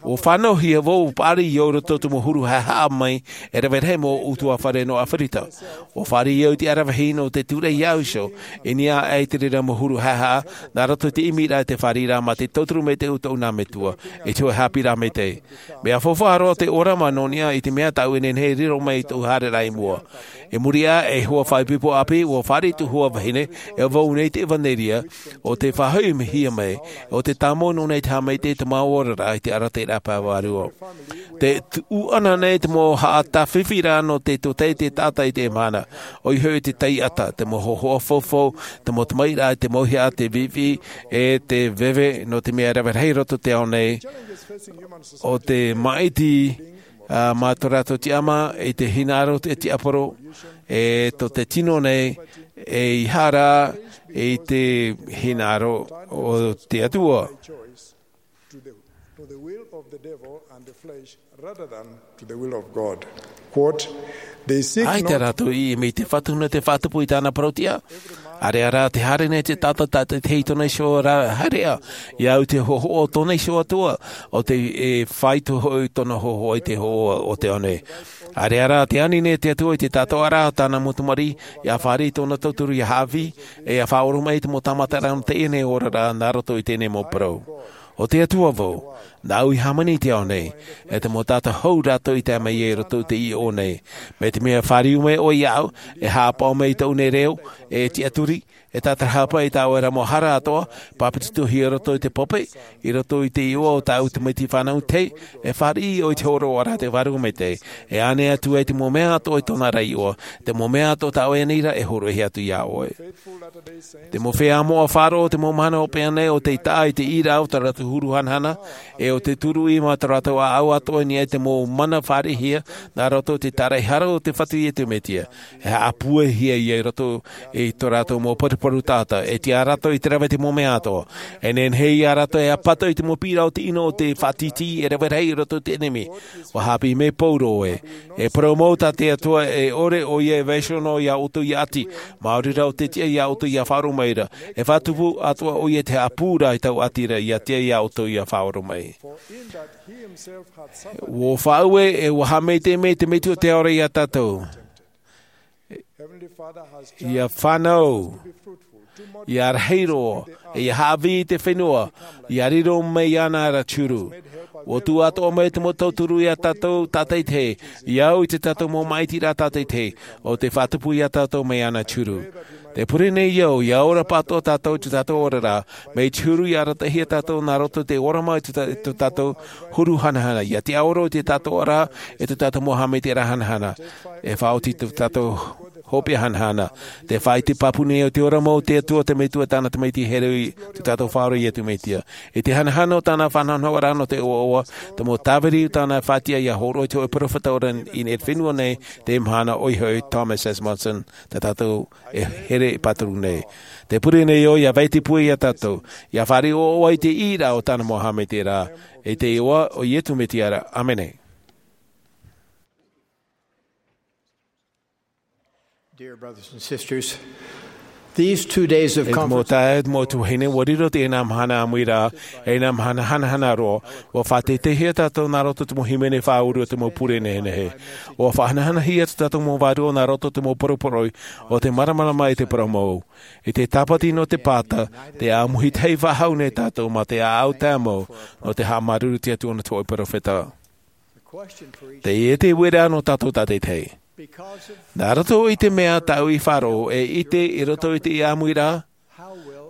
ʻUa fānauhia vau, ʻua paʻari au i roto i te mau huru haʻehaʻa mai, e rave rahi mau ʻutuāfare nō ʻAfirika. ʻUa fāriʻi au i te ʻaravihi nō te tūraʻi iāʻu iho, i niʻa aʻe i te reira mau huru haʻehaʻa, nā roto i te ʻimiraʻa e te fāriʻiraʻa mā te tauturu maitaʻi o tōʻu nā metua, i te hōʻē haʻapiʻiraʻa maitaʻi. Mea faufaʻa roa te ʻōrama nō niʻa i te mea tāʻu e nehenehe e riro mai i tōʻu haereraʻa i mua. I muri aʻe, e hoa faʻaipoipo ʻāpī, ʻua fāriʻi tōʻu hoa vahine, e vau nei te ʻevanelia, ʻo tē faʻahoʻihia mai, ʻo tē tāmau noa nei te haʻamaitaʻi i te mau oraraʻa i te arataʻiraʻa pae vārua. Tē tuʻu ana nei te mau haʻatāfifiraʻa nō te tōtaiete taʻata i teie mahana, ʻoia hoʻi te taiʻata, te mau hōhoʻa faufaʻa, te mau tamaʻiraʻa, te mauhaʻa, te viʻiviʻi, e te veve, nō te mea e rave rahi roto i te ao nei, ʻo te māʻiti, ā, mā tō rātou tiʻamā, i te hinaʻaro o te tiaporo, e tō te tino nei, e ʻeiaha rā, i te hinaʻaro o te Atua. To the, to the will of the devil and the flesh rather than to the will of God. Quote, they seek ʻAita not rātou i ʻimi i te Fatu nō te faʻatupu i tāna parau-tiʻa. ʻAreʻa rā te haere nei te taʻata tātaʻitahi i tōna iho ra haereʻa, ia au i te hōhoʻa o tōna iho atoʻa, ʻo tē faʻaitoito hoʻi tōna hōhoʻa i te hōhoʻa o te ao nei. ʻAreʻa rā te ani nei te Atua i te tātaʻoraʻa o tāna mau tamariʻi, ia fāriʻi tōna tauturu ia haʻavī, e ia faʻaoromaʻi i te mau tāmataraʻa nō teie nei oraraʻa nā roto i teie nei mau parau. ʻO te Atua vau, nāʻu i hāmani i te ao nei, e te mau taʻata hou rātou i tae mai i roto i teie ʻō nei. Mai te mea e fāriu mai ʻoe iāʻu, e haʻapaʻo mai i tōʻu nei reo, e tiʻaturi, e tātarahapa i tāʻu ra mau hara atoʻa, pāpetitohia i roto i te pape, i roto i te iʻoa o tāʻu tamaiti fānau tahi, e fāriʻi ʻoe i te hōroʻaraʻa a te Vārua Maitaʻi, e ʻānaʻe atu ai te mau mea atoʻa i tōna ra iʻoa, te mau mea atoʻa tā ʻoe e ani ra e hōroʻahia atu iā ʻoe. Te mau feiā moʻa faʻaroʻo, te mau mahana hopeʻa nei, ʻo tei taʻa i te ʻīraʻa o tō rātou huru hanahana, e ʻo te turuʻi mā tō rātou ʻāʻau atoʻa i niʻa i te mau mana fāriʻihia, nā roto i te tāraʻehara o te Fatu Iesu Mesia. E haʻapūaihia ia i roto i tō rātou mau paruparu taʻata, e tiʻa rātou i te rave i te mau mea atoʻa. E nehenehe ia rātou e ʻāpata i te mau piʻiraʻa o te ʻino o te faʻatītī e rave rahi i roto i te ʻenemi. ʻUa haʻapiʻi mai Paulo ē, e parau mau tā te Atua e ʻore ʻoia e vaiiho noa iā ʻoutou ia ʻati, maori rā ʻo tē tiʻa iā ʻoutou ia faʻaoromaʻi ra, e faʻatupu atoʻa ʻoia i te haʻapū ra i taua ʻati ra ia tiʻa iā ʻoutou ia faʻaoromaʻi. ʻUa faʻaue e ʻua haʻamaitaʻi mai te Metua o te Ao ra iā tātou. Ia fānau, ia rahi roa, ia haʻavī i te fenua, ia riro mai iāna ra te huru. ʻUa tuʻu atoʻa mai te mau tauturu iā tātou tātaʻitahi, ia au i tō tātou mau māʻitiraʻa tātaʻitahi, ʻo tē faʻatupu iā tātou mai iāna te huru. Tē pure nei au, ia ora pāʻatoʻa tātou i tō tātou oraraʻa, mai te huru ia arataʻihia tātou nā roto i te ʻōrama i tō tā-, tō tātou huru hanahana, ia tiʻaoro i te tātou oraraʻa, e tō tātou mau haʻamaitaʻiraʻa hanahana, e faʻaoti tō tātou hopeʻa hanahana. Te faʻaite pāpū nei o te ora mau o te Atua, te Metua, tāna Tamaiti here, i tō tātou Faʻaora Iesu Mesia. I te hanahana o tāna faʻanahonahoraʻa nō te ʻoaʻoa, te mau tāviri o tāna faʻatiʻa ʻia hōroʻa i te hōʻē peropheta ora i te fenua nei, te mahana ʻoia hoʻi Thomas S. Monson, tā tātou e here e pāturu nei. Tē pure nei ʻoia ʻia faʻaite pū iā tātou, ʻia fāriʻi ʻoaʻoa i te ʻīraʻa o tāna mau haʻamaitaʻiraʻa, i te iʻoa o Iesu Mesia ra. ʻĀmene. Dear brothers and sisters, these two days of E te mau conference taeaʻe, e te mau tuahine, ʻua riro teie nā mahana ʻāmuiraʻa, e nā mahana hanahana roa, ʻua faʻateiteihia tātou nā roto i te mau hīmene faʻauru o te mau pure nehenehe. ʻUa faʻahanahanahia tō tātou mau vārua nā roto i te mau poroporoʻi o te māramarama i te parau mau. I te tāpati nō te pāta, te ʻāmuhia tahi faʻahou nei tātou mā te ʻāʻau tāmau nō te haʻamāuruuru i te Atua nō te hōʻē peropheta. Teie te uiraʻa nō tātou tātaʻitahi. Nā roto i te mea tāʻu i faʻaroʻo e ʻite i roto i teie ʻāmuiraʻa,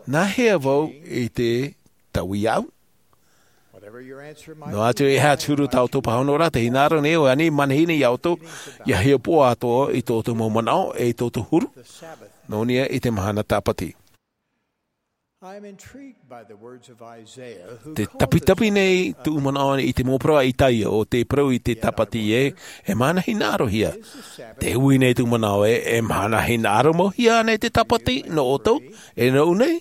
nā hea vau i te taui iāʻu? Noa atu e aha te huru tā ʻoutou pāhonoraʻa, tē hinaʻaro nei ʻoe ānei i manihini iā ʻoutou, ʻia hiʻopoʻa atoʻa i tō ʻoutou mau manaʻo, e i tō ʻoutou huru, nō niʻa i te mahana tāpati. I am intrigued by the words of Isaiah, who Te called tapitapi nei tūʻu manaʻo i te mau parau a Isaia, ʻo tē parau i te tāpati ē, e mahana hinaʻarohia. Tē ui nei tūʻu manaʻo ē, e mahana hinaʻaro mau hia ānei te tāpati nō ʻoutou, e nōʻu nei?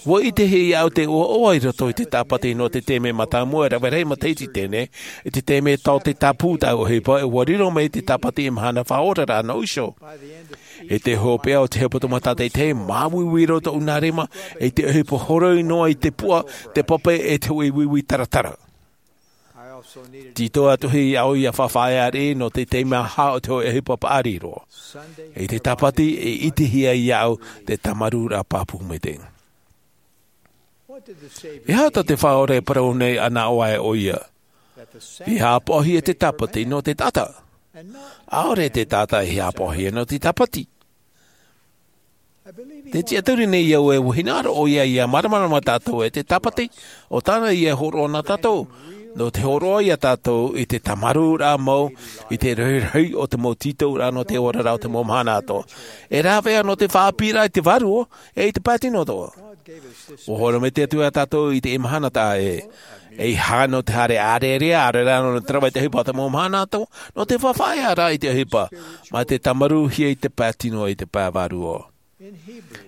ʻUa ʻitehia iāʻu te ʻoaʻoa i roto i te tāpati nō te taime mātāmua e rave rahi matahiti teie, i te taime tō te tāpū tāʻu ʻohipa, ʻua riro mai te tāpati ei mahana faʻaoraraʻa nō ʻoutou. I te hopeʻa o te hepetoma tātaʻitahi, māuiui roa tōʻu nā rima, i te ʻohipa horoi noa i te puʻa, te pape, e te hōʻē uiui taratara. Tītau atu hoʻi iāʻu ʻia faʻaʻite nō te taime aha o te hōʻē ʻohipa paʻari roa. I te tāpati, e ʻitehia iāʻu te tāmarūraʻa pāpū maitaʻi. E aha tā te Faʻaora e parau nei anaʻe ʻoia? ʻIa haʻapaʻohia te tāpati nō te taʻata. ʻAore te taʻata e haʻapaʻohia nō te tāpati. Tē tiʻaturi nei au ē ʻua hinaʻaro ʻoia ʻia māramarama tātou e te tāpati, ʻo tāna ïa e hōroʻa nā tātou. Nō te hōroʻa iā tātou i te tāmarūraʻa mau, i te rahirahi o te mau tītauraʻa nō te oraraʻa o te mau mahana atoʻa. E rāveʻa nō te faʻaʻāpīraʻa i te vārua, e i te pae tino atoʻa. ʻUa hōroʻa mai te Atua iā tātou i teie mahana taʻa ʻē. ʻEiaha nō te haere ʻārearea, ʻaore rā nō te rave i te ʻohipa o te mau mahana atoʻa, nō te faʻaʻiteʻiteraʻa i te ʻohipa, mā te tāmarūhia i te pae tino i te pae vārua.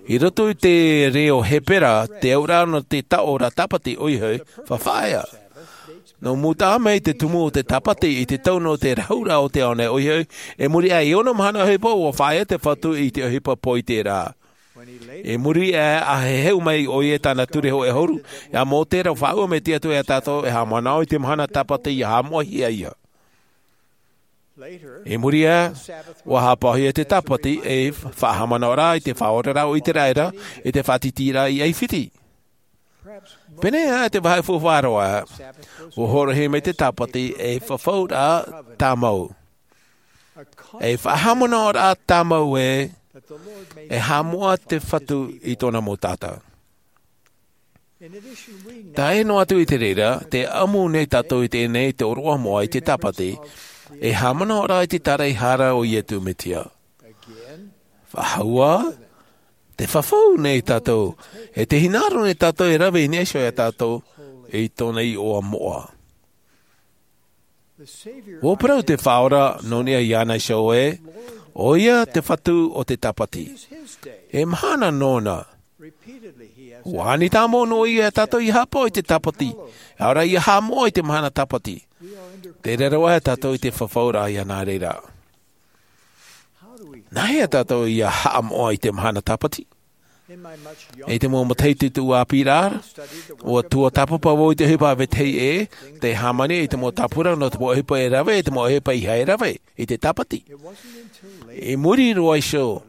I roto i te reo Hepera, te auraʻa nō te taʻo ra tāpati ʻoia hoʻi, faʻaʻite. Nō mua taʻa mai te tumu o te tāpati i te tau nō te rahuraʻa o te ao nei ʻoia hoʻi, i muri aʻe i ono mahana ʻohipa ʻua faʻaʻite te Fatu i te ʻohipa poʻiteraʻa. I muri aʻe, ʻa heheu mai ʻoia i tāna ture hōʻē ʻahuru, iā Mōse ra faʻaue mai te Atua iā tātou e haʻamanaʻo i te mahana tāpati ʻia haʻamoʻahia ïa. I muri aʻe, ʻua haʻapaʻohia te tāpati ei faʻahaʻamanaʻoraʻa i te faʻaoraraʻa o ʻĪteraʻera, i te faʻatītīraʻa i ʻAifiti. Pēneiaʻe te vāhi faufaʻa roa, ʻua hōroʻahia mai te tāpati ei fafauraʻa tāmau. Ei faʻahaʻamanaʻoraʻa tāmau ē, e haʻamoʻa te Fatu i tōna mau taʻata. Tae noa atu i te reira, tē ʻamu nei tātou i teie nei te ʻōroʻa moʻa i te tāpati, ei haʻamanaʻoraʻa i te tāraʻehara o Iesu Mesia. Faʻahou ā, tē fafau nei tātou, e tē hinaʻaro nei tātou e rave i niʻa iho iā tātou, i tōna iʻoa moʻa. ʻUa parau te Faʻaora nō niʻa iāna iho ē, ʻoia te Fatu o te tāpati. E mahana nōna. ʻUa ani tāmau noa ïa iā tātou ʻia haʻapaʻo i te tāpati, ʻaore rā ʻia haʻamoʻa i te mahana tāpati. Tē raro aʻe tātou i te fafauraʻa iāna reira. Nā hea tātou ʻia haʻamoʻa i te mahana tāpati? I te mau matahiti tōʻu ʻāpīraʻa, ʻua tuatāpapa vau i te ʻohipa a vetahi ʻē, tē hāmani i te mau tāpura nō te mau ʻohipa e rave, i te mau ʻohipa ʻeiaha e rave, i te tāpati. I muri roa iho,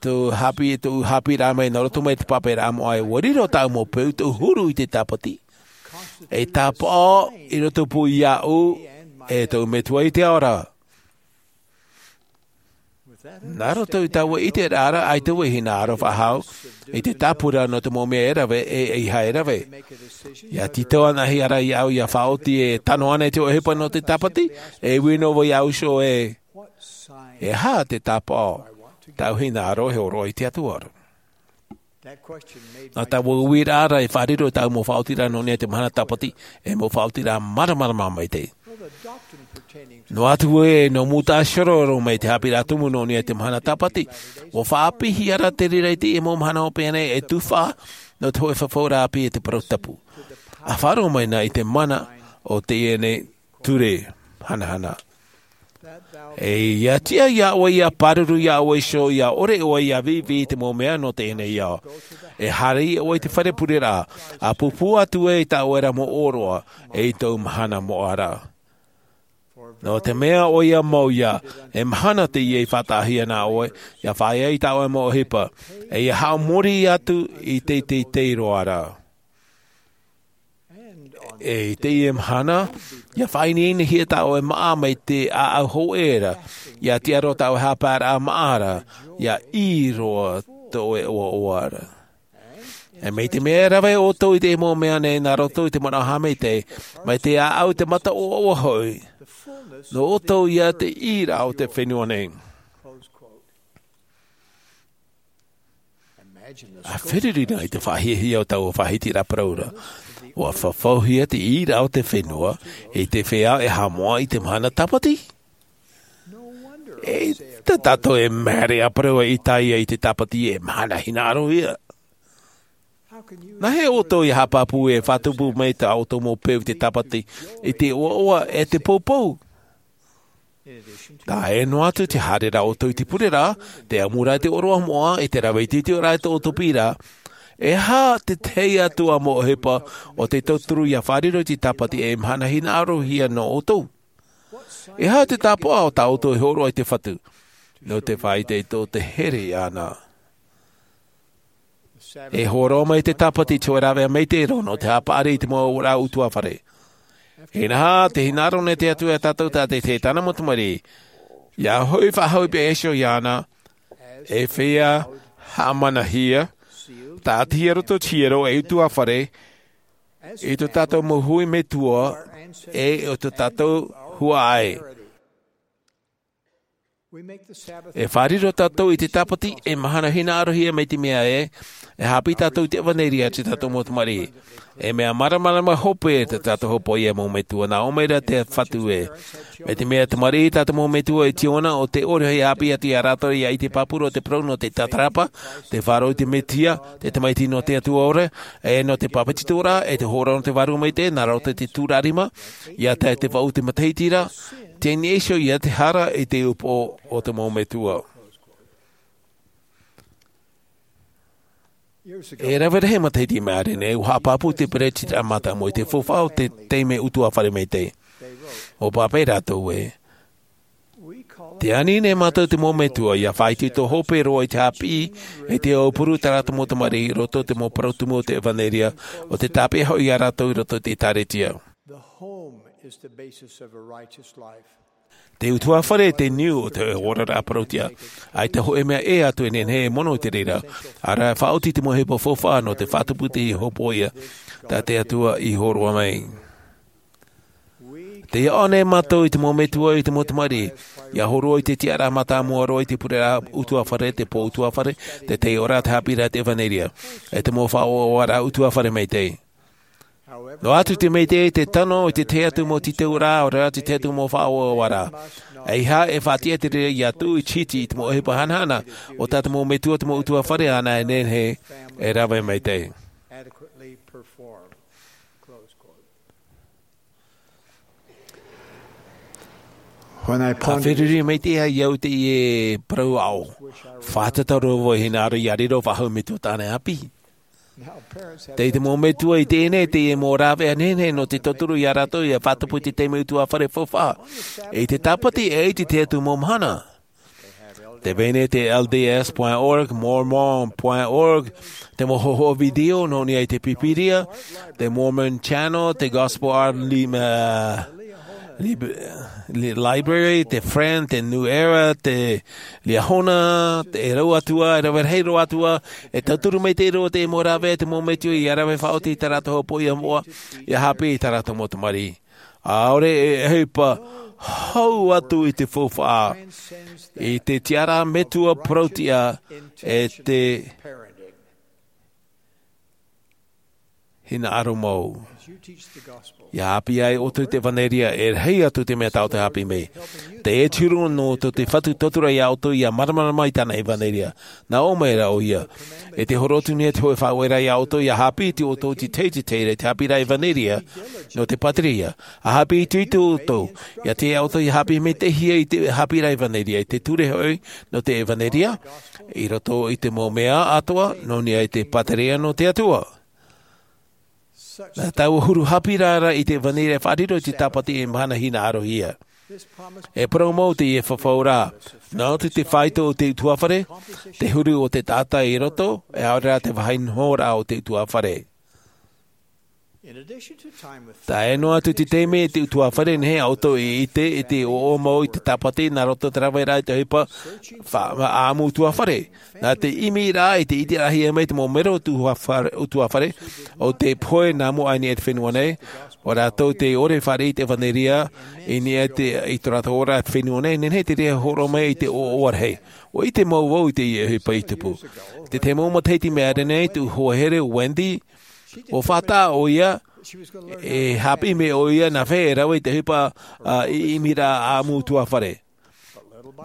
tōʻu haʻapiʻi, tōʻu haʻapiʻiraʻa mai nā roto mai i te pape moʻa ē, ʻua riro tāʻu mau peu, tōʻu huru i te tāpati. E tāpaʻo i roto pū iāʻu, e tōʻu Metua i te ao ra. Nā roto i taua ʻiteraʻa ra, ʻaita vau e hinaʻaro faʻahou i te tāpura nō te mau mea e rave, e ʻeiaha e rave. ʻIa tītau anaʻe ra iāʻu ʻia faʻaoti e tano ana i te ʻohipa nō te tāpati, e ui noa vau iāʻu iho ē, E aha te tāpaʻo tau hinaʻaro e hōroʻa i te Atua ra? Nā taua uiraʻa ra e fārerei tāʻu mau faʻaotiraʻa nō niʻa i te mahana tāpati, e mau faʻaotiraʻa māramarama maitaʻi. Noa atu ē, nō mūtaʻa tiʻa roa mai te haʻapiʻiraʻa tumu nō niʻa i te mahana tāpati, ʻua faʻapiʻihia ra te reira i te mau mahana hopeʻa nei e tufaʻa nō te hōʻē fafauraʻa ʻāpī e te parau tapu. ʻA faʻaroʻo mai na i te mana o teie nei ture hanahana. E ʻia tiʻa iā ʻoe ʻia pāruru iā ʻoe iho, ʻia ʻore ʻoe ʻia vīvī i te mau mea nō teie nei ao. E haere ʻoe i te fare pureraʻa, ʻa pūpū atu ē i tā ʻoe ra mau ʻōroʻa, e i tōu mahana moʻa ra. Nō te mea ʻoia mau ïa, e mahana teie i faʻataʻahia nā ʻoe, ʻia fāʻaʻe i tā ʻoe mau ʻohipa, e ʻia haʻamori atu i te teitei roa ra. E i teie mahana, ʻia faʻaineinehia tā ʻoe māʻa mai te ʻāʻau hōʻē ra, ʻia tiʻa roa tā ʻoe haʻapaeraʻa māʻa ra, ʻia ʻī roa tō ʻoe ʻoaʻoa ra. E mai te mea e rave ʻoutou i te mau mea nei nā roto i te manaʻo haʻamaitaʻi, mai te ʻāʻau i te mata ʻoaʻoa hoʻi, nō ʻoutou ïa te ʻīraʻa o te fenua nei. ʻA feruri na i te faʻahiahia o taua faʻahitiraʻa parau ra, ʻua fafauhia te ʻīraʻa o te fenua i te feiā e haʻamoʻa i te mahana tāpati. E tā tātou e māere ʻa parau ʻa Isaia i te tāpati e mahana hinaʻaro ïa. Nāhea ʻoutou ʻia haʻapāpū e faʻatupu mai tā ʻoutou mau peu i te tāpati, i te ʻoaʻoa e te poupou? Tae noa atu te haereraʻa ʻoutou i te pureraʻa, te ʻamuraʻa i te ʻōroʻa moʻa, i te rave itiiti ʻoraʻa i tō ʻoutou piʻiraʻa, e aha te tahi atu ā mau ʻohipa ʻo tē tauturu ʻia fārerei i te tāpati e mahana hinaʻarohia nō ʻoutou? E aha te tāpaʻo tā ʻoutou e hōroʻa i te Fatu, nō te faʻaʻite i tō te here iāna? E hōroʻa mai te tāpati i te hōʻē rāveʻa maitaʻi roa nō te haʻapaʻari i te mau ʻōrua ʻutuāfare. Inaha, tē hinaʻaro nei te Atua iā tātou tātaʻitahi tāna mau tamariʻi, ʻia hoʻi faʻahou i te peʻe iho iāna, ei feiā haʻamanahia, tāʻatihia i roto i te hiero ei ʻutuāfare, i tō tātou mau hui metua, e o tō tātou huaʻai. E fārerei tātou i te tāpati e mahana hinaʻarohia mai te mea ē, e haʻapiʻi tātou i te ʻevanelia a tō tātou mau tamariʻi. E mea māramarama hope tā tātou hōpoiʻa mau metua, nā ʻō mai ra te Fatu ē. Mai te mea tamariʻi tā tātou mau metua i te ʻōna, ʻo tē ʻore hoʻi e haʻapiʻi atu iā rātou ʻia ʻite pāpū roa te parau nō te tātarahapa, te faʻaroʻo i te Mesia, te Tamaiti nō te Atua ora, e nō te pāpetitoraʻa, e te hōroʻa nō te Vārua Maitaʻi, nā roto i te tūraʻa rima, ʻia tae i te vaʻu o te matahiti ra, teie nei iho ïa te hara i te upoʻo o te mau metua. E rave rahi matahiti i maʻiri nei, ʻua haʻapāpū te peretiteni mātāmua i te faufaʻa o te taime ʻutuāfare maitaʻi. ʻUa pāpaʻi rātou ē, tē ani nei mātou te mau metua ʻia faʻaitoito hope roa i te haʻapiʻi, e te aupuru i tā rātou mau tamariʻi, i roto i te mau parau tumu o te ʻevanelia, ʻo tē tāpeʻa hoʻi iā rātou i roto i te ʻĒkālesia. The home is the basis of a righteous life. Te ʻutuāfare te niu o te oraraʻa parauʻtiʻa. ʻAita hōʻē mea ʻē atu e nehenehe e mono i te reira, ʻaore rā e faʻaoti i te mau ʻohipa faufaʻa nō te faʻatupu i te hōpoiʻa tā te Atua i hōroʻa mai. Tē ʻaʻo nei mātou i te mau metua, i te mau tamariʻi, ʻia hōroʻa i te tiʻaraʻa mātāmua roa i te pureraʻa ʻutuāfare, te pō ʻutuāfare, te taiʻoraʻa, te haʻapiʻiraʻa i te ʻevanelia, e te mau faʻaʻoaʻoaraʻa ʻutuāfare maitaʻi. Noa atu te maitaʻi, te tano i te tahi atu mau tītauraʻa, ʻaore rā te tahi atu mau faʻaʻoaʻoaraʻa. ʻEiaha e faʻatiʻa te reira ʻia tuʻu i te hiti i te mau ʻohipa hanahana o tā te mau metua, te mau ʻutuāfare ānei e nehenehe e rave maitaʻi. When I pondered, ʻa feruri maitaʻi au i teie parau aʻo, fātata roa vau e hinaʻaro ʻia riro faʻahou metua tāna e ʻāpī. Tei te mau metua i teie nei, teie mau rāveʻa nehenehe nō te tauturu iā rātou ʻia faʻatupu i te taime ʻutuāfare faufaʻa. I te tāpati e ʻaita te tahi atu mau mahana. Tē vai nei te L D S point org, Mormon point org, te mau hōhoʻa video nō niʻa i te Pīpīria, te Mormon Channel, te Gospel Art Li-, uh, Li-, Li-, Library, te Friend, te New Era, te Liahona, te, e rau atu ā, e rave rahi roa atu ā, e tauturu maitaʻi roa te mau rāveʻa, te mau metua ʻia rave faʻaoti i tā rātou hōpoiʻa moʻa, ʻia haʻapiʻi i tā rātou mau tamariʻi. ʻAore e ʻohipa hau atu i te faufaʻa, i te tiʻaraʻa metua parauʻtiʻa e te hinaʻaro mau. ʻIa hāpiʻi ai ʻoutou i te ʻevanelia, e rahi atu te mea tāʻu te hāpiʻi mai. Tē ʻite hoʻi ʻoutou te Fatu Tautura iā ʻoutou ʻia māramarama i tāna ʻevanelia. Nā ʻō mai ra ʻoia. E te hōroʻa atu nei te hōʻē faʻaueraʻa iā ʻoutou ʻia hāpiʻi i tō ʻoutou tītau i te reira i te hāpiʻiraʻa ʻevanelia nō te pātereia. ʻA hāpiʻi atu i tō ʻoutou. ʻIa tiʻa ʻoutou ʻia hāpiʻi mai te hia i te hāpiʻiraʻa ʻevanelia, i te ture hoʻi nō te ʻevanelia, i roto i te mau mea atoʻa, nō niʻa i te pātereia nō te Atua. Nā taua huru hāpiʻiraʻa i te ʻevanelia e faʻariro i te tāpati e mahana hinaʻarohia. E parau mau teie fafauraʻa. Nā ʻō atu te faito o te ʻutuāfare, te huru o te taʻata i roto, e ʻaore rā te vāhi nohoraʻa o te ʻutuāfare. Tae noa atu te taime i te ʻutuāfare, nehenehe ʻoutou e ʻite i te ʻoaʻoa mau i te tāpati nā roto te raveraʻa i te ʻohipa fa-, ʻāmui ʻutuāfare. Nā te ʻimiraʻa i te ʻiteraʻahia mai te mau mero ʻutuāfare, ʻutuāfare, ʻo tē pohe nā mua i niʻa i te fenua nei, ʻo rātou tē ʻore e fāriʻi i te ʻevanelia i niʻa i te, i tō rātou ora i te fenua nei, nehenehe te reira e hōroʻa mai i te ʻoaʻoa rahi. ʻUa ʻite mau vau i teie ʻohipa i tupu. Te tahi mau matahiti mai ra nei, tōʻu hoa here ʻo Wendy, ʻua faʻataʻa ʻoia, e hāpiʻi mai ʻoia nā hea e rave i te ʻohipa, ā, i, ʻimiraʻa ʻāmui ʻutuāfare.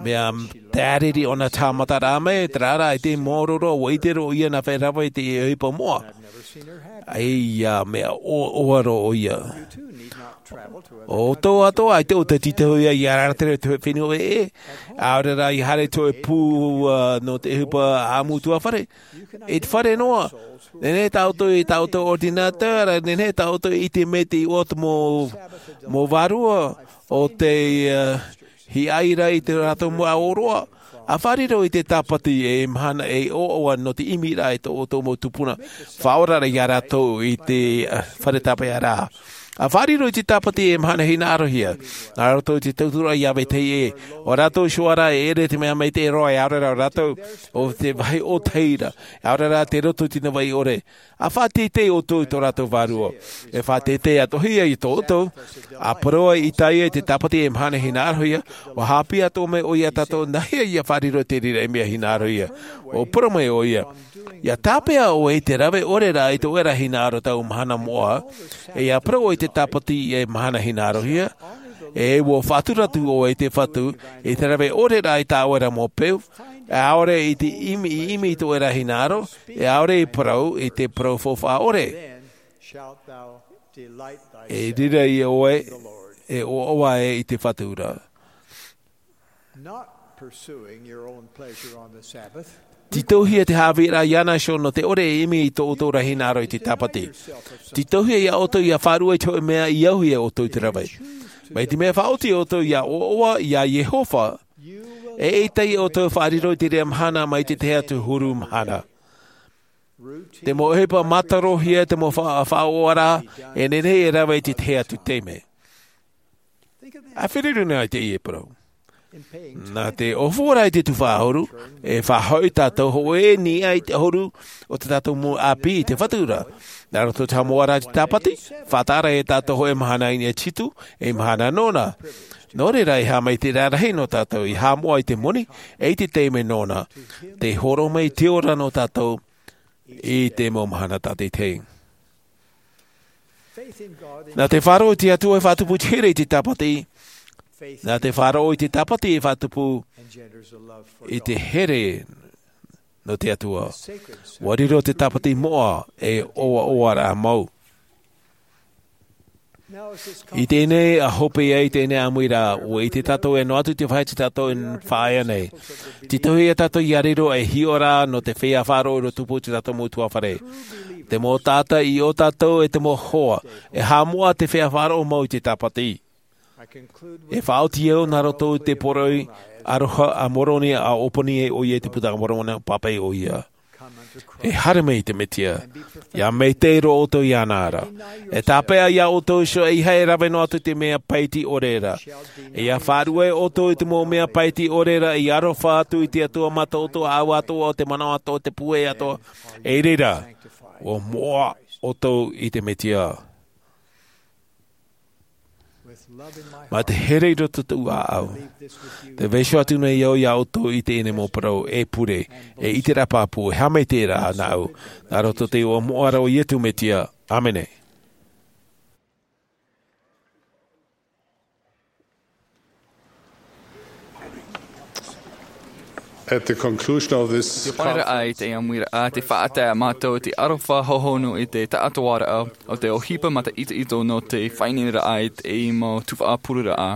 Mea tāriri ʻōna tāmataraʻa mai, terā rā, i te mōroro, ʻua ʻite roa ʻoia nā hea e rave i te ʻohipa moʻa. ʻAita mea ʻoaʻoa roa ʻoia. ʻO ʻoutou atoʻa, ʻaita ʻoutou e tītau ia ʻia rātere i te fenua ʻē, ʻaore rā ʻia haere i te hōʻē pū, ā, nō te ʻohipa ʻāmui ʻutuāfare. I te fare noa, nehenehe tā ʻoutou i tā ʻoutou ordinateur, nehenehe tā ʻoutou i ʻite mai te iʻoa o te mau, mau vārua, ʻo tē, ā, hiʻaira i tō rātou mau ʻōroʻa. ʻA faʻariro i te tāpati e mahana e ʻoaʻoa nō te ʻimiraʻa i tō ʻoutou mau tupuna. Faʻaora ra ia rātou i te, ā, fare tāpeʻaraʻa. ʻA faʻariro i te tāpati e mahana hinaʻarohia. Nā roto i te tauturu ʻia vetahi ʻē. ʻO rātou iho ā rā e ʻere te mea maitaʻi roa, e ʻaore rā ʻo rātou ʻo te vāhi ʻōtahi ra. E ʻaore rā te roto i te navaʻi ʻore. ʻA faʻateitei ʻoutou i tō rātou vārua. E faʻateitei atoʻa ia tō ʻoutou. ʻA parau ai ʻĪtaia i te tāpati e mahana hinaʻarohia, ʻua hāpiʻi atoʻa mai ʻoia iā tātou nā hea ʻia faʻariro i te reira mea hinaʻarohia. ʻUa parau mai ʻoia. ʻIa tāpeʻa ʻoe i te rave ʻore ra i tō ʻoe ra hinaʻaro i taua mahana moʻa, e ʻia parau ʻoe i te tāpati e mahana hinaʻarohia, e ʻua faʻatura atu ʻoe i te Fatu, i te rave ʻore ra i tā ʻoe ra mau peu, e ʻaore i te ʻimi, i ʻimi i tō ʻoe ra hinaʻaro, e ʻaore i parau i te parau faufaʻa ʻore. E riro ia ʻoe, e ʻoaʻoa ē i te Fatu ra. Not pursuing your own pleasure on the Sabbath. Tītauhia te haʻavīraʻa iāna iho nō te ʻore e ʻimi i tō ʻoutou ra hinaʻaro i te tāpati. Tītauhia iā ʻoutou ʻia faʻaruʻe i te hōʻē mea i auhia ʻoutou i te rave. Mai te mea faʻaoti ʻoutou ʻia ʻoaʻoa iā Iehova, e ʻaita ia ʻoutou e faʻariro i te reira mahana mai te tahi atu huru mahana. Te mau ʻohipa mātarohia, te mau fa-, faʻaʻoaʻoaraʻa, e nehenehe e rave i te tahi atu taime. ʻA feruri noa i teie parau. Nā te ʻōhuru i te tuhaʻa ʻahuru, e faʻahoʻi tātou hōʻē i niʻa i te ʻahuru o tā tātou mau ʻāpī i te Fatu ra. Nā roto i te haʻamoʻaraʻa i te tāpati, faʻataʻa ra e tātou hōʻē mahana i niʻa i te hitu, ei mahana nōna. Nō reira, e haʻamaitaʻi rarahi nō tātou, ʻia haʻamoʻa i te moni, e i te taime nōna. Tē hōroʻa mai te ora nō tātou, i te mau mahana tātaʻitahi. Nā te faʻaroʻo i te Atua e faʻatupu i te here i te tāpati. Nā te faʻaroʻo i te tāpati e faʻatupu i te here nō te Atua. ʻUa riro te tāpati moʻa ei ʻoaʻoaraʻa mau. I teie nei ā hope ai i teie nei ʻāmuiraʻa, ʻua ʻite tātou e noa atu te vāhi tā tātou e faʻaea nei. Tītauhia tātou ʻia riro ei hiʻoraʻa nō te feiā faʻaroʻo i roto i te pū o tā tātou mau ʻutuāfare. Te mau taʻata i ʻō tātou e te mau hoa, e haʻamoʻa te feiā faʻaroʻo mau i te tāpati. E faʻaoti au nā roto i te poroʻi aroha a Moroni, ʻa ʻōpani ai ʻoia i te Puta a Moromona, pāpaʻi ʻoia. E haere mai i te Mesia, ʻia maitaʻi roa ʻoutou iāna ra. E tāpeʻa iā ʻoutou iho, ʻeiaha e rave noa atu i te mea paʻiti ʻore ra. E ʻia faʻaruʻe ʻoutou i te mau mea paʻiti ʻore ra, ʻia aroha atu i te Atua mātāʻutuʻa, ʻāua atoʻa, ʻo te manaʻo atoʻa, te pūai atoʻa. I reira, ʻua moʻa ʻoutou i te Mesia. Mā te here i roto i tōʻu ʻāʻau. Te vaiiho atu nei au iā ʻoutou i teie nei mau parau e pure, e ʻiteraʻa pāpū, e haʻamaitaʻiraʻa nāʻu, nā roto i te iʻoa moʻa ra o Iesu Mesia. ʻĀmene. At the conclusion of this Te paneraʻa i te ʻāmuiraʻa, te faʻatae mātou te aroha hohonu i te taʻatoʻaraʻa o te ʻohipa mātāʻitoʻito nō te faʻaineineraʻa i te mau tuhaʻa pureraʻa.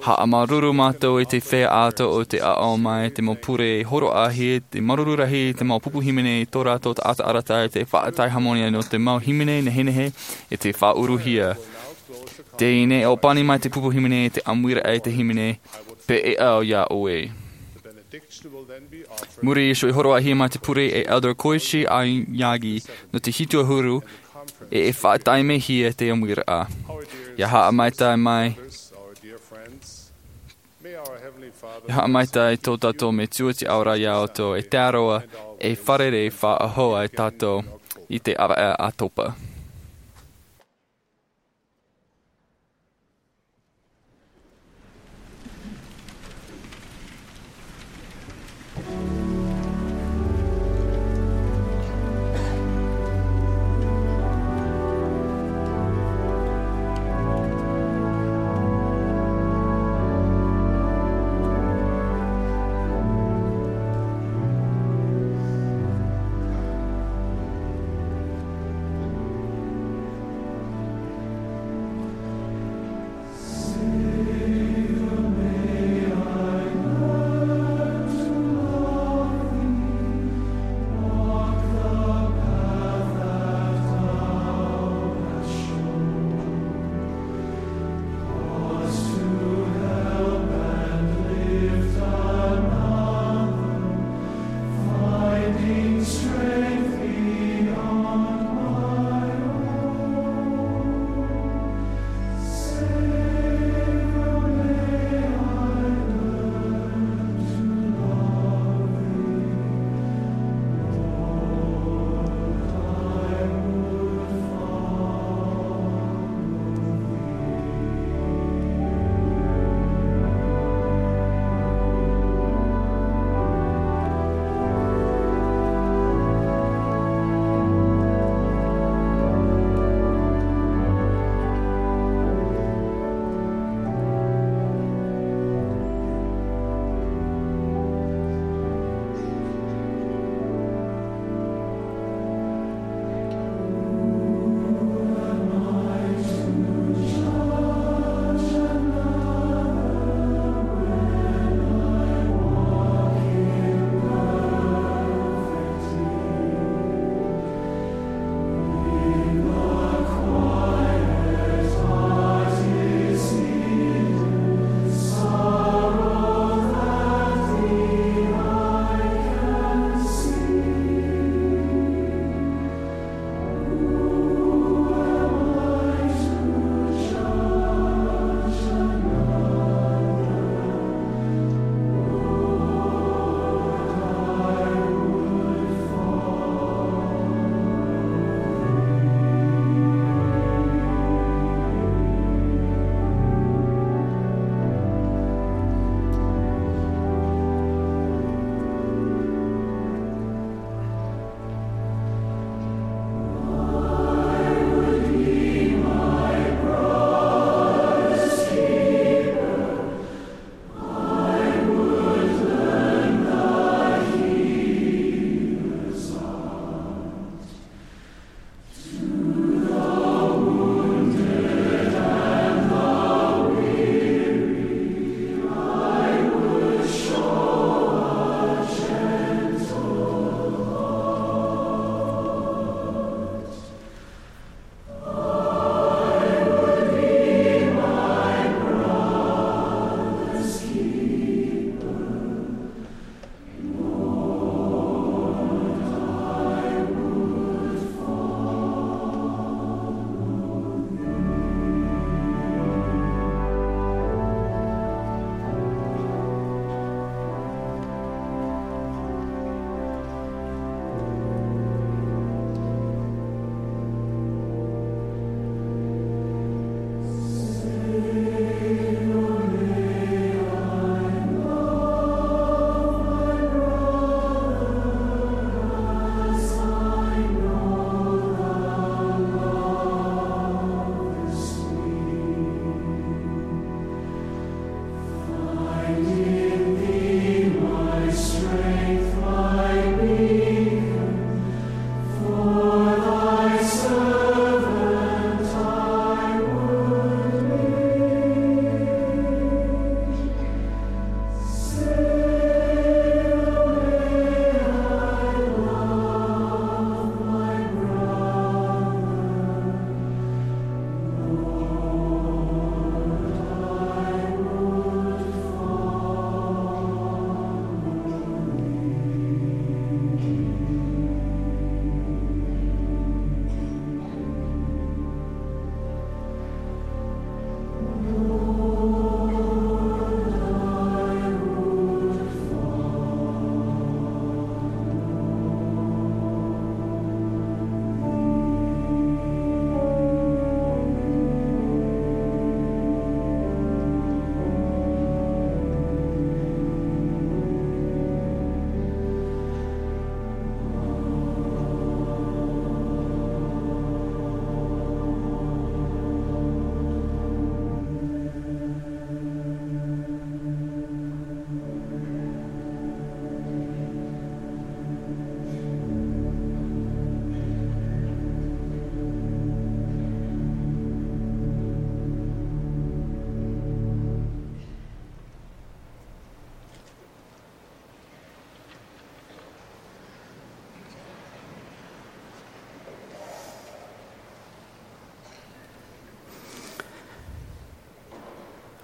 Haʻamāuruuru mātou i te feiā atoʻa o te aʻo mai te mau pure hōroʻahia, te māuruuru rahi i te mau pupu hīmene i tō rātou taʻata arataʻi, te faʻatae hāmani nō te mau hīmene nehenehe i te faʻauruhia. Teie nei, ʻōpani mai te pupu hīmene i te ʻāmuiraʻa i te hīmene, pēʻeʻa iā ʻoe. Muri iho, e hōroʻahia mai te pure e Elder Koichi Aoyagi nō te hitu ʻahuru, e, e faʻataimehia te ʻāmuiraʻa. ʻIa haʻamaitaʻi mai, ʻia haʻamaitaʻi tō tātou Metua i te ao ra iā ʻoutou, e te Atua, e fārerei faʻahou ai tātou i te ʻāvaʻe ʻātopa.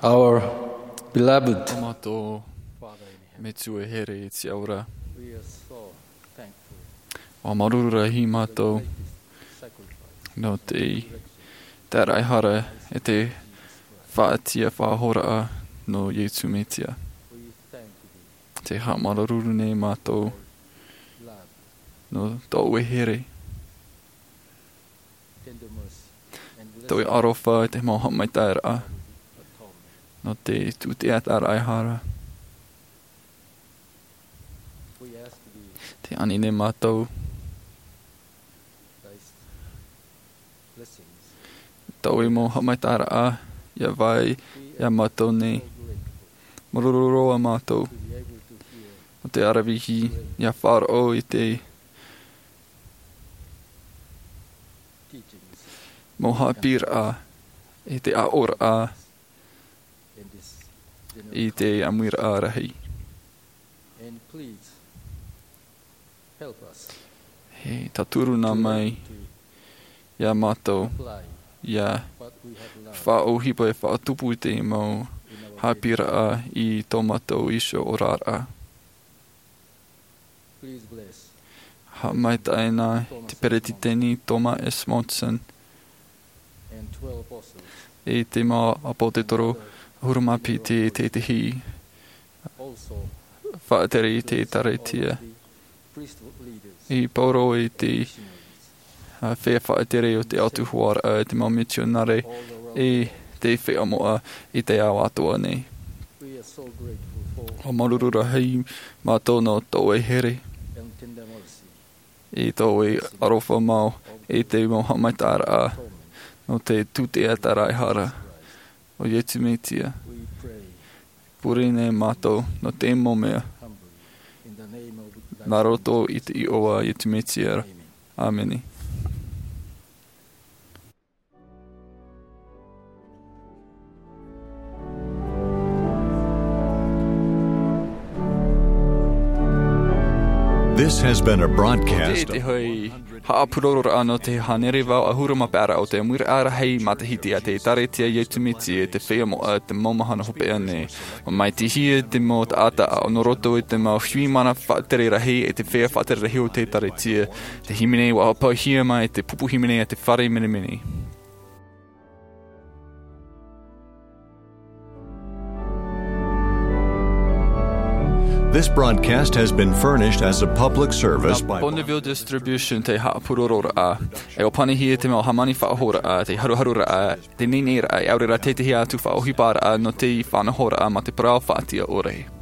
Our beloved ʻO mātou Metua here i te ao ra. We are so thankful ʻUa māuruuru rahi mātou for the sacrifice. Nō te taʻata e hara e te faʻatiʻa faʻahoʻiraʻa nō Iesu Mesia. We thank you. Te haʻamāuruuru nei mātou Love, nō tō ʻoe here, tender mercy, and tō ʻoe blessed aroha i te mau haʻamaitaʻiraʻa, atonement. Nō te tūteʻa taʻata e hara. We ask thee, Te ani nei mātou, thy blessings. Tō ʻoe mau haʻamaitaʻiraʻa ʻia vai iā mātou nei. Māuruuru roa mātou. To be able to hear. Nō te aravihi ʻia faʻaroʻo i te teachings. Mau haʻapiʻiraʻa, i te aʻoraʻa, In this i te ʻāmuiraʻa rahi. And please help us E tauturu nā mai iā mātou, apply ʻia what we have learned faʻaʻohipa e faʻatupu i te mau in our haʻapiʻiraʻa i tō mātou iho oraraʻa. Please bless Haʻamaitaʻi na te peresideni Thomas S. Monson and twelve apostles. E te mau ʻāpōsetolo ʻahuru mā piti, e te, te hī Also, faʻatere i te bless all Ekalesia. Of the priesthood leaders, I poro i te missionaries, ā, feiā faʻatere o te autahuʻaraʻa, te mau mitionare, e te feiā moʻa i te ao atoʻa nei. We are so grateful for ʻUa māuruuru rahi mātou nō tō ʻoe here, and tender mercy, i tō ʻoe aroha mau, i te mau haʻamaitaʻiraʻa, nō te tūteʻa taʻata e hara, ʻo Iesu Mesia. We pray Pure nei mātou nō te mau mea, humbly in the name of thy nā roto i te iʻoa a Iesu Mesia. Amen. ʻĀmene. This has been a broadcast of Te hoʻi haʻapurororaʻa nō te hānere vaʻu ʻahuru mā pae o te ʻāmuiraʻa rahi matahiti a te Ekalesia Iesu Mesia te feiā moʻa te mau mahana hopeʻa nei. ʻUa maitaʻihia te mau taʻata ʻāʻau nō roto i te mau huiraʻatira faʻatere rahi e te feiā faʻatere rahi o te Ekalesia. Te hīmene ʻua ʻāpauhia mai te pupu hīmene a te fare menemene. This broadcast has been furnished as a public service by Bonneville Distribution te haʻapurororaʻa. E ʻua panihia te mau hāmani faʻahoʻiraʻa, te haruharuraʻa, te neineiraʻa, e ʻaore rā tētahi atu faʻaʻohiparaʻa nō te faʻanahoraʻa mā te parau faʻatiʻa ʻore.